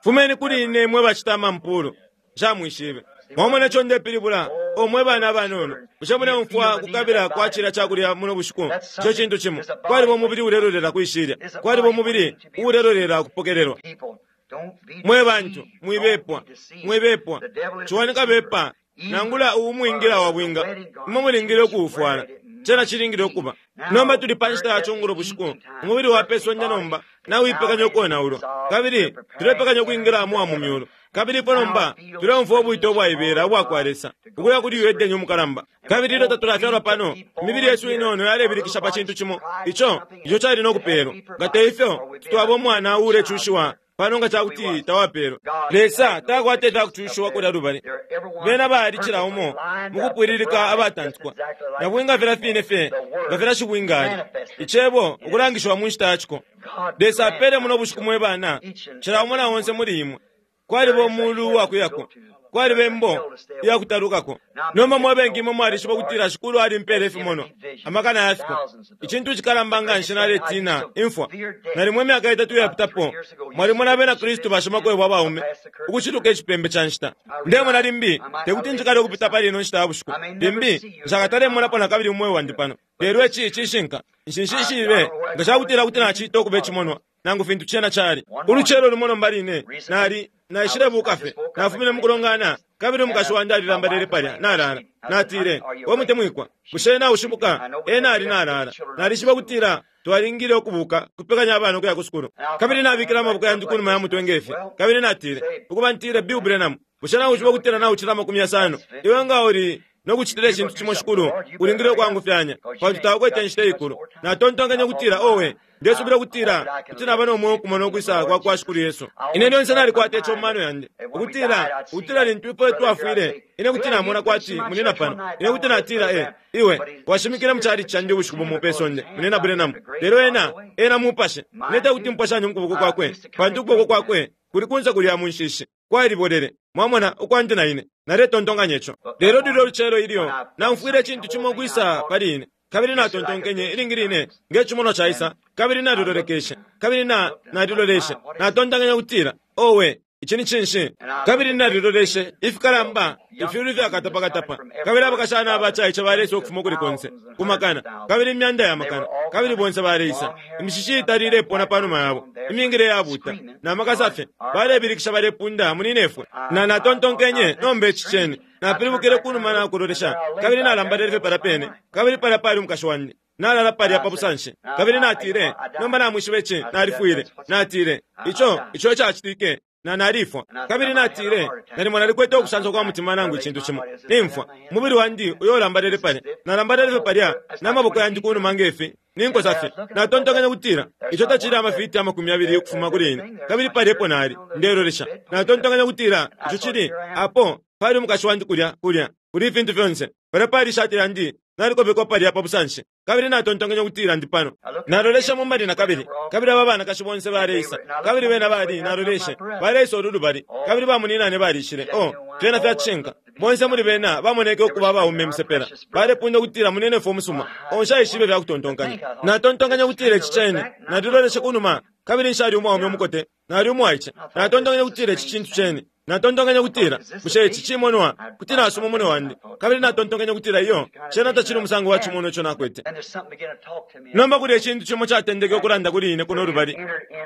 Fumeni kuli ine mwe bacita amampulu, nshamwishibe. Mwamona ico ndepilibula, o mwe bana abanono, bushe muleumfwa kukabila kwa cilya cakulya muno bushiku? Ico cintu cimo. Kwaliba umubili ulelolela kwishilya, kwaliba umubili uulelolela kupokelelwa. Mwe bantu, mwibepwa, mwibepwa. Ciwani kabepa, nangula umwingila wa bwinga, imwe mulingile ukuufwala. Cena cilingile ukuba. Nomba tuli pa nshita ya cungulo bushiku, umubili wa pe sonde nomba nawipekanya ukonaulwa, kabili tulepekanya ukwingila mu wa mu myulu. Kabili ifwe nomba tuleumfwa ubwite ubwaibela ubwa kwa Lesa ukuya kuli uyu Edeni umukalamba. Kabili ilyo tatulafyalwa pano, imibili yesu inono yalebilikisha pa cintu cimo ico cali no kupelwa. Nga te ifyo, twaba umwana uulecushiwa pano nga ca kuti tawapelwa. Lesa takwata ifyakucushiwa kulya lubali. Bena bali cila umo mukupwililika abatantikwa, na bwinga filya fine fye nga filya shibwinga ali. Icebo ukulangishiwa mu nshita ya ciko. Lesa apele muno bushiku mwe bana, cila umo na onse muli imwe. Kwaliba umulu uwakuyako, kwaliba imbo iyakutalukako. Nomba mwe bengi imwe mwalishiba ukutila Shikulu alimpele ifimonwa, amakana ya fiko. Icintu icikalamba nga nshi naletina, imfwa. Nalimo imyaka itatu iyapitapo, mwalimona Abena Kristu bashimakwebo abaume ukuciluka icipembe ca nshita. Ndemona limbi tekuti njikale ukupita pali ino nshita ya bushiku. Limbi nshakatalemonapo na kabili umweo wandi pano. Lelo ici cishinka. Nshinshishibe nga ca kutila kuti nacita ukuba icimonwa, nangu fintu cena cali. Ulucelo lumo nomba line, nali naishilebuuka fye, nafumine mu kulongana, kabili umukashi wandi alilambalele palya, nalala. Natile, We mutemwikwa, bushe naushibuka? Ena ali nalala. Nalishiba ukutila twalingile ukubuuka, kupekanya abana ukuya ku sukulu. Kabili nabikile amaboko yandi kunuma ya mutwe nge fi, kabili natile, Ukuba, ntile, Bill Branham, bushe naushiba ukutila naucila 50? Iwe nga uli no kucitila icintu cimo Shikulu, ulingile ukwangufyanya, pantu taukwete inshita iikulu. Natontonkenye ukutila, Owe, ndesubila ukutila kuti naba no mweo ukumona ukwisa kwa kwa Shikulu Yesu. Ine lyonse nalikwata ico mu mano yandi, ukutila, ukutila lintu ifwe twafwile, ine kuti namona kwati munina pano. Ine kuti natila, E, iwe washimikile mu chalichi candi ubushiku bumo pe sonde, Munina Branham. Lelo ena, ena mupashe. Ine tekuti mupashanye mu kuboko kwakwe, pantu ukuboko kwakwe kuli kunse kulya mu nshishi, kwalibolele. Mwamona, ukwandi na ine, naletontonkanya ico. Lelo lulyo lucelo ilyo naumfwile icintu cimo ukwisa pali ine, kabili natontonkenye ilingi line nge cimonwa caisa, kabili nalilolekeshe, kabili na, naliloleshe, natontonkenye ukutila, Owe, ici ni cinshi? Kabili naliloleshe, ifikalamba, ifyulu ifyakatapakatapa, kabili abakashana abacaice baleisa ukufuma ukuli konse, ku makana, kabili imyanda ya makana, kabili bonse baleisa, imishishi itali ilepona panuma yabo, imingile iyabuta, na makasa fye, balebilikisha balepunda, Muninefwe! Na, natontonkenye, Nomba ici ceni. Napilibukile kunuma na kulolesha, kabili nalambalele fye palya pene, kabili palya pali umukashi wandi, nalala palya pa busanshi. Kabili natile, Nomba namwishiba ici, nalifwile. Natile, Ico, ico ecacitike. Na, nalifwa. Kabili natile, Nalimo nalikwete ukusansa kwa mutima nangu icintu cimo. Nimfwa. Umubili wandi uyo ulambalele palya. Nalambalele fye palya, na maboko yandi kunuma nge fi, ninkosa fye. Natontonkenye ukutila, Ico tacili amafiti 20 ukufuma kuli ine. Kabili palya epo nali, ndelolesha. Natontonkenye ukutila, Ico cili, apo, pali umukashi wandi kulya, kulya, kuli ifintu fyonse. Palya pali ishati lyandi, nalikobekwa palya pa busanshi. Kabili natontonkenye ukutila ndi pano. Naloleshe mu mbali na kabili, kabili aba banakashi bonse baleisa. Kabili bena bali, naloleshe, baleisa ulu lubali, kabili bamuninane balishile. Oh, fyena fya cishinka. Bonse muli bena bamoneke ukuba abaume imisepela. Balepunda ukutila munenefwe umusuma. Oh, nshaishibe ifya kutontonkanya. Natontonkenye ukutila ici cene. Naliloleshe kunuma, kabili nshali umwaume umukote, nali umwaice. Natontonkenye ukutila ici cintu cene. Natontonkenye ukutila, Bushe ici cimonwa? Kuti nasuma umunwe wandi. Kabili natontonkenye ukutila, Iyo, cena tacili umusango wa cimonwa ico nakwete. Nomba kulya icintu cimo catendeke ukulanda kuli ine kuno lubali,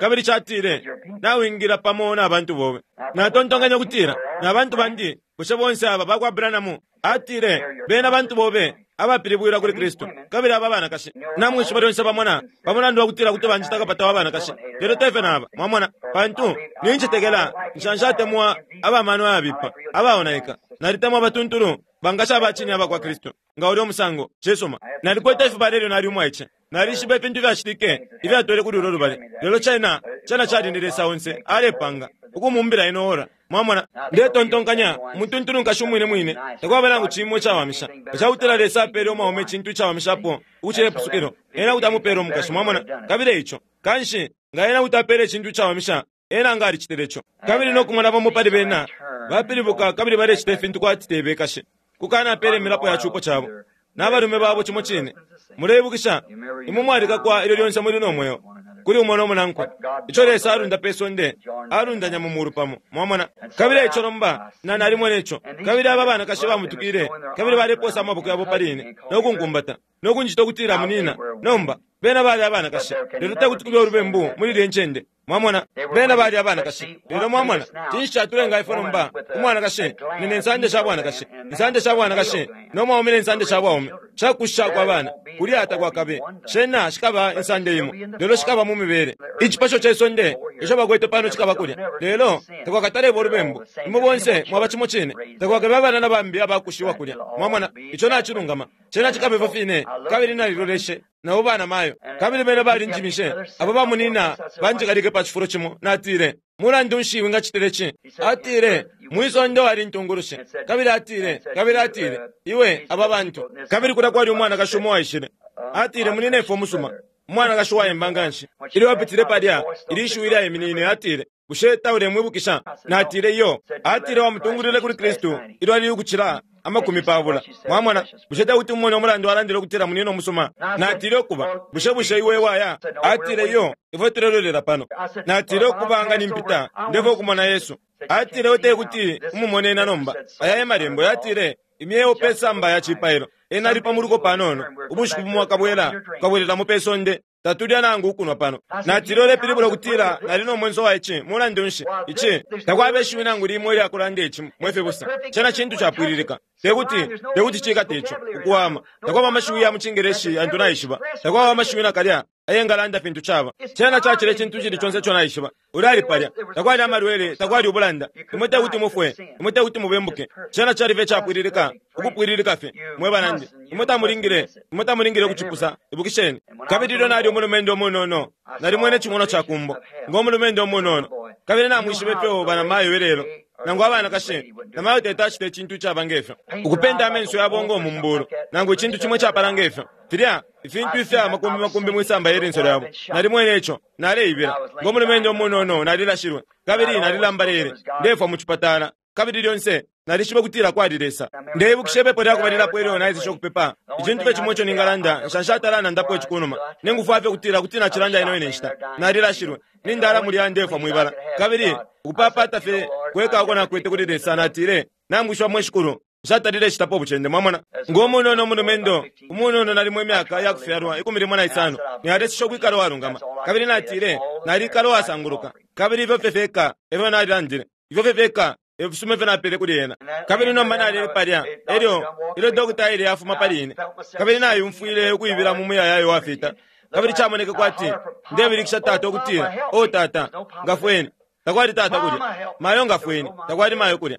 kabili catile, Nawingila pamo na bantu bobe. Natontonkenye ukutila, Na bantu bandi? Bushe bonse aba bakwa Branham? Atile, Bena bantu bobe abapilibwilwa kuli Kristu. Kabili aba banakashi, namwishiba lyonse bamona pa mulandu wa kutila kuti banjita kapata wa banakashi, lelo te fyo naba, mwamona, pantu nincetekela nsha nshatemwa aba mano ayabipa, abaonaika. Nalitemwa abatuntulu, bankashi aba cine aba kwa Kristu. Nga ulya umusango, cisuma. Nalikwete ifibala ilyo nali umwaice. Nalishiba ifintu ifyacitike ifyatwele kuli ulo lubali, lelo cena, cena cali ni Lesa onse alepanga ukumumbila ino ora. Mwamona? Ndetontonkanya, umutuntulu nkashi umwine mwine, takwaba nangu cimo icawamisha. Nga cakutila Lesa apele umwaume icintu icawamishapo ukucila ipusukilo, Ena kuti amupela umukashi. Mwamona? Kabili eico, kanshi, nga Ena kuti apela icintu icawamisha, Ena nga alicitile ico. Kabili no kumona bamo pali bena bapilibuka kabili balecita ifintu kwati te bekashi, kukanapela imilapo ya cupo cabo, na balume babo cimo cine. Muleibukisha, imwe mwalikakwa ilyo lyonse muli no mweo, kuli umo no munankwe. Ico Lesa alunda pe sonde, alundanya mu mulu pamo. Mwamona? Kabili eico nomba, na, nalimwene ico. Kabili aba banakashi bamutukile, kabili baleposa amaboko yabo pali ine, no kunkumbata, no kunjita ukutila munina. Nomba, bena bali abanakashi, lelo tekuti kube ulubembu muli ilye ncende. Mwamona, bena bali abanakashi. Lelo mwamona, cinshi catulenga ifwe nomba, umwanakashi ni ne nsande sha bwanakashi, insande sha bwanakashi, no mwaume ne nsande sha bwaume, shakushishako abana, kulya takwakabe. Shena shikaba insande imo, lelo shikaba mu mibele. Icipasho ce sonde ico bakwete pano cikaba kulya, lelo takwakataleba ulubembu. Imwe bonse mwaba cimo cine. Takwakabe abana na bambi abakushiwa kulya. Mwamona, ico nacilungama. Cena cikaba ifyo fine. Kabili naliloleshe, nabo banamayo, kabili bena balinjimishe, abo bamunina banjikalike palya. pa cifulo cimo. Natile, Mulandu nshi wingacitile ci? Atile, Mwi sonde wali intungulushi. Kabili atile, kabili atile, Iwe, aba bantu. Kabili kulya kwali umwanakashi umo waishile. Atile, Munyinefwe umusuma, umwanakashi uwayemba nganshi. Ilyo apitile palya, ili shiwi lyaiminine, atile, Bushe taulemwibukisha? Natile, Iyo. Atile, Wamutungulwile kuli Kristu ilyo ali ukucila 20. Mwamona? Bushe tekuti mumone umulandu alandile ukutila munyina umusuma? Natile, Ukuba, bushe, bushe iwe waya? Atile, Iyo, ifwe tulelolela pano. Natile, Ukuba, nga nimpita, ndefwaya ukumona Yesu. Atile, Iwe tekuti umumone ena nomba. Aya e Malembo. Yatile, Imyeo pe samba ya cipailo. Ena ali pa muluko panono. Ubushiku bumo akabwela, tukabwelelamo pe sonde. Tatulya nangu ukunwa pano. Natile, Ulepilibula ukutila nali no mwenso wa ici? Mulandu nshi, ici, takwaba ishiwi nangu limo ilya kulanda ici, mwe fibusa. Cena cintu capwililika. Tekuti, tekuti cikate ico, ukuwama. Takwaba amashiwi ya mu Cingeleshi yantu naishiba. Takwaba amashiwi nakalya ayengalanda fintu caba. Cena cacila icintu icili conse ico naishiba. Ulya ali palya. Takwali amalwele, takwali ubulanda. Imwe tekuti mufwe. Imwe tekuti mubembuke. Cena cali fye icapwililika, ukupwililika fye. Mwe banandi, imwe tamulingile, imwe tamulingile ukucipusa. Ibukisheni. Kabili ilyo nali umulumendo umunono, nalimwene icimonwa ca kumbo, ngo mulumendo umunono. Kabili namwishiba ifyo banamayo ilelo, nangu abanakashi, namayo teti acite icintu icaba ngefyo, ukupenta amenso yabo ngo mumbulu, nangu icintu cimo icapala ngefyo, filya ifintu ifya makumbi makumbi mwisamba ye linso lyabo. Nalimwene ico. Naleibila. Ngo mulumendo umunono nalilashilwe, kabili nalilambalele, ndefwa mu cipatala. Kabili lyonse nalishiba ukutila kwali Lesa. Ndeibukisha ipepo lya kubalilapo ilyo naeseshe ukupepa. Icintu fye cimo ico ningalanda, nsha nshatala nandapo ici kunuma. Ningufwa fye ukutila kuti nacilanda ino ine nshita. Nalilashilwe, nindala mulya ndefwa mwibala. Kabili ukupapata fye kweka uko nakwete kuli Lesa, natile, Namwishiba mwe Shikulu, nshatalile citapo ubucende. Mwamona? Ngo munono umulumendo, umunono nalimo imyaka ya kufyalwa 15, naleseshe ukwikala uwalungama. Kabili natile, Nalikala uwasanguluka. Kabili ifyo fye fyeka efyo nalilandile. Ifyo fye fyeka e fisuma ifyo napele kuli ena. Kabili nomba nalele palya, elyo, ilyo dokota aile afuma pali ine, kabili nayumfwile ukuibila mu muyayaya uwafita, kabili camoneke kwati ndebilikisha tata ukutila, O tata, ngafweni! Takwali tata kulya. Mayo ngafweni! Takwali mayo kulya.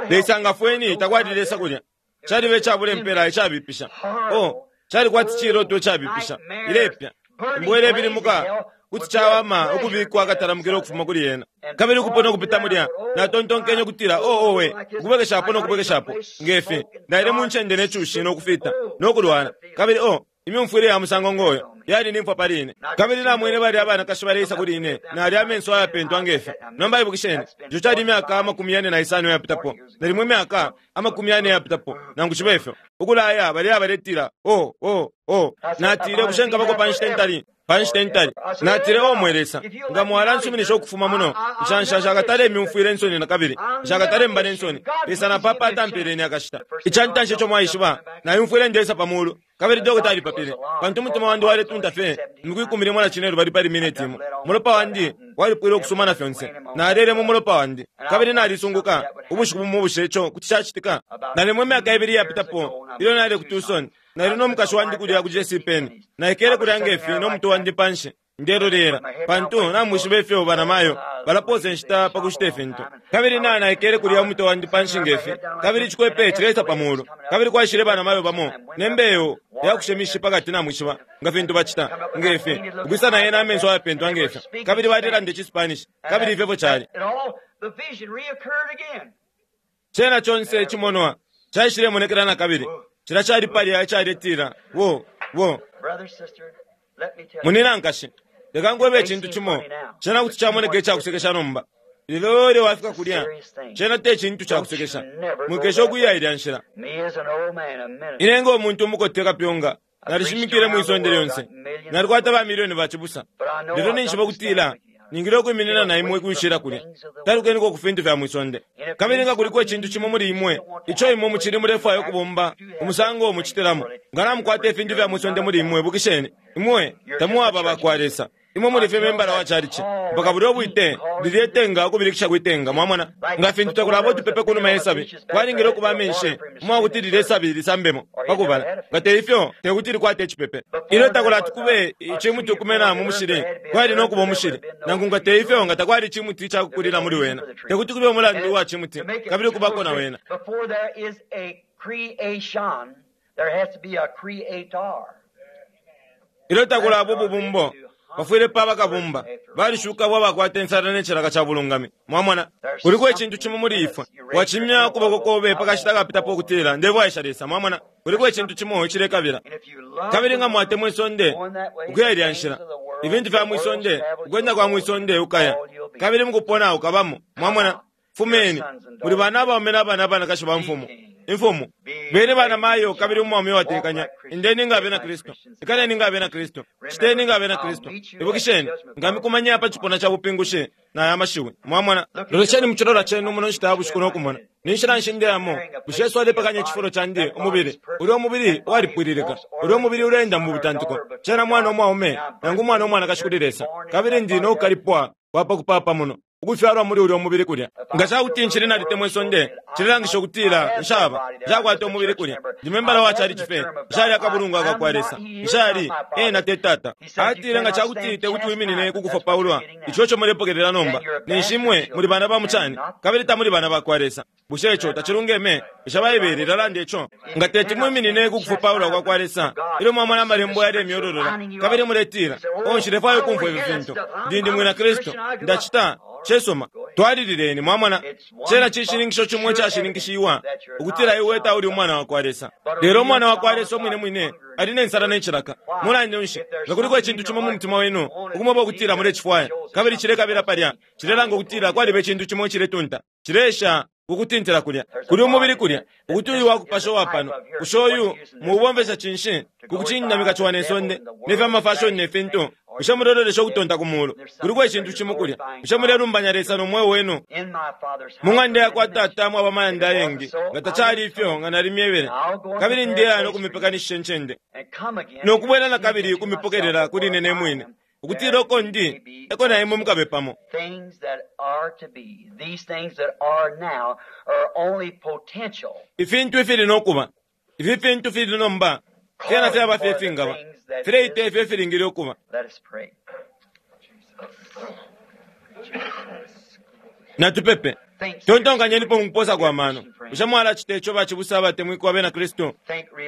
Lesa ngafweni! Takwali Lesa kulya. Caliba icabula impela icabipisha. Oh, cali kwati ciloto icabipisha. Ilepya. Imbwa ilebilimuka. Kuti cawama ukubikwa akatalamukila ukufuma kuli yena. Kabili ukupona ukupita mulya, natontonkenye ukutila, Oh, owe, ukubwekeshapo no kubwekeshapo, nge fi, naile mu ncende ne cushi no kufita, no kulwala. Kabili, oh, imyumfwile ya musango ngoyo yali ni mfwa pali ine. Kabili namwene balya abanakashi baleisa kuli ine, nalya amenso ayapentwa nge fi. Nomba ibukisheni, ico cali imyaka 45 iyapitapo, nalimo imyaka 40 iyapitapo, nangu cibe fyo. Ukulaya balya abaletila, Oh, oh, oh. Natile, Bushe nkabako pa nshita intali? Pa nshita intali. Natile, O mwe Lesa, nga mwalansuminisha ukufuma muno, nsha, nsha, nshakatale myumfwila insoni nakabili. Nshakatale mba ne nsoni. Lesa napapata mpeleni akashita. Ica ntanshi ico mwaishiba, nayumfwile ndeisa pa mulu. Kabili dokota alipapile, pantu umutima wandi waletunta fye imiku 15 pali mineti imo. Umulopa wandi walipwile ukusuma na fyonse. Nalele mu mulopa wandi. Kabili nalisunguka, ubushiku bumo bushe ico kuti cacitika? Nalimo imyaka ibili iyapitapo, ilyo nali ku Tucson, nali no mukashi wandi kulya ku J.C. Penney. Naikele kulya nge fi no mutwe wandi panshi, ndelolela, pantu namwishiba ifyo banamayo balapoosa inshita pa kushita ifintu. Kabili na, naikele kulya umutwe wandi panshi nge fi, kabili icikwepe cileisa pa mulu. Kabili kwaishile banamayo bamo ne mbeyo ya kushe mishi pakati, namwishiba, nga fintu bacita, nge fi, ukwisa na yena amenso ayapentwa nge fyo. Kabili balelanda iciSpanish, kabili ifyo efyo cali. Cena conse icimonwa caishilemonekela nakabili. Cilya cali palya icaletila, Wo, wo. Munyina, nkashi, leka nkwebe icintu cimo. Cena kuti camoneka icakusekesha nomba. Lelo ilyo wafika kulya, cena te cintu cakusekesha. Mwikesha ukuya ilya nshila. Ine ngo muntu umukote kapyunga, nalishimikile mwi sonde lyonse. Nalikwata ba milioni ba cibusa. Lelo ninjishiba ukutila ningile ukwiminina na imwe kwishila kulya. Talukeniko ku fintu fya mwi sonde. Kabili nga kuliko icintu cimo muli imwe ico imwe mucili mulefwaya ukubomba umusango mucitilamo, nga namukwata ifintu fya mwi sonde muli imwe, ibukisheni, imwe tamwaba bakwa Lesa. Imwe muli fye membala wa chalichi mpaka bulya ubwite, lilye tenga, ukubilikisha kwi tenga. Mwamona? Nga fintu takulaba utupepe kunuma ye sabi, kwalingile ukuba amenshi umwakuti lilye sabi lisambemo pa kubala, nga te ifyo te kuti likwate icipepe. Ilyo takulati kube icimuti ukumena mu mushili, kwali no kuba umushili, nangu nga te ifyo nga takwali icimuti ica kukulila muli wena. Te kuti kube umulandu uwa cimuti kabili ukubako na wena. Before there is a creation, there has to be a creator. Ilyo takulaba ububumbo, Pafwile paba kabumba. Balishuka abo abakwata insala ne cilaka ca bulungami. Mwamona? Kuliko icintu cimo muli ifwe. Wacimya ukuboko kobe pa kashita kapitapo ukutila, Ndefwaisha Lesa. Mwamona? Kuliko icintu cimo icilekabila. Kabili nga mwatemwa isonde, ukuya ilya nshila. Ifintu fya mwi sonde, ukwenda kwa mwi sonde ukaya. Kabili mukupona ukabamo. Mwamona? Fumeni. Muli bana abaume na bana abanakashi ba mfumu. Imfumu. Beni bana mayo kabili umwaume uwatekanya. Endeni nga abena Kristu. Ikaleni nga abena Kristu. Citeni nga abena Kristu. Ibukisheni, nkamikumanya pa cipuna ca bupingushi na aya mashiwi. Mwamona? Lolesheni mu cilola cenu muno nshita ya bushiku no kumona. Ni nshila nshi ndeyamo? Bushe Yesu alepekanya icifulo candi, umubili? Ulyo mubili walipwililika. Ulyo mubili uleenda mu butantiko. Cena mwana umwaume nangu umwana umwanakashi kuli Lesa. Kabili ndi no kukalipwa kwa pa kupapa muno, ukufyalwa muli ulyo mubili kulya. Nga ca kuti ncili nalitemwa isonde, cilelangisha ukutila nshaba, nshakwata umubili kulya. Ndi membala wa chalichi fye, nshali akabulungwa ka kwa Lesa. Nshali, ena te Tata. Atile nga ca kuti te kuti wiminine ku kufopaulwa, ico eco mulepokelela nomba, ninshi imwe muli bana ba mu cani, kabili tamuli bana ba kwa Lesa. Bushe ico tacilungeme? Bushe Baibele ilalanda ico? Nga teti mwiminine ku kufopaulwa kwa kwa Lesa, ilyo mwamona Amalembo yalemyololola, kabili muletila, Oh, nshilefwaya ukumfwa ifi fintu. Ndi, ndi Mwina Kristu. Ndacita. Cisuma. Twalilileni, mwamona. Cena cishininkisho cimo icashininkishiwa, ukutila iwe tauli umwana wakwa Lesa. Lelo umwana wakwa Lesa umwine mwine ali ne nsala ne cilaka. Mulandu nshi, nga kuliko icintu cimo mu mutima wenu, ukumweba ukutila mulecifwaya, kabili cilekabila palya, cilelanga ukutila kwaliba icintu cimo iciletunta, cileesha ukutintila kulya. Kuli umubili kulya, ukuti uyu wakupasha uwa pano. Bushe uyu muubomfesha cinshi ku kucindamika ciwa ne sonde, ne fya mafashoni ne fintu? Bushe mulelolesha ukutonta ku mulu? Kuliko icintu cimo kulya. Bushe mulelumbanya Lesa no mweo wenu? Mu ng'anda ya kwa Tata mwaba amayanda ayengi. Nga tacali ifyo, nga nalimyebele. Kabili ndeya no kumipekanishisha incende, no kubwela na kabili ukumipokelela kuli ine ne mwine, ukutila uko ndi, e ko na imwe mukabe pamo. Ifintu ifili no kuba. Ifi fintu fili nomba, fyena fyaba fye ifingaba. Fileita ifyo ifilingile ukuba. Natupepe. Tontonkanyenipo mu kuposa kwa mano. Bushe mwalacita ico bacibusa abatemwikwa abena Kristu?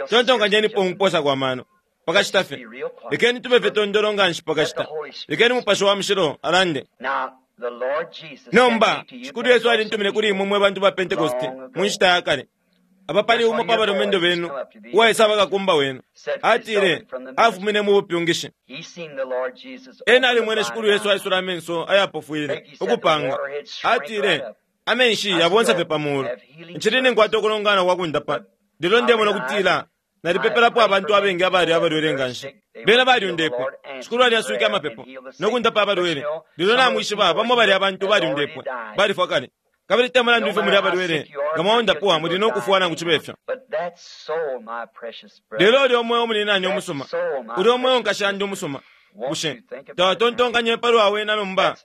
Tontonkanyenipo mu kuposa kwa mano. Pakashita fye. Lekeni tube fye tondolo nga nshi pakashita. Lekeni Mupashi wa Mushilo alande. Nomba, Shikulu Yesu alintumine kuli imwe mwe bantu ba Pentekoste mu nshita ya kale. Apa pali umo pa balumendo benu uwaisaba kakumba wenu. Atile, afumine mu bupyungishi. Ena alimwene Shikulu Yesu aisula amenso ayapofwile, ukupanga. Atile, amenshi yabonsa fye pa muulu. Ncili ninkwata ukulongana kwa kundapa. Lelo ndemona ukutila nalipepelapo abantu abengi abali abalwele nga nshi. Bena balyundepwe. Shikulu alyaswike amapepo no kundapa abalwele. Lelo namwishiba bamo bali abantu balyundepwe, balifwa kale. Kabili te mulandu ifyo muli abalwele, nga mwaundapwa muli no kufwa nangu cibe fyo. Lelo ulya umweo muninani umusuma, ulya umweo nkashi yandi umusuma, bushe tawatontonkanye palwa wena nomba,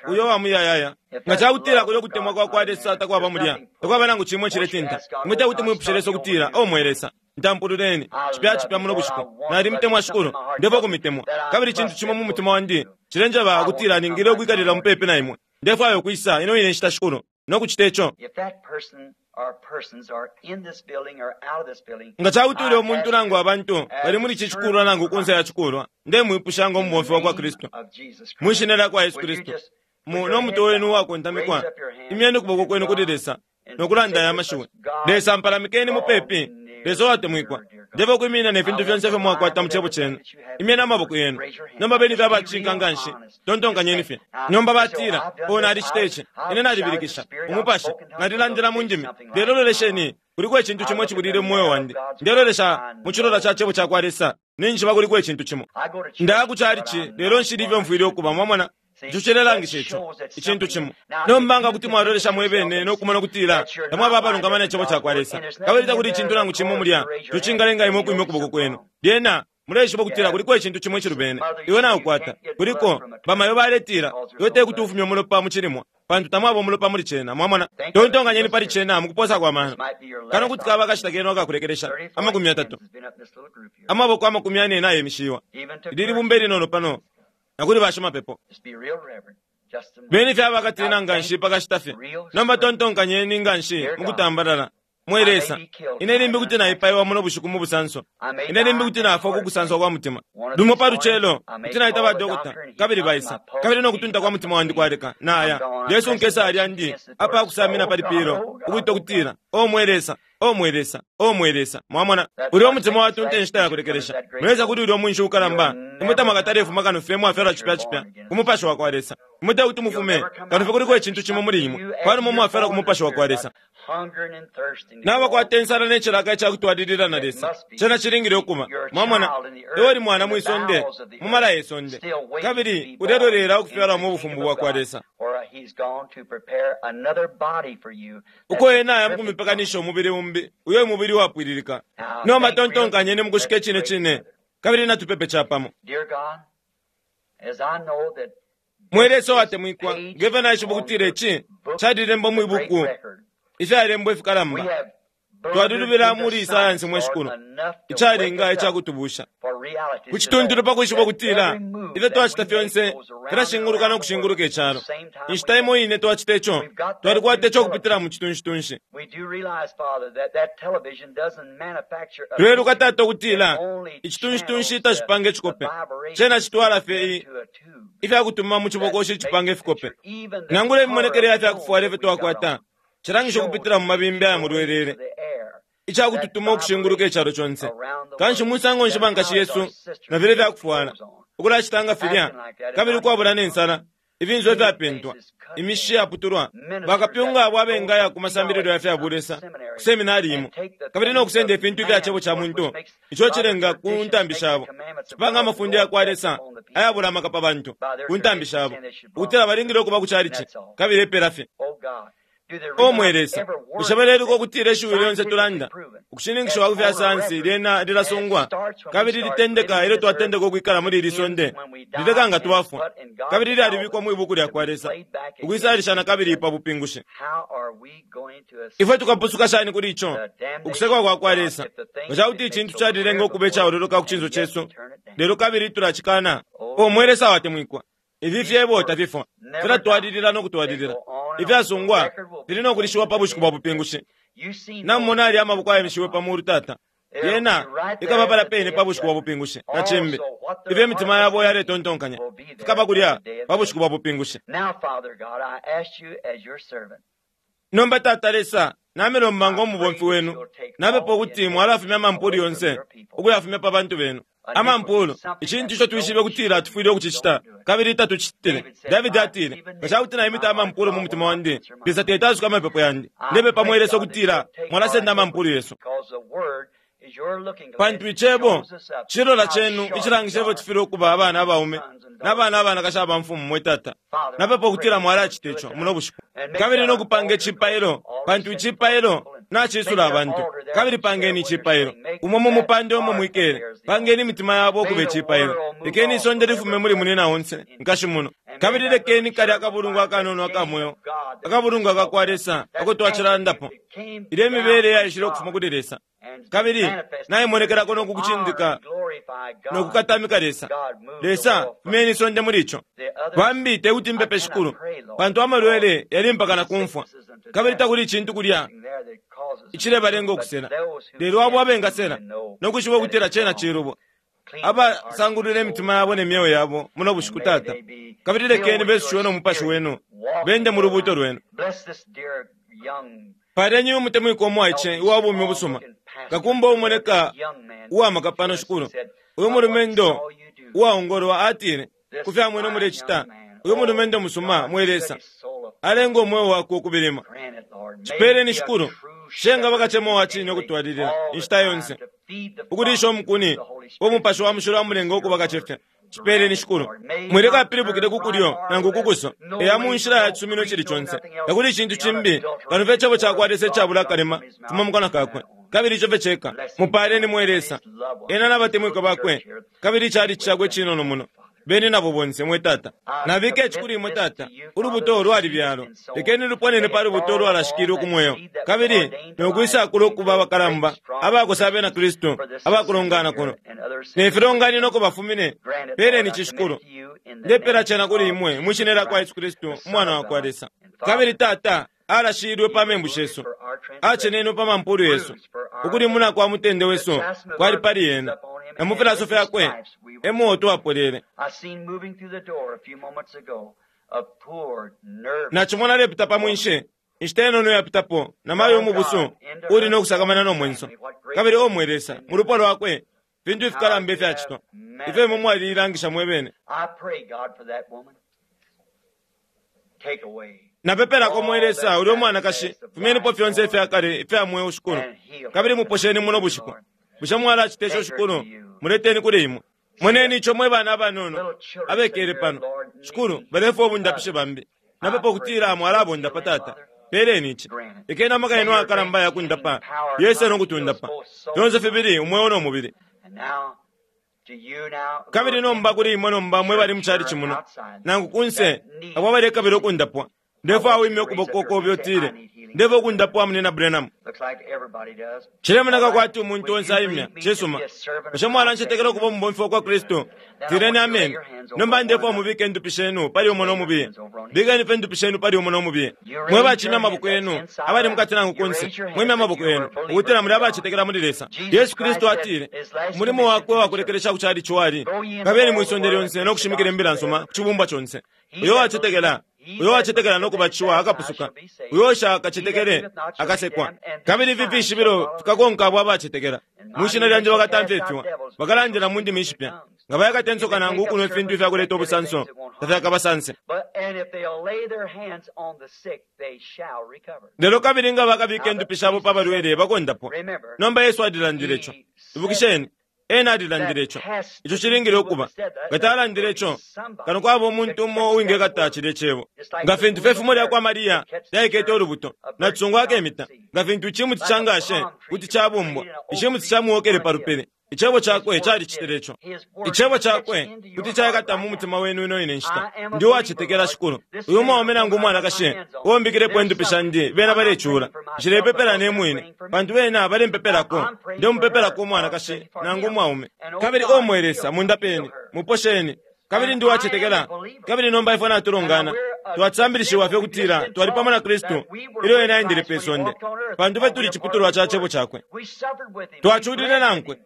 uyo wa muyayaya? Nga ca kutila kulyo kutemwa kwa kwa Lesa takwaba mulya, takwaba nangu cimo iciletinta, imwe te kuti mwipushe Lesa ukutila, O mwe Lesa, ntampululeni, cipya cipya muno bushiku. Nalimutemwa Shikulu, ndefwaya ukumitemwa. Kabili icintu cimo mu mutima wandi cilenjeba ukutila ningile ukwikalila mupepi na imwe. Ndefwaya ukwisa ino ine nshita, Shikulu, no kucita ico. Nga ca kuti ulya umuntu nangu abantu bali muli ici cikulwa nangu kunse ya cikulwa, ndemwipusha ngo mubomfi wa kwa Kristu, mwi Shina lya kwa Yesu Kristu, mu no mutwe wenu uwakontamikwa, imyeni ukuboko kwenu kuli Lesa, no kulanda aya mashiwi, Lesa, mpalamikeni mupepi, Lesa uwatemwikwa. Ndefwaya ukwiminina ne fintu fyonse ifyo mwakwata mu Cebo Cenu. Imyeni amaboko yenu. Nomba beni fye abacishinka nga nshi. Tontonkanyeni fye. Nomba batila, Oh, nalicita ici. Ine nalibilikisha. Umupashi. Nalilandila mu ndimi. Lelo lolesheni, kuliko icintu cimo icibulile mu mweo wandi. Ndelolesha mu cilola ca Cebo cakwa Lesa. Ninjishiba kuliko icintu cimo. Ndaya ku chalichi, lelo nshili ifyo mfwile ukuba. Mwamona? Ico cilelangisha ico, icintu cimo. Nomba nga kuti mwalolesha mwebene no kumona ukutila tamwaba abalungama ne Cebo cakwa Lesa, kabili takuli icintu nangu cimo mulya ico cingalenga imwe ukwimya ukuboko kwenu, lyena muleishiba ukutila kuliko icintu cimo icilubene. Iwe naukwata. Kuliko, bamayo baletila, iwe tekuti ufumye umulopa mu cilimwa, pantu tamwaba umulopa muli cena. Mwamona? Tontonkanyeni pali cena mukuposa kwa mano. Kano kuti kaba akashita kenu akakulekelesha. 30, amaboko 40 nayemishiwa. Ili libumba ilinono pano, na kuli bashimapepo. Beni fye abakatina nga nshi pa kashita fye. Nomba tontonkanyeni nga nshi mu kutambalala. Mwe Lesa, ine limbi kuti naipaiwa muno bushiku mu busanso. Ine limbi kuti nafwa ku kusanswa kwa mutima. Lumo pa lucelo, kuti naita ba dokota, kabili baisa. Kabili no kutunta kwa mutima wandi kwaleka, naya. Yesu nkesa alyandi, apa kusamina pali pilo, ukuita kutila, O mwe Lesa, O mwe Lesa, O mwe Lesa. Mwamona, ulya umutima watunta inshita ya kulekelesha. Mulesa kuti ulya umwinshi ukalamba, imwe tamwakatalefuma kano fye mwafyalwa cipya cipya ku mupashi wa kwa Lesa. Imwe tekuti mufume kano fye kuliko icintu cimo muli imwe, panuma mwafyalwa ku mupashi wa kwa Lesa. Nabakwata insala ne cilaka ica kutwalilila na Lesa. Cena cilingile ukuba. Mwamona, iwe uli mwana mwi sonde, mu mala ye sonde, kabili ulelolela ukufyalwa mu bufumu bwa kwa Lesa. Uko ena aya mukumipekanisha umubili umbi, uyo umubili uwapwililika. Nomba tontonkanyeni mukushika icine cine, kabili natupepe capamo. Mwe Lesa uwatemwikwa, ngefyo naishiba ukutila ici calilembwa mwi buku ifyalembwa ifikalamba. Twalilubila muli sayansi mwe Shikulu, icalinga icakutubusha ku cituntulu pa kwishiba ukutila ifyo twacita fyonse filashinguluka no kushinguluka icalo. Inshita imo ine twacita ico, twalikwata ico kupitila mu citunshitunshi. Tuleluka, Tata, ukutila icitunshitunshi tacipanga icikope, cena citwala fye ifyakutuma mu cibokoshi icipanga ifikope. Nangula imimonekele ya fyakufwala ifyo twakwata cilangisha ukupitila mu mabimbi aya mulwelele, icakututuma ukushinguluka icalo conse. Kanshi musango nshi bankashi yesu na filya ifyakufwala ukulacita nga filya, kabili ukwabula ne nsala, ifinso ifyapentwa, imishi yaputulwa, bakapyunga abo abengaya ku masambililo ya fya bulesa ku seminari imo, kabili no kusenda ifintu ifya cebo ca muntu, ico cilenga ku ntambi shabo, cipanga amafunde ya kwa Lesa ayabula amaka pa bantu ku ntambi shabo, ukutila balingile ukuba ku calici, kabili epela fye. O mwe Lesa, bushe baleluka ukutila ishiwi lyonse tulanda, ukushininkishiwa ku fya sayansi lyena lilasungwa, kabili litendeka ilyo twatendeka ukwikala muli ili sonde, lileka nga twafwa, kabili lyalibikwa mwi buku lya kwa Lesa, ukwisalishana kabili pa bupingushi. Ifwe tukapusuka shani kuli ico ukusekwa kwa kwa Lesa, nga ca kuti icintu calilenga ukuba icaololoka ku cinso cesu, lelo kabili tulacikana? O mwe Lesa watemwikwa, ifi fyebo tafifwa, filatwalilila no kutwalilila. Ifyasungwa fili no kulishiwa pa bushiku bwa bupingushi. Namumona alya amaboko ayemishiwe pa mulu, Tata. Yena ikaba palya pene pa bushiku bwa bupingushi. Na cimbi, ifyo imitima yabo yaletontonkanya fikaba kulya pa bushiku bwa bupingushi. Nomba, Tata Lesa, namilomba ngo mubomfi wenu, napepa ukuti mwalafumya amampulu yonse ukuyafumya pa bantu benu. Amampulu, icintu ico twishibe kutila tufwile ukucicita, kabili tatucitile. Davidi atile, nga ca kuti naimita amampulu mu mutima wandi, Lesa teti asuke amapepo yandi. Ndepepa mwe Lesa ukutila mwalasenda amampulu yesu. Pantu icebo cilola cenu icilangisha ifyo tufwile ukuba abana abaume na bana abanakashi aba mfumu, mwe Tata. Napepa ukutila mwalacita ico muno bushiku. Kabili no kupanga icipailo, pantu icipailo nacisula abantu. Kabili pangeni icipailo umo mu mupande umo mwikele, pangeni imitima yabo ukuba icipailo. Lekeni isonde lifume muli munina onse nkashi muno, kabili lekeni kalya akabulungu akanono aka mweo, akabulungu aka kwa Lesa ako twacilandapo, ilyo imibele yaishile ukufuma kuli Lesa kabili naimonekelako no kukucindika no kukatamika Lesa. Lesa, fumyeni isonde muli ico. Bambi tekuti mpepe, Shikulu, pantu amalwele yali mpaka na kumfwa, kabili takuli icintu kulya icilebalenga ukusela. Lelo abo abengasela no kwishiba ukutila cena cilubo, abasangulula imitima yabo ne myeo yabo muno bushiku, Tata, kabili lekeni besushiwe no mupashi wenu, bende mu lubuuto lwenu. Paleni umutemwiko umwaice uwa bumi ubusuma, kakumba umoneka uwamaka pano, Shikulu. Uyu mulumendo uwaongolwa atile, ku fyamwene mulecita, uyu mulumendo musuma, mwe Lesa, alenga umweo wakwe ukubilima. Cipeleni, Shikulu, shenga bakacema wa cine ukutwalilila inshita yonse, ukulisha umukuni wo mupashi wa mushilo amulenga ukuba kacefya. Cipeleni, Shikulu. Mwileka apilibukile ku kulyo nangu ku kuso, eya mu nshila ya cisumino icili conse. Takuli icintu cimbi kano fye icebo ca kwa Lesa icabula akalema fuma mu kanwa kakwe, kabili ico fye ceka. Mupaaleni, mwe Lesa, ena na batemwikwa bakwe, kabili icalici cakwe icinono muno. Beni nabo bonse, mwe Tata. Nabika ici kuli imwe, Tata, ulubuto lwalibyalwa. Lekeni luponene pa lubuto ulwalashikilwe ku mweo, kabili no kwisakula ukuba abakalamba abakosa abena Kristu abakulongana kuno ne filonganino uko bafumine. Peleni ici, Shikulu. Ndepela cena kuli imwe mwi shina lya kwa Yesu Kristu, Umwana wa kwa Lesa. Kabili Tata, Alashilwe pa membu shesu, acenenwe pa mampulu yesu, ukulimuna kwa mutende wesu kwali pali ena, na mu filaso fyakwe emo twapolele. Nacimona alepita pa mwinshi inshita inono yapitapo na mayo umubusu uli no kusakamana no mwenso. Kabili o mwe Lesa, mu lupwa lwakwe fintu ifikalamba ifyacitwa ifyo imwe mwaliilangisha mwe bene. Napepelako mwe Lesa ulya umwanakashi, fumyenipo fyonse ifya kale ifya mweo Shikulu, kabili muposheni muno bushiku. Bushe mwalacita ico Shikulu? Muleteni kuli imwe. Moneni ico mwe bana abanono abekele pano Shikulu, balefwa ubundapishi bambi. Napepa ukutila mwalabundapa Tata. Peleni ici. Lekeni amaka yenu ayakalamba ayakundapa yese no kutundapa fyonse fibili, umweo no mubili. Kabili nomba kuli imwe nomba mwe bali mucalici muno nangu kunse abo abalekabila ukundapwa, ndefwaya wimye ukuboko kobe utile, ndefwaya ukundapwa munina Branham. Cilemoneka kwati umuntu onse aimya. Cisuma. Bushe mwalancetekela ukuba umubomfi wa kwa Kristu? Tileni ameni. Nomba ndefwaya mubike indupi shenu pali umo no mubiye. Bikeni fye indupi shenu pali umo no mubiye. Mwe bacimya amaboko yenu abali mukati nangu kunse, mwimye amaboko yenu ukutila muli abacetekela muli Lesa. Yesu Kristu atile umulimo wakwe wakulekelesha ku calici wali, kabeni mwi sonde lyonse no kushimikila imbila nsuma ku cibumbwa conse. Uyo wacetekela uyo wacetekela no kubatishiwa akapusuka, uyo ushakacetekele akasekwa. Kabili ifi fishibilo fikakonka abo abacetekela. Mwi shina lyandi bakatamfya ifiwa, bakalandila mu ndimi ishipya, nga bayakata insoka nangu ukunwa ifintu ifyakuleta ubusanso tafyakabasanse. Lelo kabili nga bakabika indupi shabo pa balwele bakondapwa. Nomba Yesu alilandile ico. Ibukisheni, ena alilandile ico. Ico cilingile ukuba. Nga talandile ico, kano kwaba umuntu umo uwingekata cilye cebo. Nga fintu fye ifumo lya kwa Maria lyaikete ulubuto, na cisungu akemita. Nga fintu icimuti ca ngashe kuti cabumbwa, icimuti camuwokele pa lupili. Icebo cakwe calicitile ico. Icebo cakwe kuti caikata mu mutima wenu ino ine nshita. Ndi uwacetekela Shikulu. Uyu umwaume nangu umwanakashi uo mbikilepo indupi shandi, bena balecula. Nshilepepela ne mwine, pantu bena balempepelako. Ndemupepelako umwanakashi nangu umwaume. Kabili o mwe Lesa, mundapeni, muposheni. Kabili ndi uwacetekela. Kabili nomba ifwe natulongana, twasambilishiwa fye ukutila twali pamo na Kristu ilyo ena aendele pe sonde, pantu fye tuli ciputulwa ca cebo cakwe. Twaculile nankwe,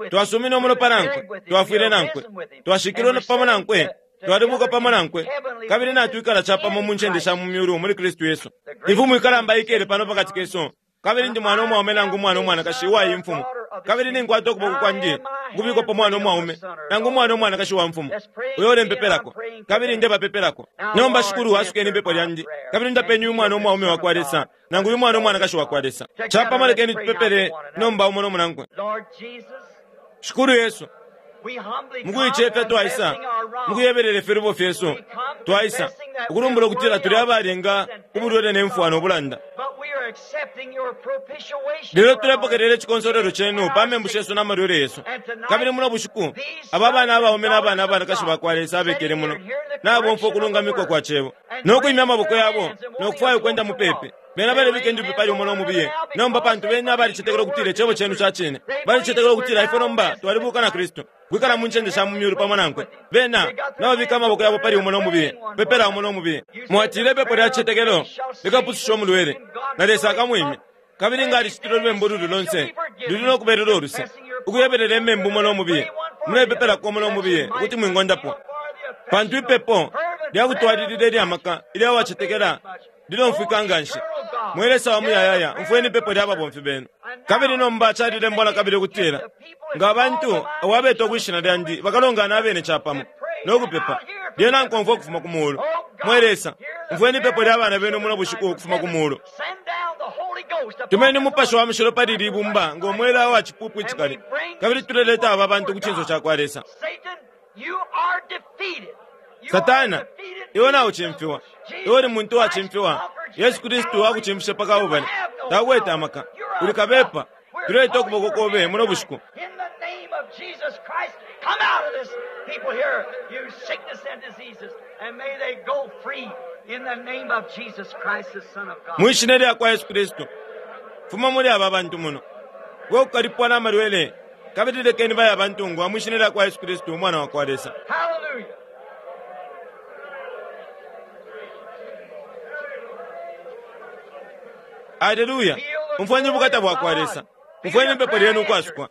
twasumine umulopa nankwe, twafwile nankwe, twashikilwe pamo nankwe, twalibuka pamo nankwe, kabili natwikala capamo mu ncende sha mu myulu muli Kristu Yesu. Imfumu ikalamba ikele pano pakati kesu, kabili ndi mwana umwaume nangu umwana umwanakashi uwa iyi mfumu, kabili ninkwata ukuboko kwandi ukubikwa pa mwana umwaume nangu umwana umwanakashi wa mfumu uyo ulempepelako, kabili ndebapepelako. Nomba Shikulu, asukeni ipepo lyandi, kabili ndapeni uyu mwana umwaume wa kwa Lesa nangu uyu mwana umwanakashi wa kwa Lesa. Capamo lekeni tupepele nomba umo no munankwe. Shikulu Yesu, mukuicefya twaisa mukuyebelela ifilubo fyesu, twaisa ukulumbula ukutila tuli abalinga ubulwele ne mfwa no bulanda. Lelo tulepokelela icikonsolelo cenu pa membu shesu na malwele yesu. Kabili muno bushiku aba bana abaume na bana abanakashi ba kwa Lesa abekele muno nabomfwa ukulungamikwa kwa cebo no kwimya amaboko yabo no kufwaya ukwenda mupepi. Bena balebika indupi pali umo no mubiye. Nomba pantu bena balicetekela ukutila icebo cenu ca cine, balicetekela ukutila ifwe nomba twalibuka na Kristu kwikala mu ncende sha mu myulu pamo nankwe. Bena nababika amaboko yabo pali umo no mubiye, pepela umo no mubiye. Mwatile ipepo lya cicetekelo likapususha umulwele, na Lesa akamwimya. Kabili nga alicitile ulubembu ululi lonse, luli no kubelela uluse, ukuyebelela imembu umo no mubiye. Mulepepelako umo no mubiye ukuti mwingondapwa. Pantu ipepo lyakutwalilila ilya maka ilya wacetekela lilomfwika nga nshi. Mwe Lesa wa muyayaya, umfweni ipepo lya babomfi benu. Kabili nomba calilembwa na kabili ukutila, nga abantu abo abetwa kwi shina lyandi bakalongana abene capamo no kupepa, lyena nkomfwa ukufuma ku muulu. Mwe Lesa, umfweni ipepo lya bana benu muno bushiku ukufuma ku muulu. Tumeni Umupashi wa Mushilo pali ili ibumba ngo mwela wa cipupu icikali, kabili tuleleta aba bantu ku cinso ca kwa Lesa. Satana, iwe naucimfiwa. Iwe uli muntu uwacimfiwa. Yesu Kristu akucimfishe pa Kalbale. Takwete amaka. Uli kabepa. Tuleta ukuboko kobe muno bushiku. Mwi shina lya kwa Yesu Kristu, fuma muli aba bantu muno. We kukalipwa na malwele, kabili lekeni baye abantungwa mwi shina lya kwa Yesu Kristu, Umwana wa kwa Lesa. Aleluya! Umfweni ubukata bwa kwa Lesa. Umfweni ipepo lyenu ukwasukwa.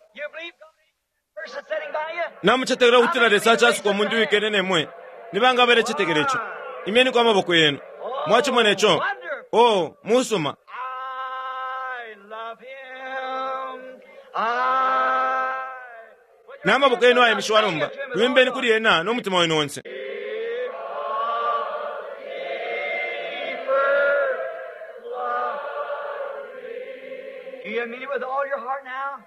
Namucetekela ukutila Lesa acasuka umuntu uwikele nemwe. Nibanga abalecetekela ico? Imyeniko amaboko yenu. Mwacimona ico? Oh, musuma. Namaboko yenu ayemishiwa nomba, lwimbeni kuli ena no mutima wenu onse. Do you mean it with all your heart now?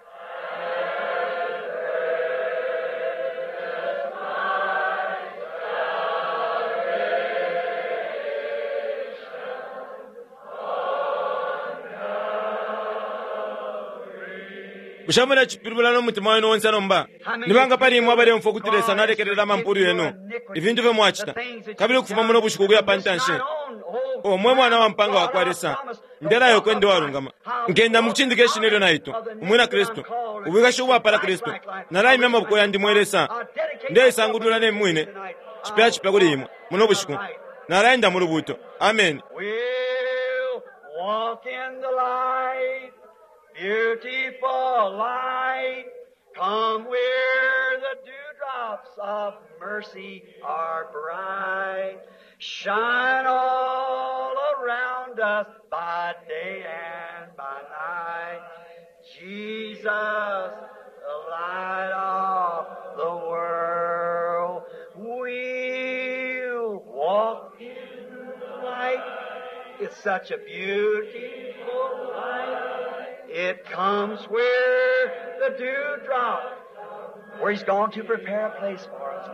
Bushe mulecipilibula no mutima wenu onse nomba? Nibanga pali imwe abaleumfwa ukuti Lesa nalekelela amampulu yenu, ifintu ifyo mwacita, kabili ukufuma muno bushiku ukuya pa ntanshi? O mwe mwana wa mpanga wa kwa Lesa, ndelayo kwende walungama. Nkenda mukucindika ishina ilyo naitwa, umwina Kristu, ubwikashi ubwapala Kristu. Nalaimya amaboko yandi mwe Lesa, ndeisangulula ne mwine, cipya cipya kuli imwe, muno bushiku. Nalaenda mu lubuuto. Amen. We'll walk in the light, beautiful light. Come where the dewdrops of mercy are bright. Shine all around us by day and by night. Jesus, the light of the world. We'll walk in the light. It's such a beautiful light. It comes where the dewdrop, where He's gone to prepare a place for us.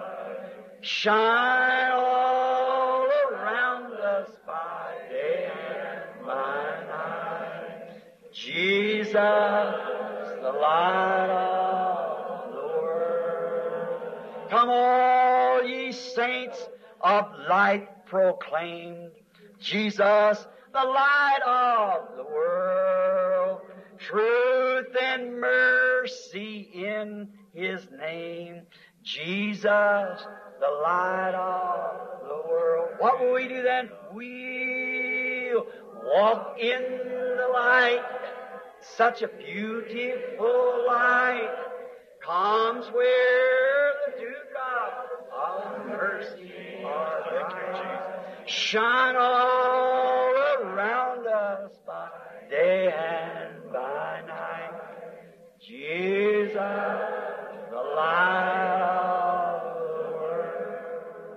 Shine all around us by day and by night. Jesus, the light of the world. Come all ye saints of light proclaimed. Jesus, the light of the world. Truth and mercy in His name. Jesus, the light of the world. What will we do then? We'll walk in the light. Such a beautiful light comes where the dewdrop of mercy are bright. Shine all around us by day and by night. Jesus, the light of the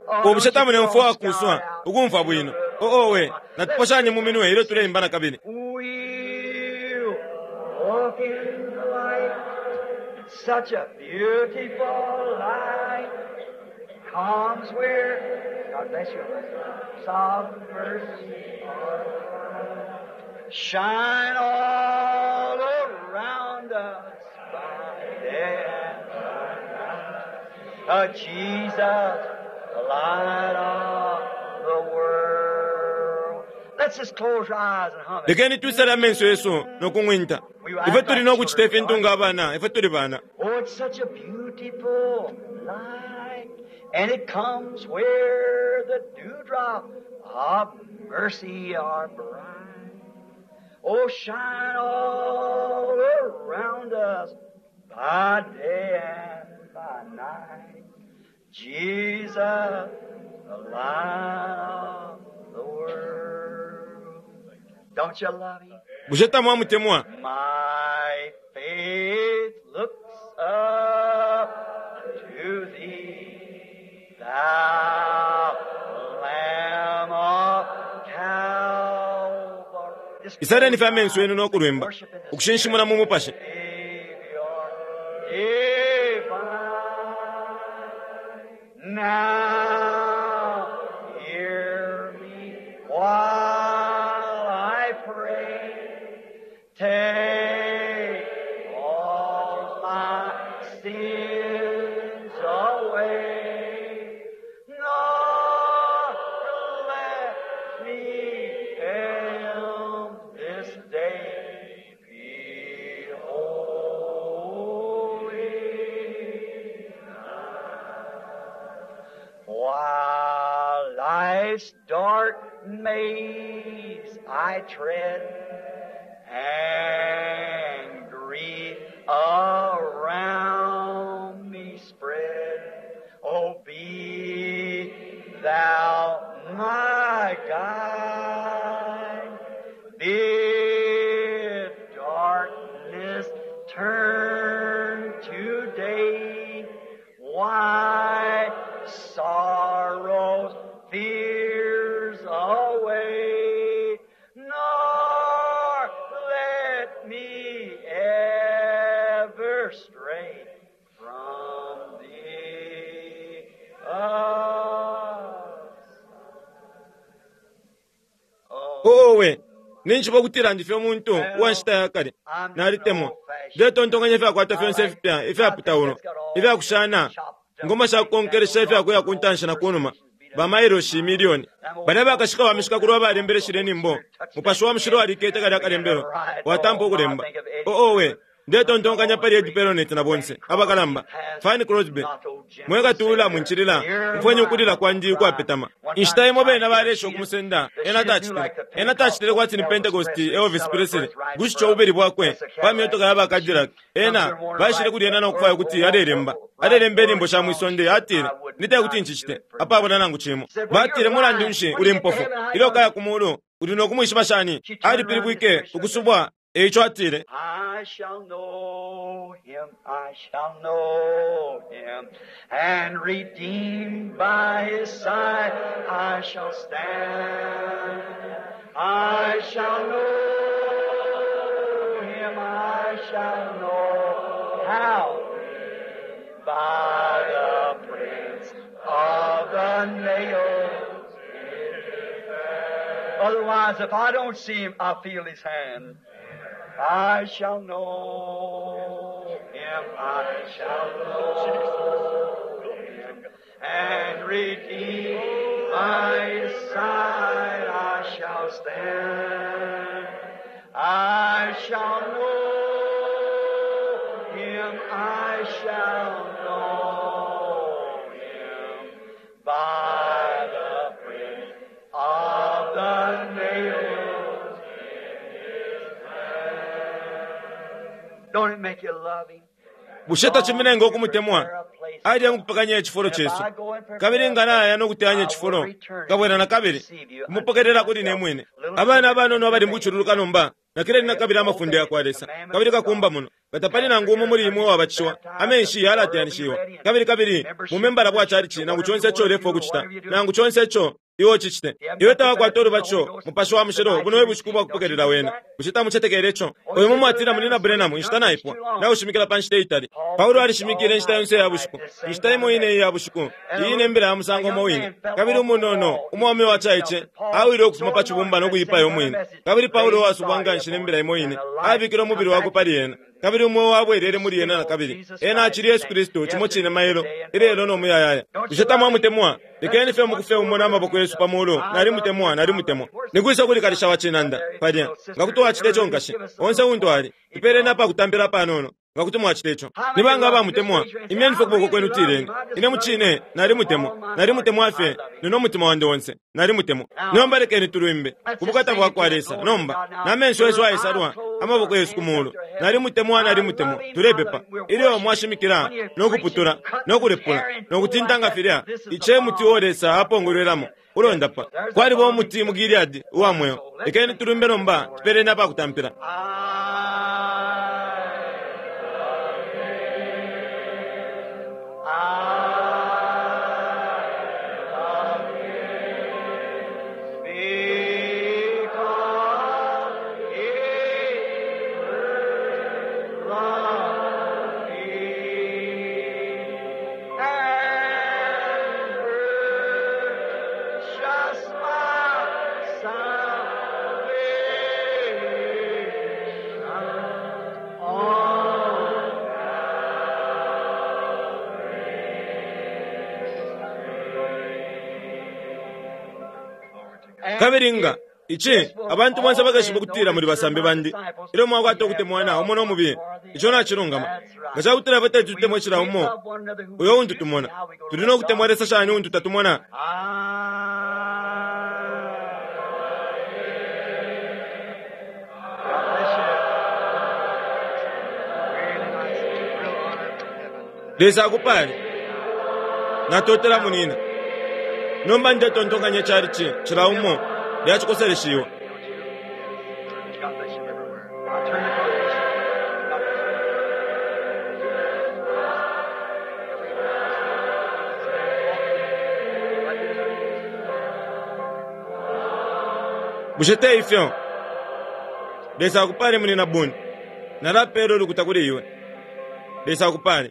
world. Ubushe tamulemfwa wakuswa, ukumfwa bwino. Oo we, natuposhanye mu minwe ilyo tuleimba na kabili. We'll walk in the light, such a beautiful light comes where, God bless you, sovereign mercy are bright. Shine all around us by day and by night. Jesus, the light of the world. Let's just close our eyes and hum it. Lekeni twisale amenso yesu nokung'winta. Ifwe tuli nokucita ifintu nga abana, ifwe tuli bana. Oh, it's such a beautiful light, and it comes where the dewdrop of mercy are bright. Oh, shine all around us by day and by night. Jesus, the light of the world. Don't you love him? Bushe tamwamutemwa? My faith looks up to thee, thou Lamb of Calvary. Just Isaleni fye amenso yenu nokulwimba, ukushinshimuna mu mupashi. Savior divine. Now hear me while I pray. Take all my sins away. Nor let me fail this day. Be holy. While life's dark maze I tread, turn to day. Why sorrows, fears away, nor let me ever stray from thee. Owe, ninshi bokutila ndi fye umuntu uwa nshita ya kale. Nalitemwa. Ndetontonkanya ifyakwata fyonse ifipya ifyaputaulo, ifyakushana, ngoma shakukonkelesha ifyakuya ku ntanshi na kunuma, bamailoshi milioni. Balya bakashika ba mishikakulo abalembeleshile inyimbo, Mupashi wa Mushilo alikete kalya kalembelo, watampa ukulemba. Owe, ndetontonkanya pali Ed Perronet na bonse abakalamba, Fanny Crosby, mwekatula mwinchilila, mfwenye ukulila kwandi ukwapetama. Inshita imo bena balesha ukumusenda, ena tacitile. Ena tacitile kwati ni Pentecost Elvis Presley, gushitya ububeli bwakwe pa myotoka ya ba Cadillac. Ena baishile kuli ena no kufwaya kuti alelemba. Alelemba inyimbo sha mwisonde, atile, "Nite kuti nchicite, apabula nangu cimo." Batile, "Mulandu nshi uli mpofu? Ilyo kaya ku mulu, uli no kumwishiba shani?" Alipilibwike ukusubwa, eico atile, I shall know him, I shall know him, and redeemed by his side I shall stand. I shall know him, I shall know how, by the prints of the nails. Otherwise, if I don't see him, I feel his hand. I shall know him, I shall know him, and redeemed by his side I shall stand. I shall know him, I shall know him, by the print of the nails in his hand. Don't it make you love him? Bushe tachiminenga ukumutemwa? Alya mukupekanya icifulo cesu. Kabili nga naya no kuteyanya icifulo, kabwela na kabili, kumupokelela kuli ne mwine. Abana abanono abali mukucululuka nomba, nakileni na kabili amafunde ya kwa Lesa. Kabili kakumba muno, batapali nangu umo muli imwe uwabatishiwa, amenshi yalateyanishiwa. Kabili kabili, mumembala bwa chalichi, nangu chonse ico ulefwa ukucita, nangu chonse ico iwe ucicite. Iwe tawakwata ulubatisho, Mupashi wa Mushilo, buno e bushiku bwa kupokelela wena. Bushe tamucetekele ico? Uyu mumwatila muli na Branham, inshita naipwa, naushimikila pa nshita itali. Paulo alishimikile inshita yonse ya bushiku, inshita imo ine iya bushiku, iyi ine mbila ya musango umo wine. Kabili umunono, umwaume wa caice, awile ukufuma pa cibumba no kuipaya umwine. Kabili Paulo uwasubwa nganshi ne mbila imo ine, abikile umubili wakwe pali ena. Kabili umweo wabwelele muli ena na kabili. Ena acili Yesu Kristu, cimo cine mailo, ilelo no muyayaya. Bushe tamwamutemwa? Lekeni fye mukufe umo na maboko yesu pa mulu. Nalimutemwa, nalimutemwa. Nikwisa kuli kalisha wa cinanda, palya. Nga kuti wacita ico nkashi, onse untu ali, tupeleni apakutampila panono. Nga kuti mwacita ico. Ni banga abamutemwa? Imyeni fye ukuboko kwenu tileni. Ine mucine, nalimutemwa. Nalimutemwa fye, nino mutima wandi onse. Nalimutemwa. Nomba lekeni tulwimbe. Kubukata bwa kwa Lesa. Nomba, na menso yesu ayesalwa, amaboko yesu ku mulu. Nalimutemwa, nalimutemwa. Tulepepa. Ilyo mwashimikila, no kuputula, no kulepula, no kutinta nga filya, ice muti uo Lesa apongolwelamo, ulondapa. Kwaliba umuti mu Gileadi uwa mweo. Lekeni tulwimbe nomba, tupeleni apakutampila. Because he first loved me and purchased my salvation on Kabili nga ici abantu bonse bakeshiba ukutila muli basambi bandi ilyo mwakwata ukutemwana umo no mubiye. Ico nacilungama. Nga cakutila fwe teti tutemwe cila umo uyo untu tumona, tuli no kutemwa Lesa shani untu tatumona? Lesa akupale. Natotela munina. Nomba ndetontonkanya chalichi cila umo Bushe te ifyo? Lesa akupale, Munyina Boone. Nalapela ulukuta kuli iwe. Lesa akupale.